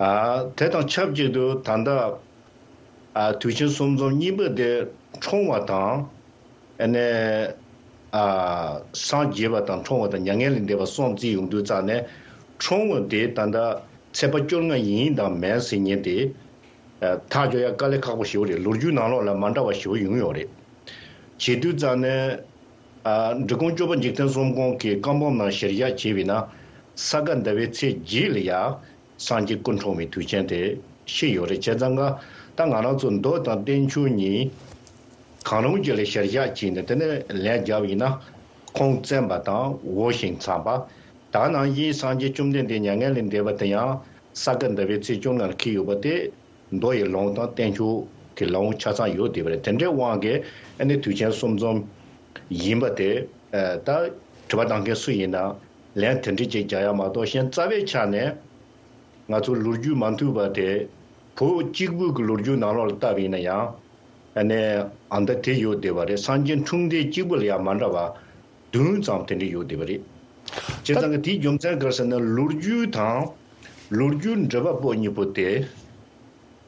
ཨ། དེ་དང་ཆབས་ཅིག་ཏུ་ད་ལྟ་ཨ། དུས་ཆེན་གསུམ་འཛོམས་གཉིས་པོ་དེ་འཁྲུངས་པ་དང་། ཨ་ནི། ཨ། སངས་རྒྱས་པ་དང་འཁྲུངས་པ་དང་མྱ་ངན་ལས་འདས་པ་གསུམ་བརྩིས་ཡོང་དུས་ཙང་ནས་འཁྲུངས་པ་དེ་ད་ལྟ་ཚེས་པ་བཅོ་ལྔ་ཡིན་དང་མིན་ཟེར་མཁན་དེ། ཨ། ཐག་གཅོད་ཡ་དཀའ་ལས་ཁག་པོ་ཞེ་པོ་རེད། ལོ་རྒྱུས་ནང་ལོགས་ལ་མ་འདྲ་བ་ཞེ་པོ་ཡོང་ཡོད་རེད། བྱེད་དུས་ཙང་ནས། ཨ། འབྲི་གུང་སྐྱོབ་པ་འཇིག་རྟེན་གསུམ་མགོན་གྱི་བཀའ་འབུམ་ནང་གཞིར་བཞག་བྱས་པ་ཡིན་ན། ས་ག་ཟླ་བའི་ཚེས་བརྒྱད་ལ་ཡ། སངས་རྒྱས་སྐུ་འཁྲུངས་པའི་དུས་ཆེན་དེ་ཤེས་ཡོད་རེད། བྱས་ཙང་ཀ་ད་ང་རང་ཚོ་མདོ་དང་བསྟན་བཅོས་གཉིས་གང་རུང་གཅིག་ལ་གཞིར་བཞག་བྱས་ནས་དེ་ནས་ལན་བརྒྱབ་ཡིན་ན། ཁོང་བཙན་པ་དང་འོ་ཞིང་འཚམས་པ། ད་ནང་བཞིན་སངས་རྒྱས་བཅོམ་ལྡན་འདས་མྱ་ངན་ལས་འདས་པ་དེ་ཡང་ས་ག་ཟླ་བའི་ཚེས་བཅོ་ལྔ་ལ་འཁེལ་ཡོད་པ་དེ་མདོ་ཡི་ལུང་དང་བསྟན་བཅོས་ཀྱི་ལུང་ཆ་ཚང་ཡོད་བསྡད་པ་རེད། དེ་འདྲའི་དབང་གིས་ཨ་ནི་དུས་ཆེན་གསུམ་འཛོམས་ཡིན་པ་དེ་ད་དྲི་བ་བཏང་མཁན་སུ་ཡིན་ན་ལན་དེ་འདྲ་ཅིག་རྒྱག་ཡ་མ་གཏོགས་གཞན་རྩ་བའི་ཆ་ནས། ང་ཚོ་ལོ་རྒྱུས་མ་མཐུན་པ་དེ་བོད་གཅིག་པུའི་གི་ལོ་རྒྱུས་ནང་ལོགས་ལ་བལྟས་པ་ཡིན་ན་ཡང་། ཨ་ནི་ཨ་མདའ་དེ་ཡོད་བསྡད་པ་རེད། སངས་རྒྱས་འཁྲུངས་འདས་གཅིག་པུ་ལ་ཡང་མ་འདྲ་བ་བདུན་ཙམ་དེ་འདྲ་ཡོད་བསྡད་པ་རེད། བྱས་ཙང་གི་དེའི་རྒྱུ་མཚན་ག་རེ་ཟེར་ན་ལོ་རྒྱུས་དང་ལོ་རྒྱུས་འགྲེལ་པ་པོ་གཉིས་པོ་དེ་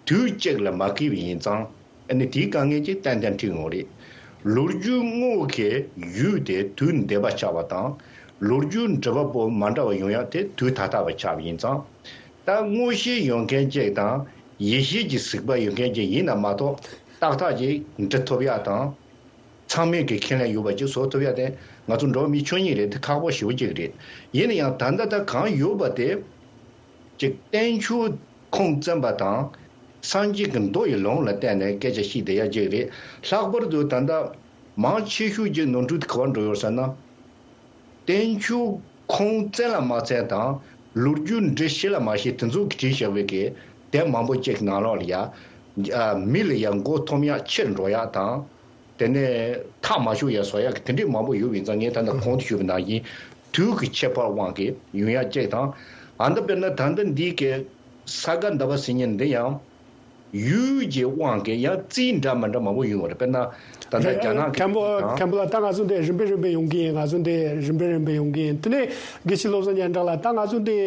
དུས་གཅིག་ལ་མ་འཁེལ་བ་ཡིན་ཙང་ཨ་ནི་དེའི་དཀའ་ངལ་ཅིག་ཏན་ཏན་འཕྲད་ཡོང་རེད། ལོ་རྒྱུས་དངོས་ཀྱི་ཡུལ་དེ་དུས་འདས་པ་ཆགས་པ་དང་། ལོ་རྒྱུས་འབྲི་བ་པོ་མ་འདྲ་བ་ཡོང་ཡག་དེ་དུས་ད་ལྟ་བ་ཆགས་པ་ཡིན་ཙང་། ད་དངོས་གཞི་ཡོད་མཁན་གཅིག་དང་ཡིད་བྱེད་ཀྱི་གཟིགས་པ་ཡོད་མཁན་གཅིག་ཡིན་ན་མ་གཏོགས། ཏག་ཏག་ཅིག་འབྲི་ཐུབ་ཡག་དང་། ཚང་མས་ཀྱི་ཁས་ལེན་ཡོད་པ་ཅིག་བཟོ་ཐུབ་ཡག་དེ་ང་ཚོ་འགྲོ་བ་མི་ཆོས་ཉིད་རེད། དེ་ཁག་པོ་ཞེ་པོ་ཅིག་རེད། ཡིན་ན་ཡང་ད་ལྟ་ད་གང་ཡོད་པ་དེ་ཅིག་བསྟན་བཅོས་ཁུངས་བཙན་པ་དང་། སངས་རྒྱས་ཀྱི་མདོ་ཡི་ལུང་ལ་བརྟེན་ནས་སྐད་ཆ་བཤད་བསྡད་ཡག་ཅིག་རེད། ལྷག་པར་དུ་ད་ལྟ་མང་ཆེ་ཤོས་ཀྱི་ནོར་འཁྲུལ་དེ་ག་པར་འགྲོ་ཡོད་ཟེར་ན། བསྟན་བཅོས་ཁུངས་བཙན་ལ་མ་བཙན་དང་། ལོ་རྒྱུས་འབྲི་ཤེས་ལ་མ་ཤེས། དེ་ཚོ་གིས་བྲིས་བཞག་པའི་གི་དེབ་མང་པོ་ཅིག་ནང་ལོགས་ལ་ཡ། ཨ། མི་ལ་ཡ་མགོ་འཐོམ་ཡག་ཕྱིར་འགྲོ་ཡག་དང་། དེ་ནས་ཐག་མ་ཆོད་ཡ་བཟོ་ཡག་གི་དེ་འདྲས་མང་པོ་ཡོད་པ་ཡིན་ཙང་། ངས་ད་ལྟ་གོང་དུ་ཞུས་པ་ནང་བཞིན་དུས་ཀྱི་ཁྱད་པར་དབང་གིས་ཡོང་ཡག་ཅིག་དང་། ཨ། འདི་དཔེར་ན་ད་ལྟ་འདི་གི་ས་ག་ཟླ་བ་ཟེར་མཁན་འདི་ཡང་། ཡུལ་གྱི་དབང་གིས་ཡང་རྩིས་འདྲ་མི་འདྲ་མང་པོ་ཡོང་བ་རེད། དཔེར་ན་ད་ལྟ་རྒྱ་ནག་གི་མཁན་པོ་དང་། མཁན་པོ་ལགས། ད་ང་ཚོ་འདི་རིམ་པས་རིམ་པས་ཡོང་གི་ཡིན། ང་ཚོ་འདི་རིམ་པས་རིམ་པས་ཡོང་གི་ཡིན། དེ་ནས་དགེ་བཤེས་བློ་བཟང་སྙན་གྲགས་ལགས། ད་ང་ཚོ་འདི་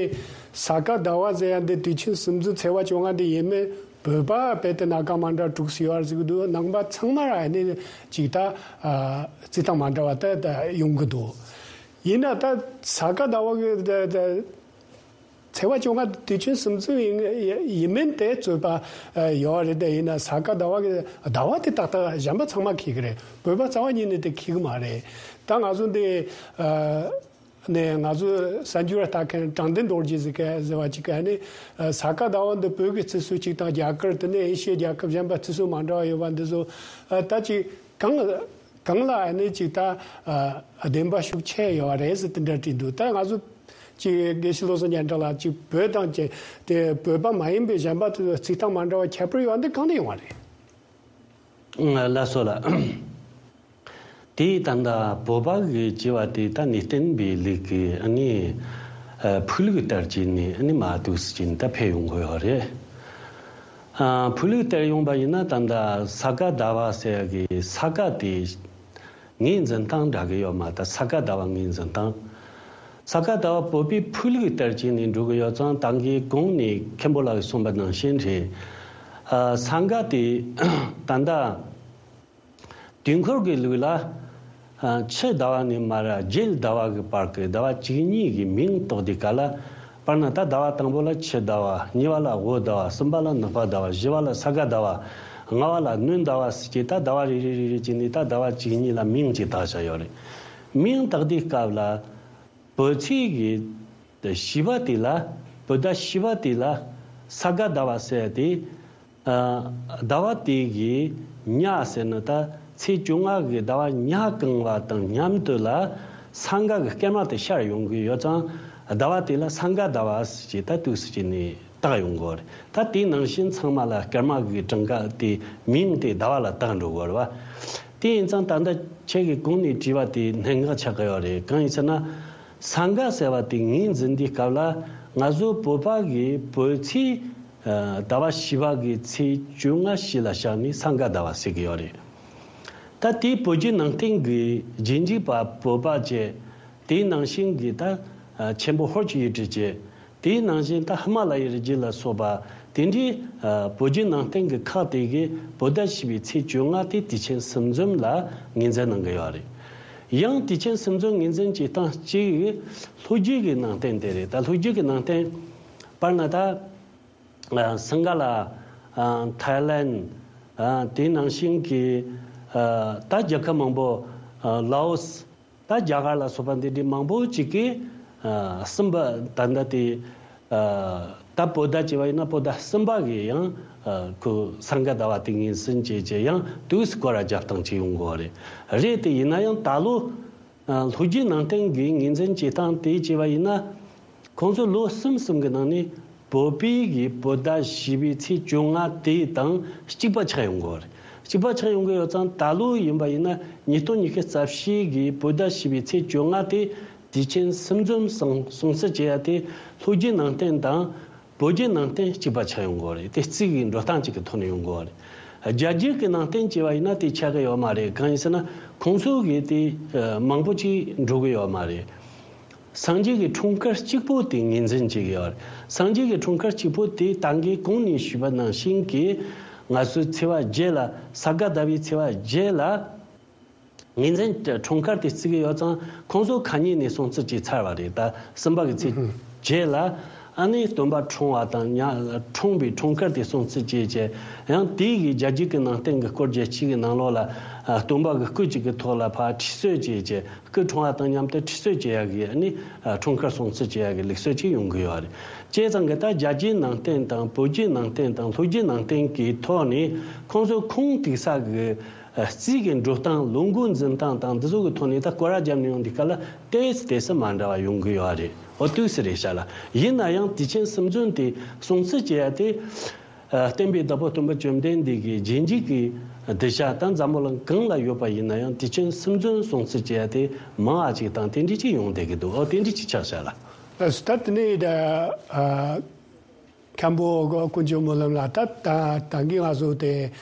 ས་ག་ཟླ་བ་ཟེར་ཡ་འདི་དུས་ཆེན་སུམ་ཅུ་ཚེས་པ་བཅོ་ལྔ་འདི་ཡིན་མིན་བོད་པ་རྦད་དེ་སྣ་ཁ་མ་འདྲ་དྲུག་ཙམ་ཡོད་རེད་ཟེར་གི་འདུག། ནང་པ་ཚང་མ་ར་ནི་ཅིག་ད། ཨ། རྩིས་སྟངས་མ་འདྲ་བ་ད་ད་ཡོང་གི་འདུག། ཡིན་ན་ད་ས་ག་ཟླ་བ་གི་ད་ད། ཚེས་པ་བཅོ་ལྔ་དུས་ཆེན་སུམ་ཅུ་ཡིན་ཡིན་མིན་དེ་རྩོད་པ་ཡོད་རེད། དེ་ཡིན་ན་ས་ག་ཟླ་བ་གི་ཟླ་བ་དེ་ཏག་ཏག་གཞན་པ་ཚང་མ་འཁེལ་གི་རེད། བོད་པ་རྩ་བ་ཉིད་ནས་དེ་འཁེལ་གི་མ་རེད། ད་ང་ཚོ་འདི་ནས་ང་ཚོ་གསར་འགྱུར་ལྟ་མཁན་དྲང་བདེན་རྡོ་རྗེ་ཟེར་མཁན་ཟེར་བ་ཅིག་གིས་ནི་ས་ག་ཟླ་བ་འདི་བོད་ཀྱི་རྩི་སྲོལ་གཅིག་དང་རྒྱ་གར། དེ་ནས་ཨེ་ཤི་ཡའི་རྒྱལ་ཁབ་གཞན་པ་རྩི་སྲོལ་མ་འདྲ་བ་ཡོད་པ་འདི་ཚོ་ད་ཅིག་གང་གང་ལ་ནི་ཅིག་ད་བདེན་པ་ཤུགས་ཆེ་ཡོད་རེད་ཟེར་དེ་འདྲ་བྲིས་འདུག། ད་ང་ཚོ། ཅིག་དགེ་བཤེས་བློ་བཟང་སྙན་གྲགས་ལགས། ཅིག་བོད་དང་ཅིག་དེ་བོད་པ་མ་ཡིན་པའི་གཞན་པ་ཚོས་རྩིས་སྟངས་མ་འདྲ་བ་ཁྱད་པར་ཡོད་པ་འདི་གང་ནས་ཡོང་བ་རེད། ལགས་སོ་ལགས། དེ་ད་ལྟ་བོད་པ་གི་བྱས་པ་དེ་ད་ནི་བསྟན་པའི་ལུགས་ཀྱི་ཨ་ནི་ཕུགས་ལུགས་ལྟར་བྱས་ནས་ཨ་ནི་མར་འདུག་སེ་བྱས་ནས་ད་ཕེབས་ཡོང་གི་ཡོད་རེད། ཨ། ཕུགས་ལུགས་ལྟར་ཡོང་པ་ཡིན་ན་ད་ལྟ་ས་ག་ཟླ་བ་ཟེར་གི་ས་ག་དེ། ངོས་འཛིན་སྟངས་འདྲ་གི་ཡོད་མ་རེད། ད་ས་ག་ཟླ་བ་ངོས་འཛིན་སྟངས། ས་ག་ཟླ་བ་བོད་པའི་ཕུགས་ལུགས་ལྟར་བྱས་ནས་འགྲོ་གི་ཡོད་ཙང་། ད་གིན་གོང་ནས་མཁན་པོ་ལགས་ཀྱིས་གསུངས་པ་ནང་བཞིན་རེད། ཨ། ས་ག་དེ་ད་ལྟ་དུས་འཁོར་གྱི་ལུགས་ལ། ཨ། ཕྱི་ཟླ་བ་ནས་མར་རྗེས་ཟླ་བ་གི་བར་གྱི་ཟླ་བ་བཅུ་གཉིས་ཀྱི་མིང་བཏགས་དུས་སྐབས་ལ། དཔེར་ན་ད་ཟླ་བ་དང་པོ་ལ་ཕྱི་ཟླ་བ། གཉིས་པ་ལ་དབུ་ཟླ་བ། གསུམ་པ་ལ་ནག་པ་ཟླ་བ། བཞི་པ་ལ་ས་ག་ཟླ་བ། ལྔ་པ་ལ་སྣྲོན་ཟླ་བ་ཟེར་གྱི། ད་ཟླ་བ་རེ་རེ་རེ་རེ་བྱས་ནས་ད་ཟླ་བ་བཅུ་གཉིས་ལ་མིང་གཅིག་བཏགས་བཞག་ཡོད་རེད། མིང་བཏགས་དུས་སྐབས་ལ་བོད་ཚེས་ཀྱི་བཞི་པ་དེ་ལ། བོད་ཟླ་བཞི་པ་དེ་ལ་ས་ག་ཟླ་བ་ཟེར་ཏེ། ཨ། ཟླ་བ་དེ་གི་ཉ་ཟེར་ན་ད་ཚེས་བཅོ་ལྔ་གི་ཟླ་བ་ཉ་གང་བ་དང་མཉམ་དུ་ལ་ས་ག་གི་སྐར་མ་དེ་ཤར་ཡོང་གི་ཡོད་ཙང་། ཟླ་བ་དེ་ལ་ས་ག་ཟླ་བ་ཟེར་གྱི་ད་འདུག་སེ་བྱས་ནས་བཏགས་ཡོང་གི་ཡོད་རེད། ད་དེ་ནང་བཞིན་ཚང་མ་ལ་སྐར་མ་གི་གྲངས་ཀ་དེ་མིང་དེ་ཟླ་བ་ལ་བཏགས་འགྲོ་གི་ཡོད་རེད་པ། དེ་ཡིན་ཙང་ད་ལྟ་ཁྱེད་ཀྱིས་གོང་ནས་དྲིས་པ་དེ་གནད་འགག་ཆགས་ཀྱི་ཡོད་རེད། གང་ཡིན་ཟེར་ན། ས་ག་ཟེར་བ་དེ་ངོས་འཛིན་དུས་སྐབས་ལ་ང་ཚོ་བོད་པ་གི་བོད་ཚེས། ཨ། ཟླ་བ་བཞི་པ་གི་ཚེས་བཅོ་ལྔ་བཞི་ལ་བཞག་ནས་ས་ག་ཟླ་བ་ཟེར་གྱི་ཡོད་རེད། ད་དེའི་བོད་བརྒྱུད་ནང་བསྟན་གྱི་རྗེས་འཇུག་པ་བོད་པ་བཅས། དེའི་ནང་བཞིན་གྱི་ད་ཆེན་པོ་ཧོར་གྱི་ཡུལ་གྲུ་བཅས། དེའི་ནང་བཞིན་ད་ཧི་མ་ལ་ཡའི་རི་རྒྱུད་ལ་སོགས་པ་དེ་འདྲའི། ཨ། བོད་བརྒྱུད་ནང་བསྟན་གྱི་ཁག་དེ་གིས་བོད་ཟླ་བཞི་པའི་ཚེས་བཅོ་ལྔ་དེ་དུས་ཆེན་སུམ་འཛོམས་ལ་ངོས་འཛིན་གནང་གི་ཡོད་རེད། ཡང་དུས་ཆེན་སུམ་འཛོམས་ངོས་འཛིན་བྱེད་སྟངས་གཅིག་ལྷོ་རྒྱུད་ཀྱི་ནང་བསྟན་དེ་རེད། ད་ལྷོ་རྒྱུད་ཀྱི་ནང་བསྟན། དཔེར་ན་ད། ཨ། སིང་ག་ལ། ཨ། ཐའི་ལན། ཨ། དེ་ནང་བཞིན་གྱི། ཨ། ད་རྒྱལ་ཁབ་མང་པོ། ཨ། ལའོ་སི། ད་རྒྱ་གར་ལ་སོགས་པ་འདི་འདྲའི་མང་པོ་ཅིག་གིས། ཨ། གསུམ་པ་ད་ལྟ་དེ། ཨ། ད་བོད་ཟླ་བྱས་པ་ཡིན་ན་བོད་ཟླ་གསུམ་པ་གི་ཡང་། ཨ། ཁོ་ས་ག་ཟླ་བ་དེ་ངོས་འཛིན་བྱས་བྱས་ཡང་དུས་སུ་སྐོར་ར་རྒྱབ་སྟངས་ཅིག་ཡོང་གི་ཡོད་རེད། རེད། དེ་ཡིན་ན་ཡང་ད་ལོ། ཨ། ལྷོ་རྒྱུད་ནང་བསྟན་གྱི་ངོས་འཛིན་བྱེད་སྟངས་དེ་བྱས་པ་ཡིན་ན། ཁོང་ཚོ་ལོ་གསུམ་གསུམ་གྱི་ནང་ནས་བོད་པའི་གི་བོད་ཟླ་བཞི་པའི་ཚེས་བཅོ་ལྔ་དེ་དང་གཅིག་པ་ཆགས་ཡོང་གི་ཡོད་རེད། གཅིག་པ་ཆགས་ཡོང་གི་ཡོད་ཙང་། ད་ལོ་ཡིན་པ་ཡིན་ན་ཉིས་སྟོང་ཉི་ཤུ་རྩ་བཞི་གི་བོད་ཟླ་བཞི་པའི་ཚེས་བཅོ་ལྔ་དེ་དུས་ཆེན་སུམ་འཛོམས་སྲུང་སྲུང་བརྩི་བྱེད་ཡ་དེ་ལྷོ་རྒྱུད་ནང་བསྟན་དང་། བོད་བརྒྱུད་ནང་བསྟན་གཅིག་པ་ཆགས་ཡོང་གི་ཡོད་རེད། དེ་རྩིས་ཀྱི་འགྲོ་སྟངས་གཅིག་གི་ཐོག་ནས་ཡོང་གི་ཡོད་རེད། རྒྱ་རྒྱུད་ཀྱི་ནང་བསྟན་བྱས་པ་ཡིན་ན་དེ་ཆགས་ཀྱི་ཡོད་མ་རེད། གང་ཡིན་ཟེར་ན་ཁོང་ཚོ་གིས་དེ་མང་པོ་ཅིག་འགྲོ་གི་ཡོད་མ་རེད། སངས་རྒྱས་ཀྱི་འཁྲུངས་སྐར་གཅིག་པོ་དེ་ངོས་འཛིན་བྱེད་ཀྱི་ཡོད་རེད། སངས་རྒྱས་ཀྱི་འཁྲུངས་སྐར་གཅིག་པོ་དེ་ད་གིན་གོང་ནས་ཞུས་པ་ནང་བཞིན་གྱི་ང་ཚོའི་ཚེས་པ་བརྒྱད་ལ། ས་ག་ཟླ་བའི་ཚེས་པ་བརྒྱད་ལ། ངོས་འཛིན་འཁྲུངས་སྐར་དེ་བརྩི་གི་ཡོད་ཙང་ཁོང་ཚོ་ཁ་ཉིན་ནས་སྲུང་བརྩི་བྱས་ཚར་བ་རེད། ད་གསུམ་པ་གི་ཚེས་བརྒྱད་ལ་ཨ་ནི་སྟོན་པ་འཁྲུངས་པ་དང་ཉ་འཁྲུངས་པའི་འཁྲུངས་སྐར་དེ་སྲུང་བརྩི་བྱས་བྱས། ཡང་དེའི་གི་རྒྱལ་རྒྱུད་ཀྱི་ནང་བསྟན་གྱི་སྐོར་རྒྱལ་སྤྱི་གི་ནང་ལོགས་ལ་ཨ་སྟོན་པ་གི་སྐུ་གཅིག་གི་ཐོག་ལ་ཕར་ཁྲུས་གསོལ་བྱས་བྱས། སྐུ་འཁྲུངས་པ་དང་མཉམ་དུ་ཁྲུས་གསོལ་བྱེད་ཡག་གི་ཨ་ནི་ཨ་འཁྲུངས་སྐར་སྲུང་བརྩི་བྱེད་ཡག་གི་ལུགས་སྲོལ་ཅིག་ཡོང་གི་ཡོད་རེད། བྱས་ཙང་གི་ད་རྒྱལ་རྒྱུད་ནང་བསྟན་དང་བོད་བརྒྱུད་ནང་བསྟན་དང་ལྷོ་བརྒྱུད་ནང་བསྟན་གྱི་ཐོག་ནས་ཁོང་ཚོ་ཁུངས་གཏུགས་ས་གི་ཨ་རྩིས་ཀྱི་འགྲོ་སྟངས། ལོ་འགོ་འཛིན་སྟངས་དང་འདི་ཚོ་གི་ཐོག་ནས་ད་སྐོར་ར་བརྒྱབ་ནས་ཡོང་དུས་སྐབས་ལ་ཏོག་ཙམ་ཏོག་ཙམ་མ་འདྲ་བ་ཡོང་གི་ཡོད་རེད། འོ་ཏོག་ཙམ་རེད་ཤག་ལ། ཡིན་ན་ཡང་དུས་ཆེན་གསུམ་འཛོམས་དེ་སྲུང་བརྩི་བྱེད་ཡ་དེ། ཨ་བསྟན་པའི་བདག་པོ་སྟོན་པ་བཅོམ་ལྡན་འདས་ཀྱི་རྗེས་འཇུག་གི་གདུལ་བྱ་ད་འཛམ་བུ་གླིང་གང་ལ་ཡོད་པ་ཡིན་ན་ཡང་དུས་ཆེན་གསུམ་འཛོམས་སྲུང་བརྩི་བྱེད་ཡ་དེ་མང་བ་ཅིག་དང་དེ་འདྲ་ཅིག་ཡོང་བསྡད་ཀྱི་འདུག་འོ་དེ་འདྲ་ཅིག་ཆགས་ཤག་ལ། ལགས་སོ། ད་དེ་ནས་ད་ཨ་མཁན་པོ་དཀོན་མཆོག་སྨོན་ལམ་ལགས། ད་ད་ད་གིན་ང་ཚོ་དེ་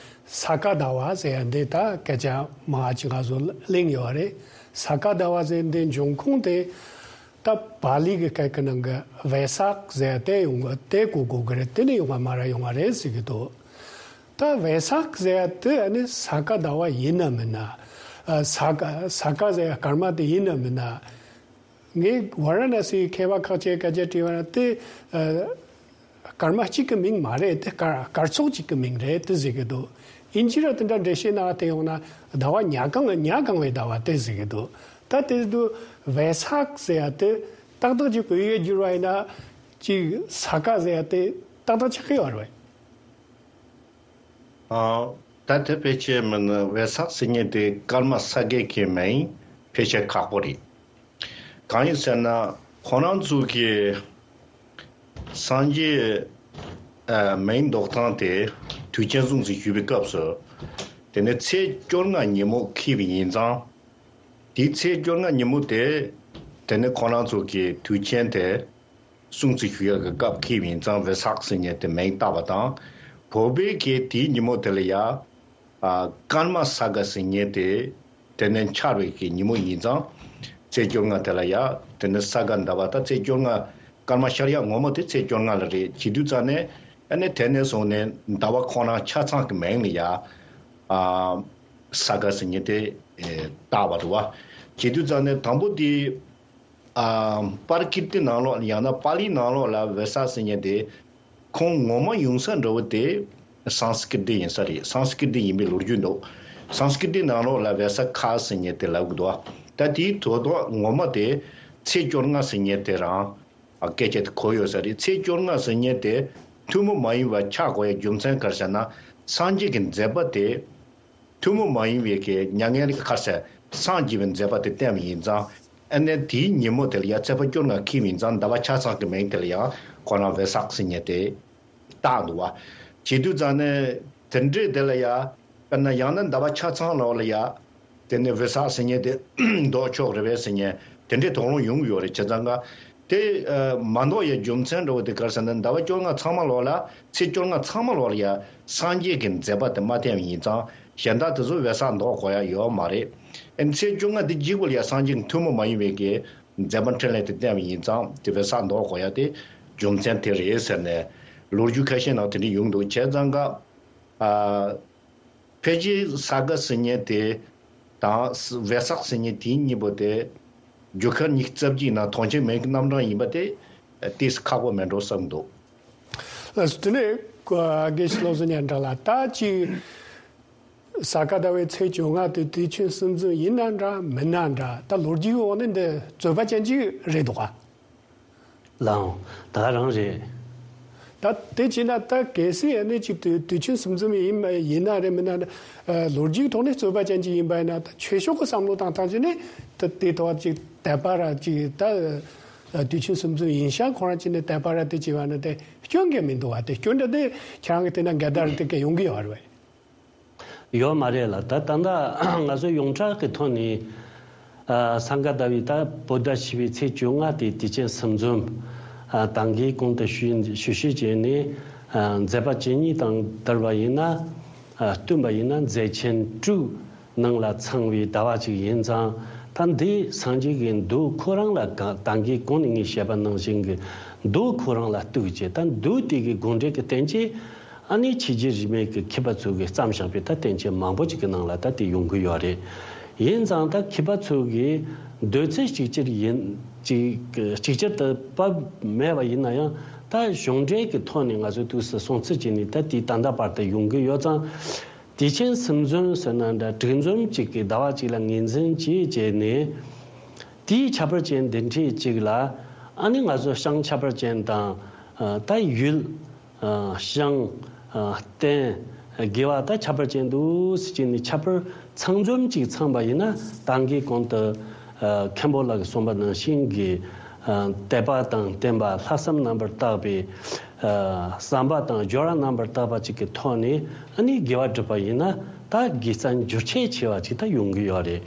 ས་ག་ཟླ་བ་ཟེར་ཡ་འདི་ད་སྐད་ཆ་མང་བ་ཅིག་ང་ཚོ་གླེང་ཡོད་རེད། ས་ག་ཟླ་བ་ཟེར་འདི་འབྱུང་ཁུངས་དེ། ད་པཱ་ལི་གི་སྐད་ཀྱི་ནང་གི་བེ་སག་ཟེར་དེ་ཡོང་གི། དེ་གོ་དགོས་ཀྱི་རེད། དེ་ནས་ཡོང་བ་མ་ར་ཡོང་བ་རེད་ཟེར་གྱི་འདུག་ད་བེ་སག་ཟེར་དེ་ཨ་ནི་ས་ག་ཟླ་བ་ཡིན་ན་མིན་ན། ཨ་ས་ག་ས་ག་ཟེར་སྐར་མ་དེ་ཡིན་ན་མིན་ན། ངས་ཝཱ་ར་ཎ་སིའི་མཁས་པ་ཁག་ཅིག་སྐད་ཆ་དྲིས་པ་ན་དེ་ཨ་སྐར་མ་གཅིག་གི་མིང་མ་རེད། དེ་སྐར་སྐར་ཚོགས་གཅིག་གི་མིང་རེད་དེ་ཟེར་གྱི་འདུག་ཨིན་ཇི་ར་དེ་འདྲ་འགྲེལ་བཤད་གནང་བ་དེ་ཡོང་ན་ཟླ་བ་ཉ་གང་ཉ་གང་བའི་ཟླ་བ་དེ་ཟེར་གྱི་འདུག་ད་དེ་དུས་བེ་སག་ཟེར་ཡ་དེ་ཏག་ཏག་ཅིག་བོད་ཡིག་བསྒྱུར་བ་ཡིན་ན་ཅིག་ས་ག་ཟེར་ཡ་དེ་ཏག་ཏག་ཆགས་ཀྱི་ཡོད་རེད། ཨ་ད་དེ་ཕལ་ཆེར་མིན་ན་བེ་སག་ཟེར་མཁན་དེ་སྐར་མ་ས་གའི་གི་མིང་ཕལ་ཆེར་ཁག་པོ་རེད། གང་ཡིན་ཟེར་ན་ཁོ་རང་ཚོ་གི་སངས་རྒྱས་ཨ་མིང་འདོགས་སྟངས་དེ་དུས་ཆེན་སྲུང་བརྩི་ཞུ་བའི་སྐབས་སུ་དེ་ནས་ཚེས་བཅོ་ལྔ་ཉིན་མོ་འཁེལ་བ་ཡིན་ཙང་། དེའི་ཚེས་བཅོ་ལྔ་ཉིན་མོ་དེ་དེ་ནས་ཁོ་རང་ཚོ་གི་དུས་ཆེན་དེ་སྲུང་བརྩི་ཞུ་ཡག་གི་སྐབས་འཁེལ་བ་ཡིན་ཙང་བེ་སག་ཟེར་མཁན་དེ་མིང་བཏགས་པ་དང་། བོད་པའི་གི་དེའི་ཉིན་མོ་དེ་ལ་ཡ། ཨ་སྐར་མ་ས་ག་ཟེར་མཁན་དེ་དེ་ནས་འཆར་བའི་གི་ཉིན་མོ་ཡིན་ཙང་། ཚེས་བཅོ་ལྔ་དེ་ལ་ཡ་དེ་ནས་ས་ག་ཟླ་བ་ད་ཚེས་བཅོ་ལྔ་སྐར་མ་ཤར་ཡག་ངོ་མ་དེ་ཚེས་བཅོ་ལྔ་ལ་རེད། བྱེད་དུས་ཙང་ནས་ཨ་ནི་དེ་ནས་བཟུང་ནས་ཟླ་བ་ཁོ་རང་ཆ་ཚང་གི་མིང་ལ་ཡ་ཨ་ས་ག་ཟེར་མཁན་དེ་ཨེ་བཏགས་པ་རེད་བ། བྱེད་དུས་ཙང་ནས་དང་པོ་དེ། ཨ་པར་ཀིརྟི་ནང་ལོགས་ཡང་ན་པཱ་ལི་ནང་ལོགས་ལ་བེ་སག་ཟེར་མཁན་དེ་ཁོང་ངོ་མ་ཡོང་ས་འདྲ་བོ་དེ་སཾ་སྐྲྀ་ཏ་ཡིན་ས་རེད། སཾ་སྐྲྀ་ཏ་ཡིན་པའི་ལོ་རྒྱུས་འདུག་སཾ་སྐྲྀ་ཏ་ནང་ལོགས་ལ་བེ་ས་ཁ་ཟེར་མཁན་དེ་ལབ་གི་འདུག་ད་དེའི་དོན་དག་ངོ་མ་དེ་ཚེས་བཅོ་ལྔ་ཟེར་མཁན་དེ་རང་ཨ་སྐད་ཆ་དེ་གོ་ཡོད་ས་རེད། ཚེས་བཅོ་ལྔ་ཟེར་མཁན་དེ་ཐུན་མོང་མ་ཡིན་པ་ཆགས་དགོས་ཡ་རྒྱུ་མཚན་ག་རེ་ཟེར་ན་སངས་རྒྱས་ཀྱི་མཛད་པ་དེ། ཐུན་མོང་མ་ཡིན་པའི་གི་མྱ་ངན་ལས་ཁ་སེ་སངས་རྒྱས་པའི་མཛད་པ་དེ་བསྟན་པ་ཡིན་ཙང་། ཨ་ནི་དེའི་ཉིན་མོ་དེ་ལ་ཡང་ཚེས་པ་བཅོ་ལྔ་འཁེལ་བ་ཡིན་ཙང་ཟླ་བ་ཆ་ཚང་གི་མིང་དེ་ལ་ཡང་ཁོ་རང་བེ་སག་ཟེར་མཁན་དེ་བཏགས་འདུག་བ། བྱེད་དུས་ཙང་ནས་དེ་འདྲའི་དེ་ལ་ཡང་དཔེར་ན་ཡང་ན་ཟླ་བ་ཆ་ཚང་ལོགས་ལ་ཡང་དེ་ནས་བེ་སག་ཟེར་མཁན་དེ་འདོགས་ཆོག་རེད་པས་ཟེར་མཁན་དེ་འདྲའི་དོགས་སློང་ཡོང་གི་ཡོད་རེད། བྱས་ཙང་ག་དེ་ཨ་མ་འདོགས་ཡའི་རྒྱུ་མཚན་འདྲ་བོ་དེ་ག་རེ་ཟེར་ན་ཟླ་བ་བཅོ་ལྔ་ཚང་མ་ལོགས་ལ་ཚེས་བཅོ་ལྔ་ཚང་མ་ལོགས་ལ་ཡ་སངས་རྒྱས་ཀྱི་མཛད་པ་དེ་མ་བསྟན་པ་ཡིན་ཙང་གཞན་དག་དེ་ཚོ་བེ་སག་འདོགས་དགོས་ཡ་ཡོད་མ་རེད། ཨ་ནི་ཚེས་བཅོ་ལྔ་དེ་གཅིག་པུ་ལ་ཡ་སངས་རྒྱས་ཀྱི་ཐུན་མོང་མ་ཡིན་པའི་གི་མཛད་པ་འཕྲིན་ལས་དེ་བསྟན་པ་ཡིན་ཙང་དེ་བེ་སག་འདོགས་དགོས་ཡ་དེ་རྒྱུ་མཚན་དེ་རེད་ཟེར་ནས་ལོ་རྒྱུས་ཁ་ཤས་ནང་དེ་འདྲ་ཡོང་འདུག་བྱས་ཙང་ག་ཨ། ཕལ་ཆེར་ས་ག་ཟེར་མཁན་དེ་དང་བེ་སག་ཟེར་མཁན་དེ་གཉིས་པོ་དེ་རྒྱུ་སྐར་ཉི་ཤུ་རྩ་བརྒྱད་ནང་དོན་ཆེན་མིན་གྱི་རྣམ་གྲངས་ཡིན་པ་དེ་ཏོག་ཙམ་ཁག་པོ་མེད་འགྲོ་བསམ་འདུག་ལགས་སོ། དེ་ནས་དགེ་བཤེས་བློ་བཟང་སྙན་གྲགས་ལགས། ད་ཅིག་ས་ག་ཟླ་བའི་ཚེས་བཅོ་ལྔ་དེ་དུས་ཆེན་གསུམ་འཛོམས་ཡིན་ན་འདྲ་མིན་ན་འདྲ། ད་ལོ་རྒྱུས་འོག་ནས་འདི་རྩོད་པ་ཅན་ཅིག་རེད་འདུག་ག་ལའང་ད་ག་རང་རེད། ད་དེ་བྱས་ན་ད་གལ་སྲིད་ཨ་ནི་ཅིག་དུས་དུས་ཆེན་གསུམ་འཛོམས་ཡིན་ཡིན་ན་རེད་མིན་ན་རེད། ལོ་རྒྱུས་ཐོག་ནས་རྩོད་པ་ཅན་ཅིག་ཡིན་པ་ཡིན་ན་ད་ཆོས་ཕྱོགས་ཀྱི་བསམ་བློ་བཏང་སྟངས་ཅིག་ནས་ད་དེ་ཐོག་ཅིག་དད་པ་ར་ཅིག་ད་དུས་ཆེན་གསུམ་འཛོམས་ཡིན་ཤག་ཁོ་རང་ཅིག་ནས་དད་པ་ར་དེ་བྱས་པ་ན་དེ་སྐྱོན་གང་མི་འདུག་བ། དེ་སྐྱོན་འདྲ་དེ་ཁྱེད་རང་གི་དེ་ན་འགལ་ཟླ་ར་དེ་ག་ཡོང་གི་ཡོད་རེད་བས། ཡོད་མ་རེད་ལ། ད་ད་ལྟ་ང་ཚོ་ཡོངས་གྲགས་ཀྱི་ཐོག་ནས་ཨ་སངས་རྒྱས་ཟླ་བའི་ད་བོད་ཟླ་བཞི་པའི་ཚེས་བཅོ་ལྔ་དེ་དུས་ཆེན་གསུམ་འཛོམས། ཨ་ད་གིན་གོང་དུ་ཞུས་ཞུས་ཞུས་བྱས་ནས་ཨ་མཛད་པ་ཇི་སྙེད་དང་བསྡུར་བ་ཡིན་ན། ཨ་བསྟུན་པ་ཡིན་ན་མཛད་ཆེན་དྲུག་ནང་ལ་ཚང་བའི་ཟླ་བ་ཅིག་ཡིན་ཙང་། ད་འདི་སངས་རྒྱས་ཀྱི་མདོ་ཁོ་རང་ལ་ག་ད་གིན་གོང་ནས་ངས་བཤད་པ་ནང་བཞིན་གྱི་མདོ་ཁོ་རང་ལ་གཏུགས་བྱས། ད་མདོ་དེ་གི་དགོངས་འགྲེལ་གྱི་བསྟན་བཅོས་ཨ་ནི་ཕྱི་རྒྱལ་རིས་མེད་ཀྱི་མཁས་པ་ཚོ་གིས་བརྩམས་བཞག་པའི་ད་བསྟན་བཅོས་མང་པོ་ཅིག་གི་ནང་ལ་ད་དེ་ཡོང་གི་ཡོད་རེད། ཡིན་ཙང་ད་མཁས་པ་ཚོ་གིས་འདོད་ཚུལ་གཅིག་གྱུར་ཡིན། གཅིག་གཅིག་གྱུར་དུ་བབས་མེད་པ་ཡིན་ན་ཡང་། ད་གཞུང་འབྲེལ་གྱི་ཐོག་ནས་ང་ཚོས་དུས་སུ་སྲུང་བརྩི་བྱས་ནས། ད་དེའི་ད་ལྟ་བར་དུ་ཡོང་གི་ཡོད་ཙང་། དུས་ཆེན་གསུམ་འཛོམས་ཟེར་ན་འདྲ། དྲུག་འཛོམས་གཅིག་གི་ཟླ་བ་གཅིག་ལ་ངོས་འཛིན་བྱས་བྱས་ནས། དེའི་ཁྱད་པར་ཅན་འདི་འདྲའི་གཅིག་ལ། ཨ་ནི་ང་ཚོ་ཞིང་ཁྱད་པར་ཅན་དང་། ཨ། ད་ཡུལ། ཨ། ཞིང་། ཨ། རྟེན། དགེ་བ་ད་ཁྱད་པར་ཅན་འདུག་ཟེར་གྱི་ནི། ཁྱད་པར་ཚང་འཛོམས་གཅིག་ཚང་པ་ཡིན་ན། ད་གིན་གོང་དུ། ཨ། མཁན་པོ་ལགས་ཀྱིས་གསུངས་པ་ནང་བཞིན་གྱི། ཨ། དད་པ་དང་ལྡན་པ། ལྷག་བསམ་རྣམ་པར་དག་པའི། ཨ། བསམ་པ་དང་སྦྱོར་བ་རྣམ་པར་དག་པ་གཅིག་གི་ཐོག་ནས། ཨ་ནི་དགེ་བ་བསྒྲུབས་པ་ཡིན་ན། ད་དགེ་རྩ་འགྱུར་ཁྱད་ཆེ་བ་ཅིག་ད་ཡོང་གི་ཡོད་རེད།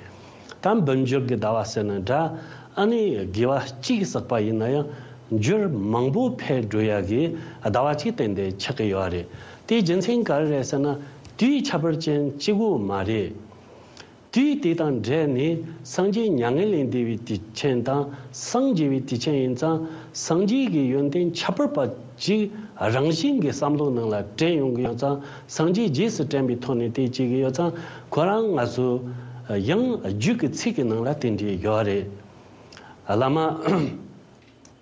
ད་འབུམ་འགྱུར་གྱི་ཟླ་བ་ཟེར་ན་འདྲ། ཨ་ནི་དགེ་བ་གཅིག་བསགས་པ་ཡིན་ན་ཡང་། འགྱུར་མང་པོ་འཕེལ་འགྲོ་ཡ་གི་ཟླ་བ་གཅིག་ཏན་ཏན་ཆགས་ཀྱི་ཡོད་རེད། དེའི་རྒྱུ་མཚན་ག་རེ་རེད་ཟེར་ན། དུས་ཁྱད་པར་ཅན་གཅིག་པོ་མ་རེད། དུས་དེ་དང་འབྲེལ་ནས་སངས་རྒྱས་མྱ་ངན་ལས་འདས་པའི་དུས་ཆེན་དང་། སངས་རྒྱས་པའི་དུས་ཆེན་ཡིན་ཙང་། སངས་རྒྱས་ཀྱི་ཡོན་ཏན་ཁྱད་པར་པ་ཅིག་རང་བཞིན་གྱི་བསམ་བློ་ནང་ལ་དྲན་ཡོང་གི་ཡོད་ཙང་། སངས་རྒྱས་རྗེས་སུ་དྲན་པའི་ཐོག་ནས་དེ་བྱེད་ཀྱི་ཡོད་ཙང་། ཁོ་རང་ང་ཚོ་ཡང་རྒྱུད་ཀྱི་ཚིག་གི་ནང་ལ་དེ་འདྲ་ཡོད་རེད། བླ་མ་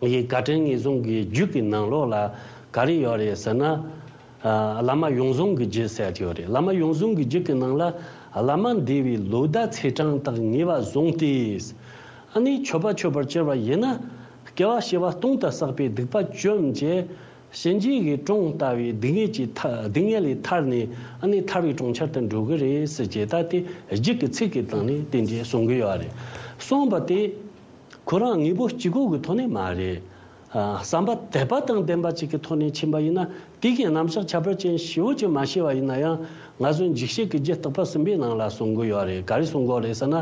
ཡི་བཀའ་དྲིན་ངེས་བཟུང་གི་རྒྱུད་ཀྱི་ནང་ལོགས་ལ་ག་རེ་ཡོད་རེད་ཟེར་ན། ཨ། བླ་མ་ཡོངས་བཟུང་གི་རྒྱུད་ཟེར་ཡ་དེ་ཡོད་རེད། བླ་མ་ཡོངས་བཟུང་གི་རྒྱུད་ཀྱི་ནང་ལ། བླ་མ་འདས་པའི་ལོ་ཟླ་ཚེས་གྲངས་དག་ངེས་པར་བཟུང་སྟེ། ཨ་ནི་མཆོད་པ་མཆོད་པར་གྱུར་པ་ཡིན་ན། སྐྱེ་བ་བྱེ་བ་སྟོང་དུ་བསགས་པའི་སྡིག་པ་བཅོམ་བྱས། གཤིན་རྗེ་གི་གྲོང་ལྟ་བུའི་སྡུག་བསྔལ་གྱི་ཐ། སྡུག་བསྔལ་ལས་ཐར་ནས། ཨ་ནི་ཐར་བའི་གྲོང་ཁྱེར་དུ་འགྲོ་གི་རེད་ཟེར་བྱས། ད་དེ་རྒྱུད་ཀྱི་ཚིག་གི་སྟེང་ནས་དེ་འདྲའི་གསུང་གི་ཡོད་རེད། གསུངས་པ་དེ་ཁོ་རང་དངོས་པོ་གཅིག་པོ་གི་ཐོག་ནས་མ་རེད། ཨ། བསམ་པ་དད་པ་དང་ལྡན་པ་ཅིག་གི་ཐོག་ནས་ཕྱིན་པ་ཡིན་ན། དེ་གི་རྣམ་གཞག་ཁྱད་པར་ཅན་ཞེ་པོ་ཅིག་མ་ཤེས་པ་ཡིན་ན་ཡང་། ང་ཚོ་འཇིགས་བྱེད་ཀྱི་རྒྱུད་རྟག་པ་གསུམ་པའི་ནང་ལ་གསུང་གི་ཡོད་རེད། ག་རེ་གསུང་གི་ཡོད་རེད་ཟེར་ན།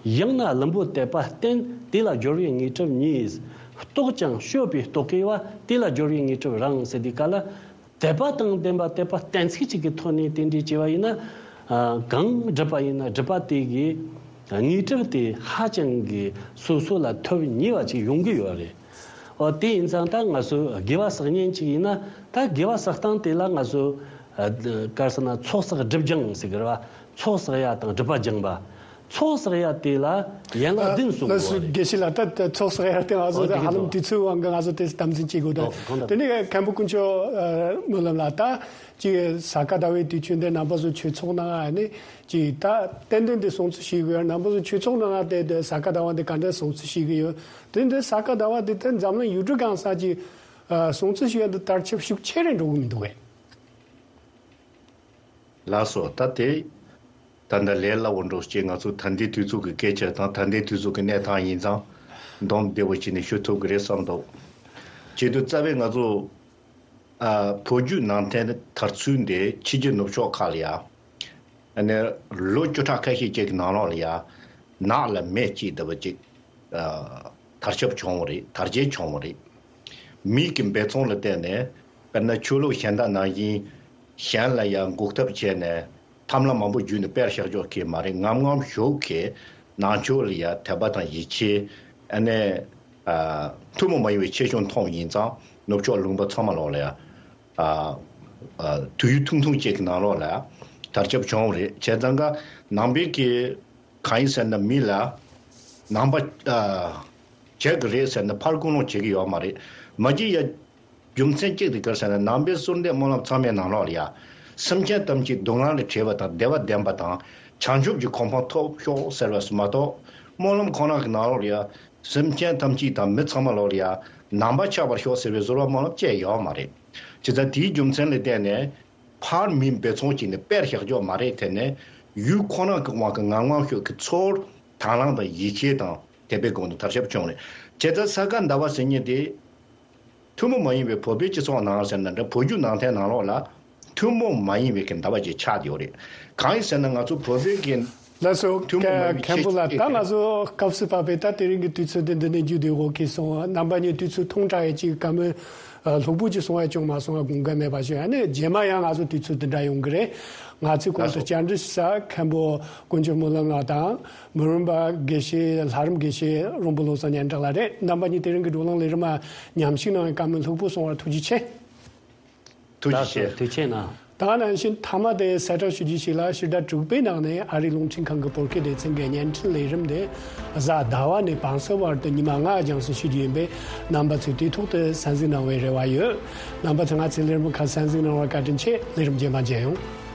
ཡང་ན་བླུན་པོ་དད་པ་བརྟན། དེ་ལ་སྦྱོར་བའི་དངོས་གྲུབ་ཉིད། རྟོགས་ཀྱང་སྤྱོད་པའི་རྟོག་གེ་བ། དེ་ལ་སྦྱོར་བའི་དངོས་གྲུབ་རང་། ཟེར་དུས་སྐབས་ལ། དད་པ་དང་ལྡན་པ་དད་པ་གཏན་ཚིགས་གཅིག་གི་ཐོག་ནས་དེ་འདྲའི་བྱས་པ་ཡིན་ན། ཨ། གང་བསྒྲུབས་པ་ཡིན་ན་བསྒྲུབས་པ་དེ་གི་དངོས་གྲུབ་དེ་ཧ་ཅང་གི་སོ་སོ་ལ་ཐོབ་ཉེ་བ་ཅིག་ཡོང་གི་ཡོད་རེད། འོ། དེ་ཡིན་ཙང་ད་ང་ཚོ་དགེ་བ་བསགས་མཁན་ཅིག་ཡིན་ན། ད་དགེ་བ་བསགས་སྟངས་དེ་ལ་ང་ཚོ། ཨ། ག་རེ་ཟེར་ན། ཚོགས་བསགས་སྒྲིབ་སྦྱང་ཟེར་གི་རེད་བ། ཚོགས་བསགས་ཡ་དང་སྒྲིབ་པ་སྦྱང་བ། ཚོགས་བསགས་ཡ་དེ་ལ་ཡན་ལག་བདུན་གསུངས་ཡོད་རེད། དགེ་བཤེས་ལགས། ད་ད་ཚོགས་བསགས་ཡ་དེ་ང་ཚོ། ཨོ། དེ་ཧ་ལམ་དུས་ཚོད་དབང་གིས་ང་ཚོ་དེ་དམ་འཛིན་བྱེད་དགོས་འདུག། ཨོ། གང་ལྟར། དེ་ནས་མཁན་པོ་དཀོན་མཆོག་ཨ། སྨོན་ལམ་ལགས། ད་ཅིག་ས་ག་ཟླ་བའི་དུས་ཆེན་དེ་རྣམ་པ་ཚོ་ཆོས་ཚོགས་ནང་ཨ་ནི་ཅིག་ད་ཏན་ཏན་དེ་སྲུང་བརྩི་བྱེད་དགོས་ཡ། རྣམ་པ་ཚོ་ཆོས་ཚོགས་ནང་དེ་དེ་ས་ག་ཟླ་བ་དེ་ག་འདྲ་སྲུང་བརྩི་བྱེད་ཀྱི་ཡོད། དེ་འདི་ས་ག་ཟླ་བ་དེ་དེ་འཛམ་གླིང་ཡུལ་གྲུ་གང་ས་ཅིག་ཨ། སྲུང་བརྩི་བྱེད་ཡ་དེ་དར་ཁྱབ་ཤུགས་ཆེ་རུ་འགྲོ་གི་མི་འདུག་གས། ལགས་སོ། ད་དེ་ད་ལྟ་ལས་སླ་བོ་འགྲོ་ཅེས། ང་ཚོ་ད་ལྟའི་དུས་ཚོད་ཀྱི་སྐད་ཆ་དང་ད་ལྟའི་དུས་ཚོད་ཀྱི་གནས་སྟངས་ཡིན་ཙང་། འདོམས་བདེ་བོ་བྱས་ནས་ཞུ་ཐུབ་ཀྱི་རེད་བསམ་འདུག། བྱེད་དུས་རྩ་བའི་ང་ཚོ། ཨ། བོད་བརྒྱུད་ནང་བསྟན་དར་ཚུལ་འདི་ཕྱི་རྒྱལ་ནུབ་ཕྱོགས་ཁག་ལ་ཡ། ཨ་ནི་ལོ་བཅུ་ཕྲག་ཁ་ཤས་ཅིག་གི་ནང་ལོགས་ལ་ཡ། ནགས་ལ་མེ་བརྩིགས་བསྡད་པ་ཅིག། ཨ། དར་ཁྱབ་བྱུང་བ་རེད། དར་རྒྱས་བྱུང་བ་རེད། མིའི་གི་འབད་བརྩོན་ལ་བརྟེན་ནས། དཔེར་ན་ཆོས་ལུགས་གཞན་དག་ནང་བཞིན་གཞན་ལ་ཡང་འགོག་ཐབས་བྱས་ནས་ཐབས་ལམ་མང་པོ་བརྒྱུད་ནས་དཔེར་བཞག་ཆོག་གི་མ་རེད། ངམ་ངམ་ཞོགས་ཀྱི་ནང་ཆོས་ལ་ཡ་དད་པ་དང་ཡིད་ཆེས། ཨ་ནི། ཨ། ཐུན་མོང་མ་ཡིན་པའི་ཆེ་ཆུང་མཐོང་བ་ཡིན་ཙང་། ནུབ་ཕྱོགས་ལུང་པ་ཚང་མ་ལོགས་ལ་ཡ། ཨ། ཨ། དུས་ཡུན་ཐུང་ཐུང་ཅིག་གི་ནང་ལོགས་ལ་དར་ཁྱབ་བྱུང་བ་རེད། བྱས་ཙང་ཀ་ནང་པའི་གི་གང་ཡིན་ཟེར་ན། མི་ལ་ནང་པ། ཨ། བྱེད་ཀྱི་རེད་ཟེར་ནས་ཕར་ཀུན་སློང་བྱེད་ཀྱི་ཡོད་མ་རེད། མ་གཞི་ཡ་རྒྱུ་མཚན་གཅིག་དེ་ག་རེ་ཟེར་ན། ནང་པའི་གསོལ་འདེབས་སྨོན་ལམ་ཚང་མའི་ནང་ལོགས་ལ་ཡ། སེམས་ཅན་ཐམས་ཅད་སྡུག་བསྔལ་ལས་བྲལ་བ་དང་བདེ་བ་ལྡན་པ་དང་བྱང་ཆུབ་ཀྱི་གོ་འཕང་ཐོབ་ཤོག་ཟེར་བས་སུ་མ་གཏོགས། སྨོན་ལམ་ཁོ་ན་གི་ནང་ལོགས་ལ་ཡ། སེམས་ཅན་ཐམས་ཅད་དང་མི་ཚང་མ་ལོགས་ལ་ཡ་ནང་པ་ཆགས་པར་ཤོག་ཟེར་བའི་གསོལ་བ་སྨོན་ལམ་བཅས་ཡོད་མ་རེད། བྱས་ཙང་དེའི་རྒྱུ་མཚན་ལ་བརྟེན་ནས། ཕར་མིའི་འབད་བརྩོན་བྱས་ནས་དཔེར་བཞག་ཆོག་མ་རེད། དེ་ནས་ཡུལ་ཁོ་ན་གི་དབང་གིས་ངམ་ངམ་ཤོག་གི་ཚོར། དང་བླངས་དང་ཡིད་ཆེས་དང་དད་པའི་སྒོ་ནས་དར་ཁྱབ་བྱུང་རེད། བྱས་ཙང་ས་ག་ཟླ་བ་ཟེར་མཁན་དེ། ཐུན་མོང་མ་ཡིན་པའི་བོད་པའི་སྤྱི་ཚོགས་ནང་ཟེར་ན་འདྲ། བོད་བརྒྱུད་ནང་བསྟན་ནང་ལོགས་ལ་ཐུན་མོང་མ་ཡིན་པའི་གི་ཟླ་བ་ཅིག་ཆགས་ཡོད་རེད། གང་ཡིན་ཟེར་ན། ང་ཚོ་བོད་པའི་གི། ལགས་སོ། ཐུན་མོང་མ་ཡིན་པའི་མཁན་པོ་ལགས། ད་ང་ཚོ་སྐབས་སུ་བབས་པའི་ད་དེ་རིང་གི་དུས་ཚོད་འདི་འདི་ནས་མཇུག་བསྡུ་དགོས་ཀྱི་སོང་། རྣམ་པ་གཉིས་དུས་ཚོད་ཐུང་དྲགས་ཡས་ཅིག་བཀའ་མོལ་ལྷུག་པོ་ཅིག་གསུང་ཡ་བྱུང་མ་སོང་བ་དགོངས་འགལ་མེད་པ་ཞུ། ཨ་ནི་རྗེས་མ་ཡང་ང་ཚོ་དུས་ཚོད་འདི་འདྲ་ཡོང་གི་རེད། ང་ཚོས་གོང་དུ་བཅར་འདྲི་ཞུ་ས་མཁན་པོ་དཀོན་མཆོག་སྨོན་ལམ་ལགས་དང་། མི་རུང་པ་དགེ་བཤེས། ལྷ་རམས་དགེ་བཤེས་རོང་པོ་བློ་བཟང་སྙན་གྲགས་ལགས་རེད། རྣམ་པ་གཉིས་དེ་རིང་གི་བགྲོ་གླེང་ལས་རིམ་མ་ཉམས་ཞིབ་གནང་བའི་བཀའ་མོལ་ལྷུག་པོ་གསུང་བར་ཐུགས་རྗེ་ཆེ། ཐུགས་རྗེ་ཆེ། ཐུགས་རྗེ་གནང་། ད་ག་ནང་བཞིན་མཐའ་མ་དེ་གསལ་བསྒྲགས་ཞུ་རྒྱུ་ཞིག་ལ། ཕྱི་ཟླ་དྲུག་པའི་ནང་ནས་ཨ་རིའི་རླུང་འཕྲིན་ཁང་གི་བོད་སྐད་སྡེ་ཚན་གྱི་བརྙན་འཕྲིན་ལས་རིམ་དེ་གཟའ་ཟླ་བ་ནས་བང་སོའི་བར་དུ་ཉི་མ་ལྔ་རྒྱང་སྲིང་ཞུ་རྒྱུ་ཡིན་པས། རྣམ་པ་ཚོས་དུས་ཐོག་ཏུ་གསན་གཟིགས་གནང་བའི་རེ་བ་ཡོད། རྣམ་པ་ཚོས་ང་ཚོའི་ལས་རིམ་ཁག་གསན་གཟིགས་གནང་བར་བཀའ་དྲིན་ཆེ། ལས་རིམ་རྗེས་མ་མཇལ་ཡོང་།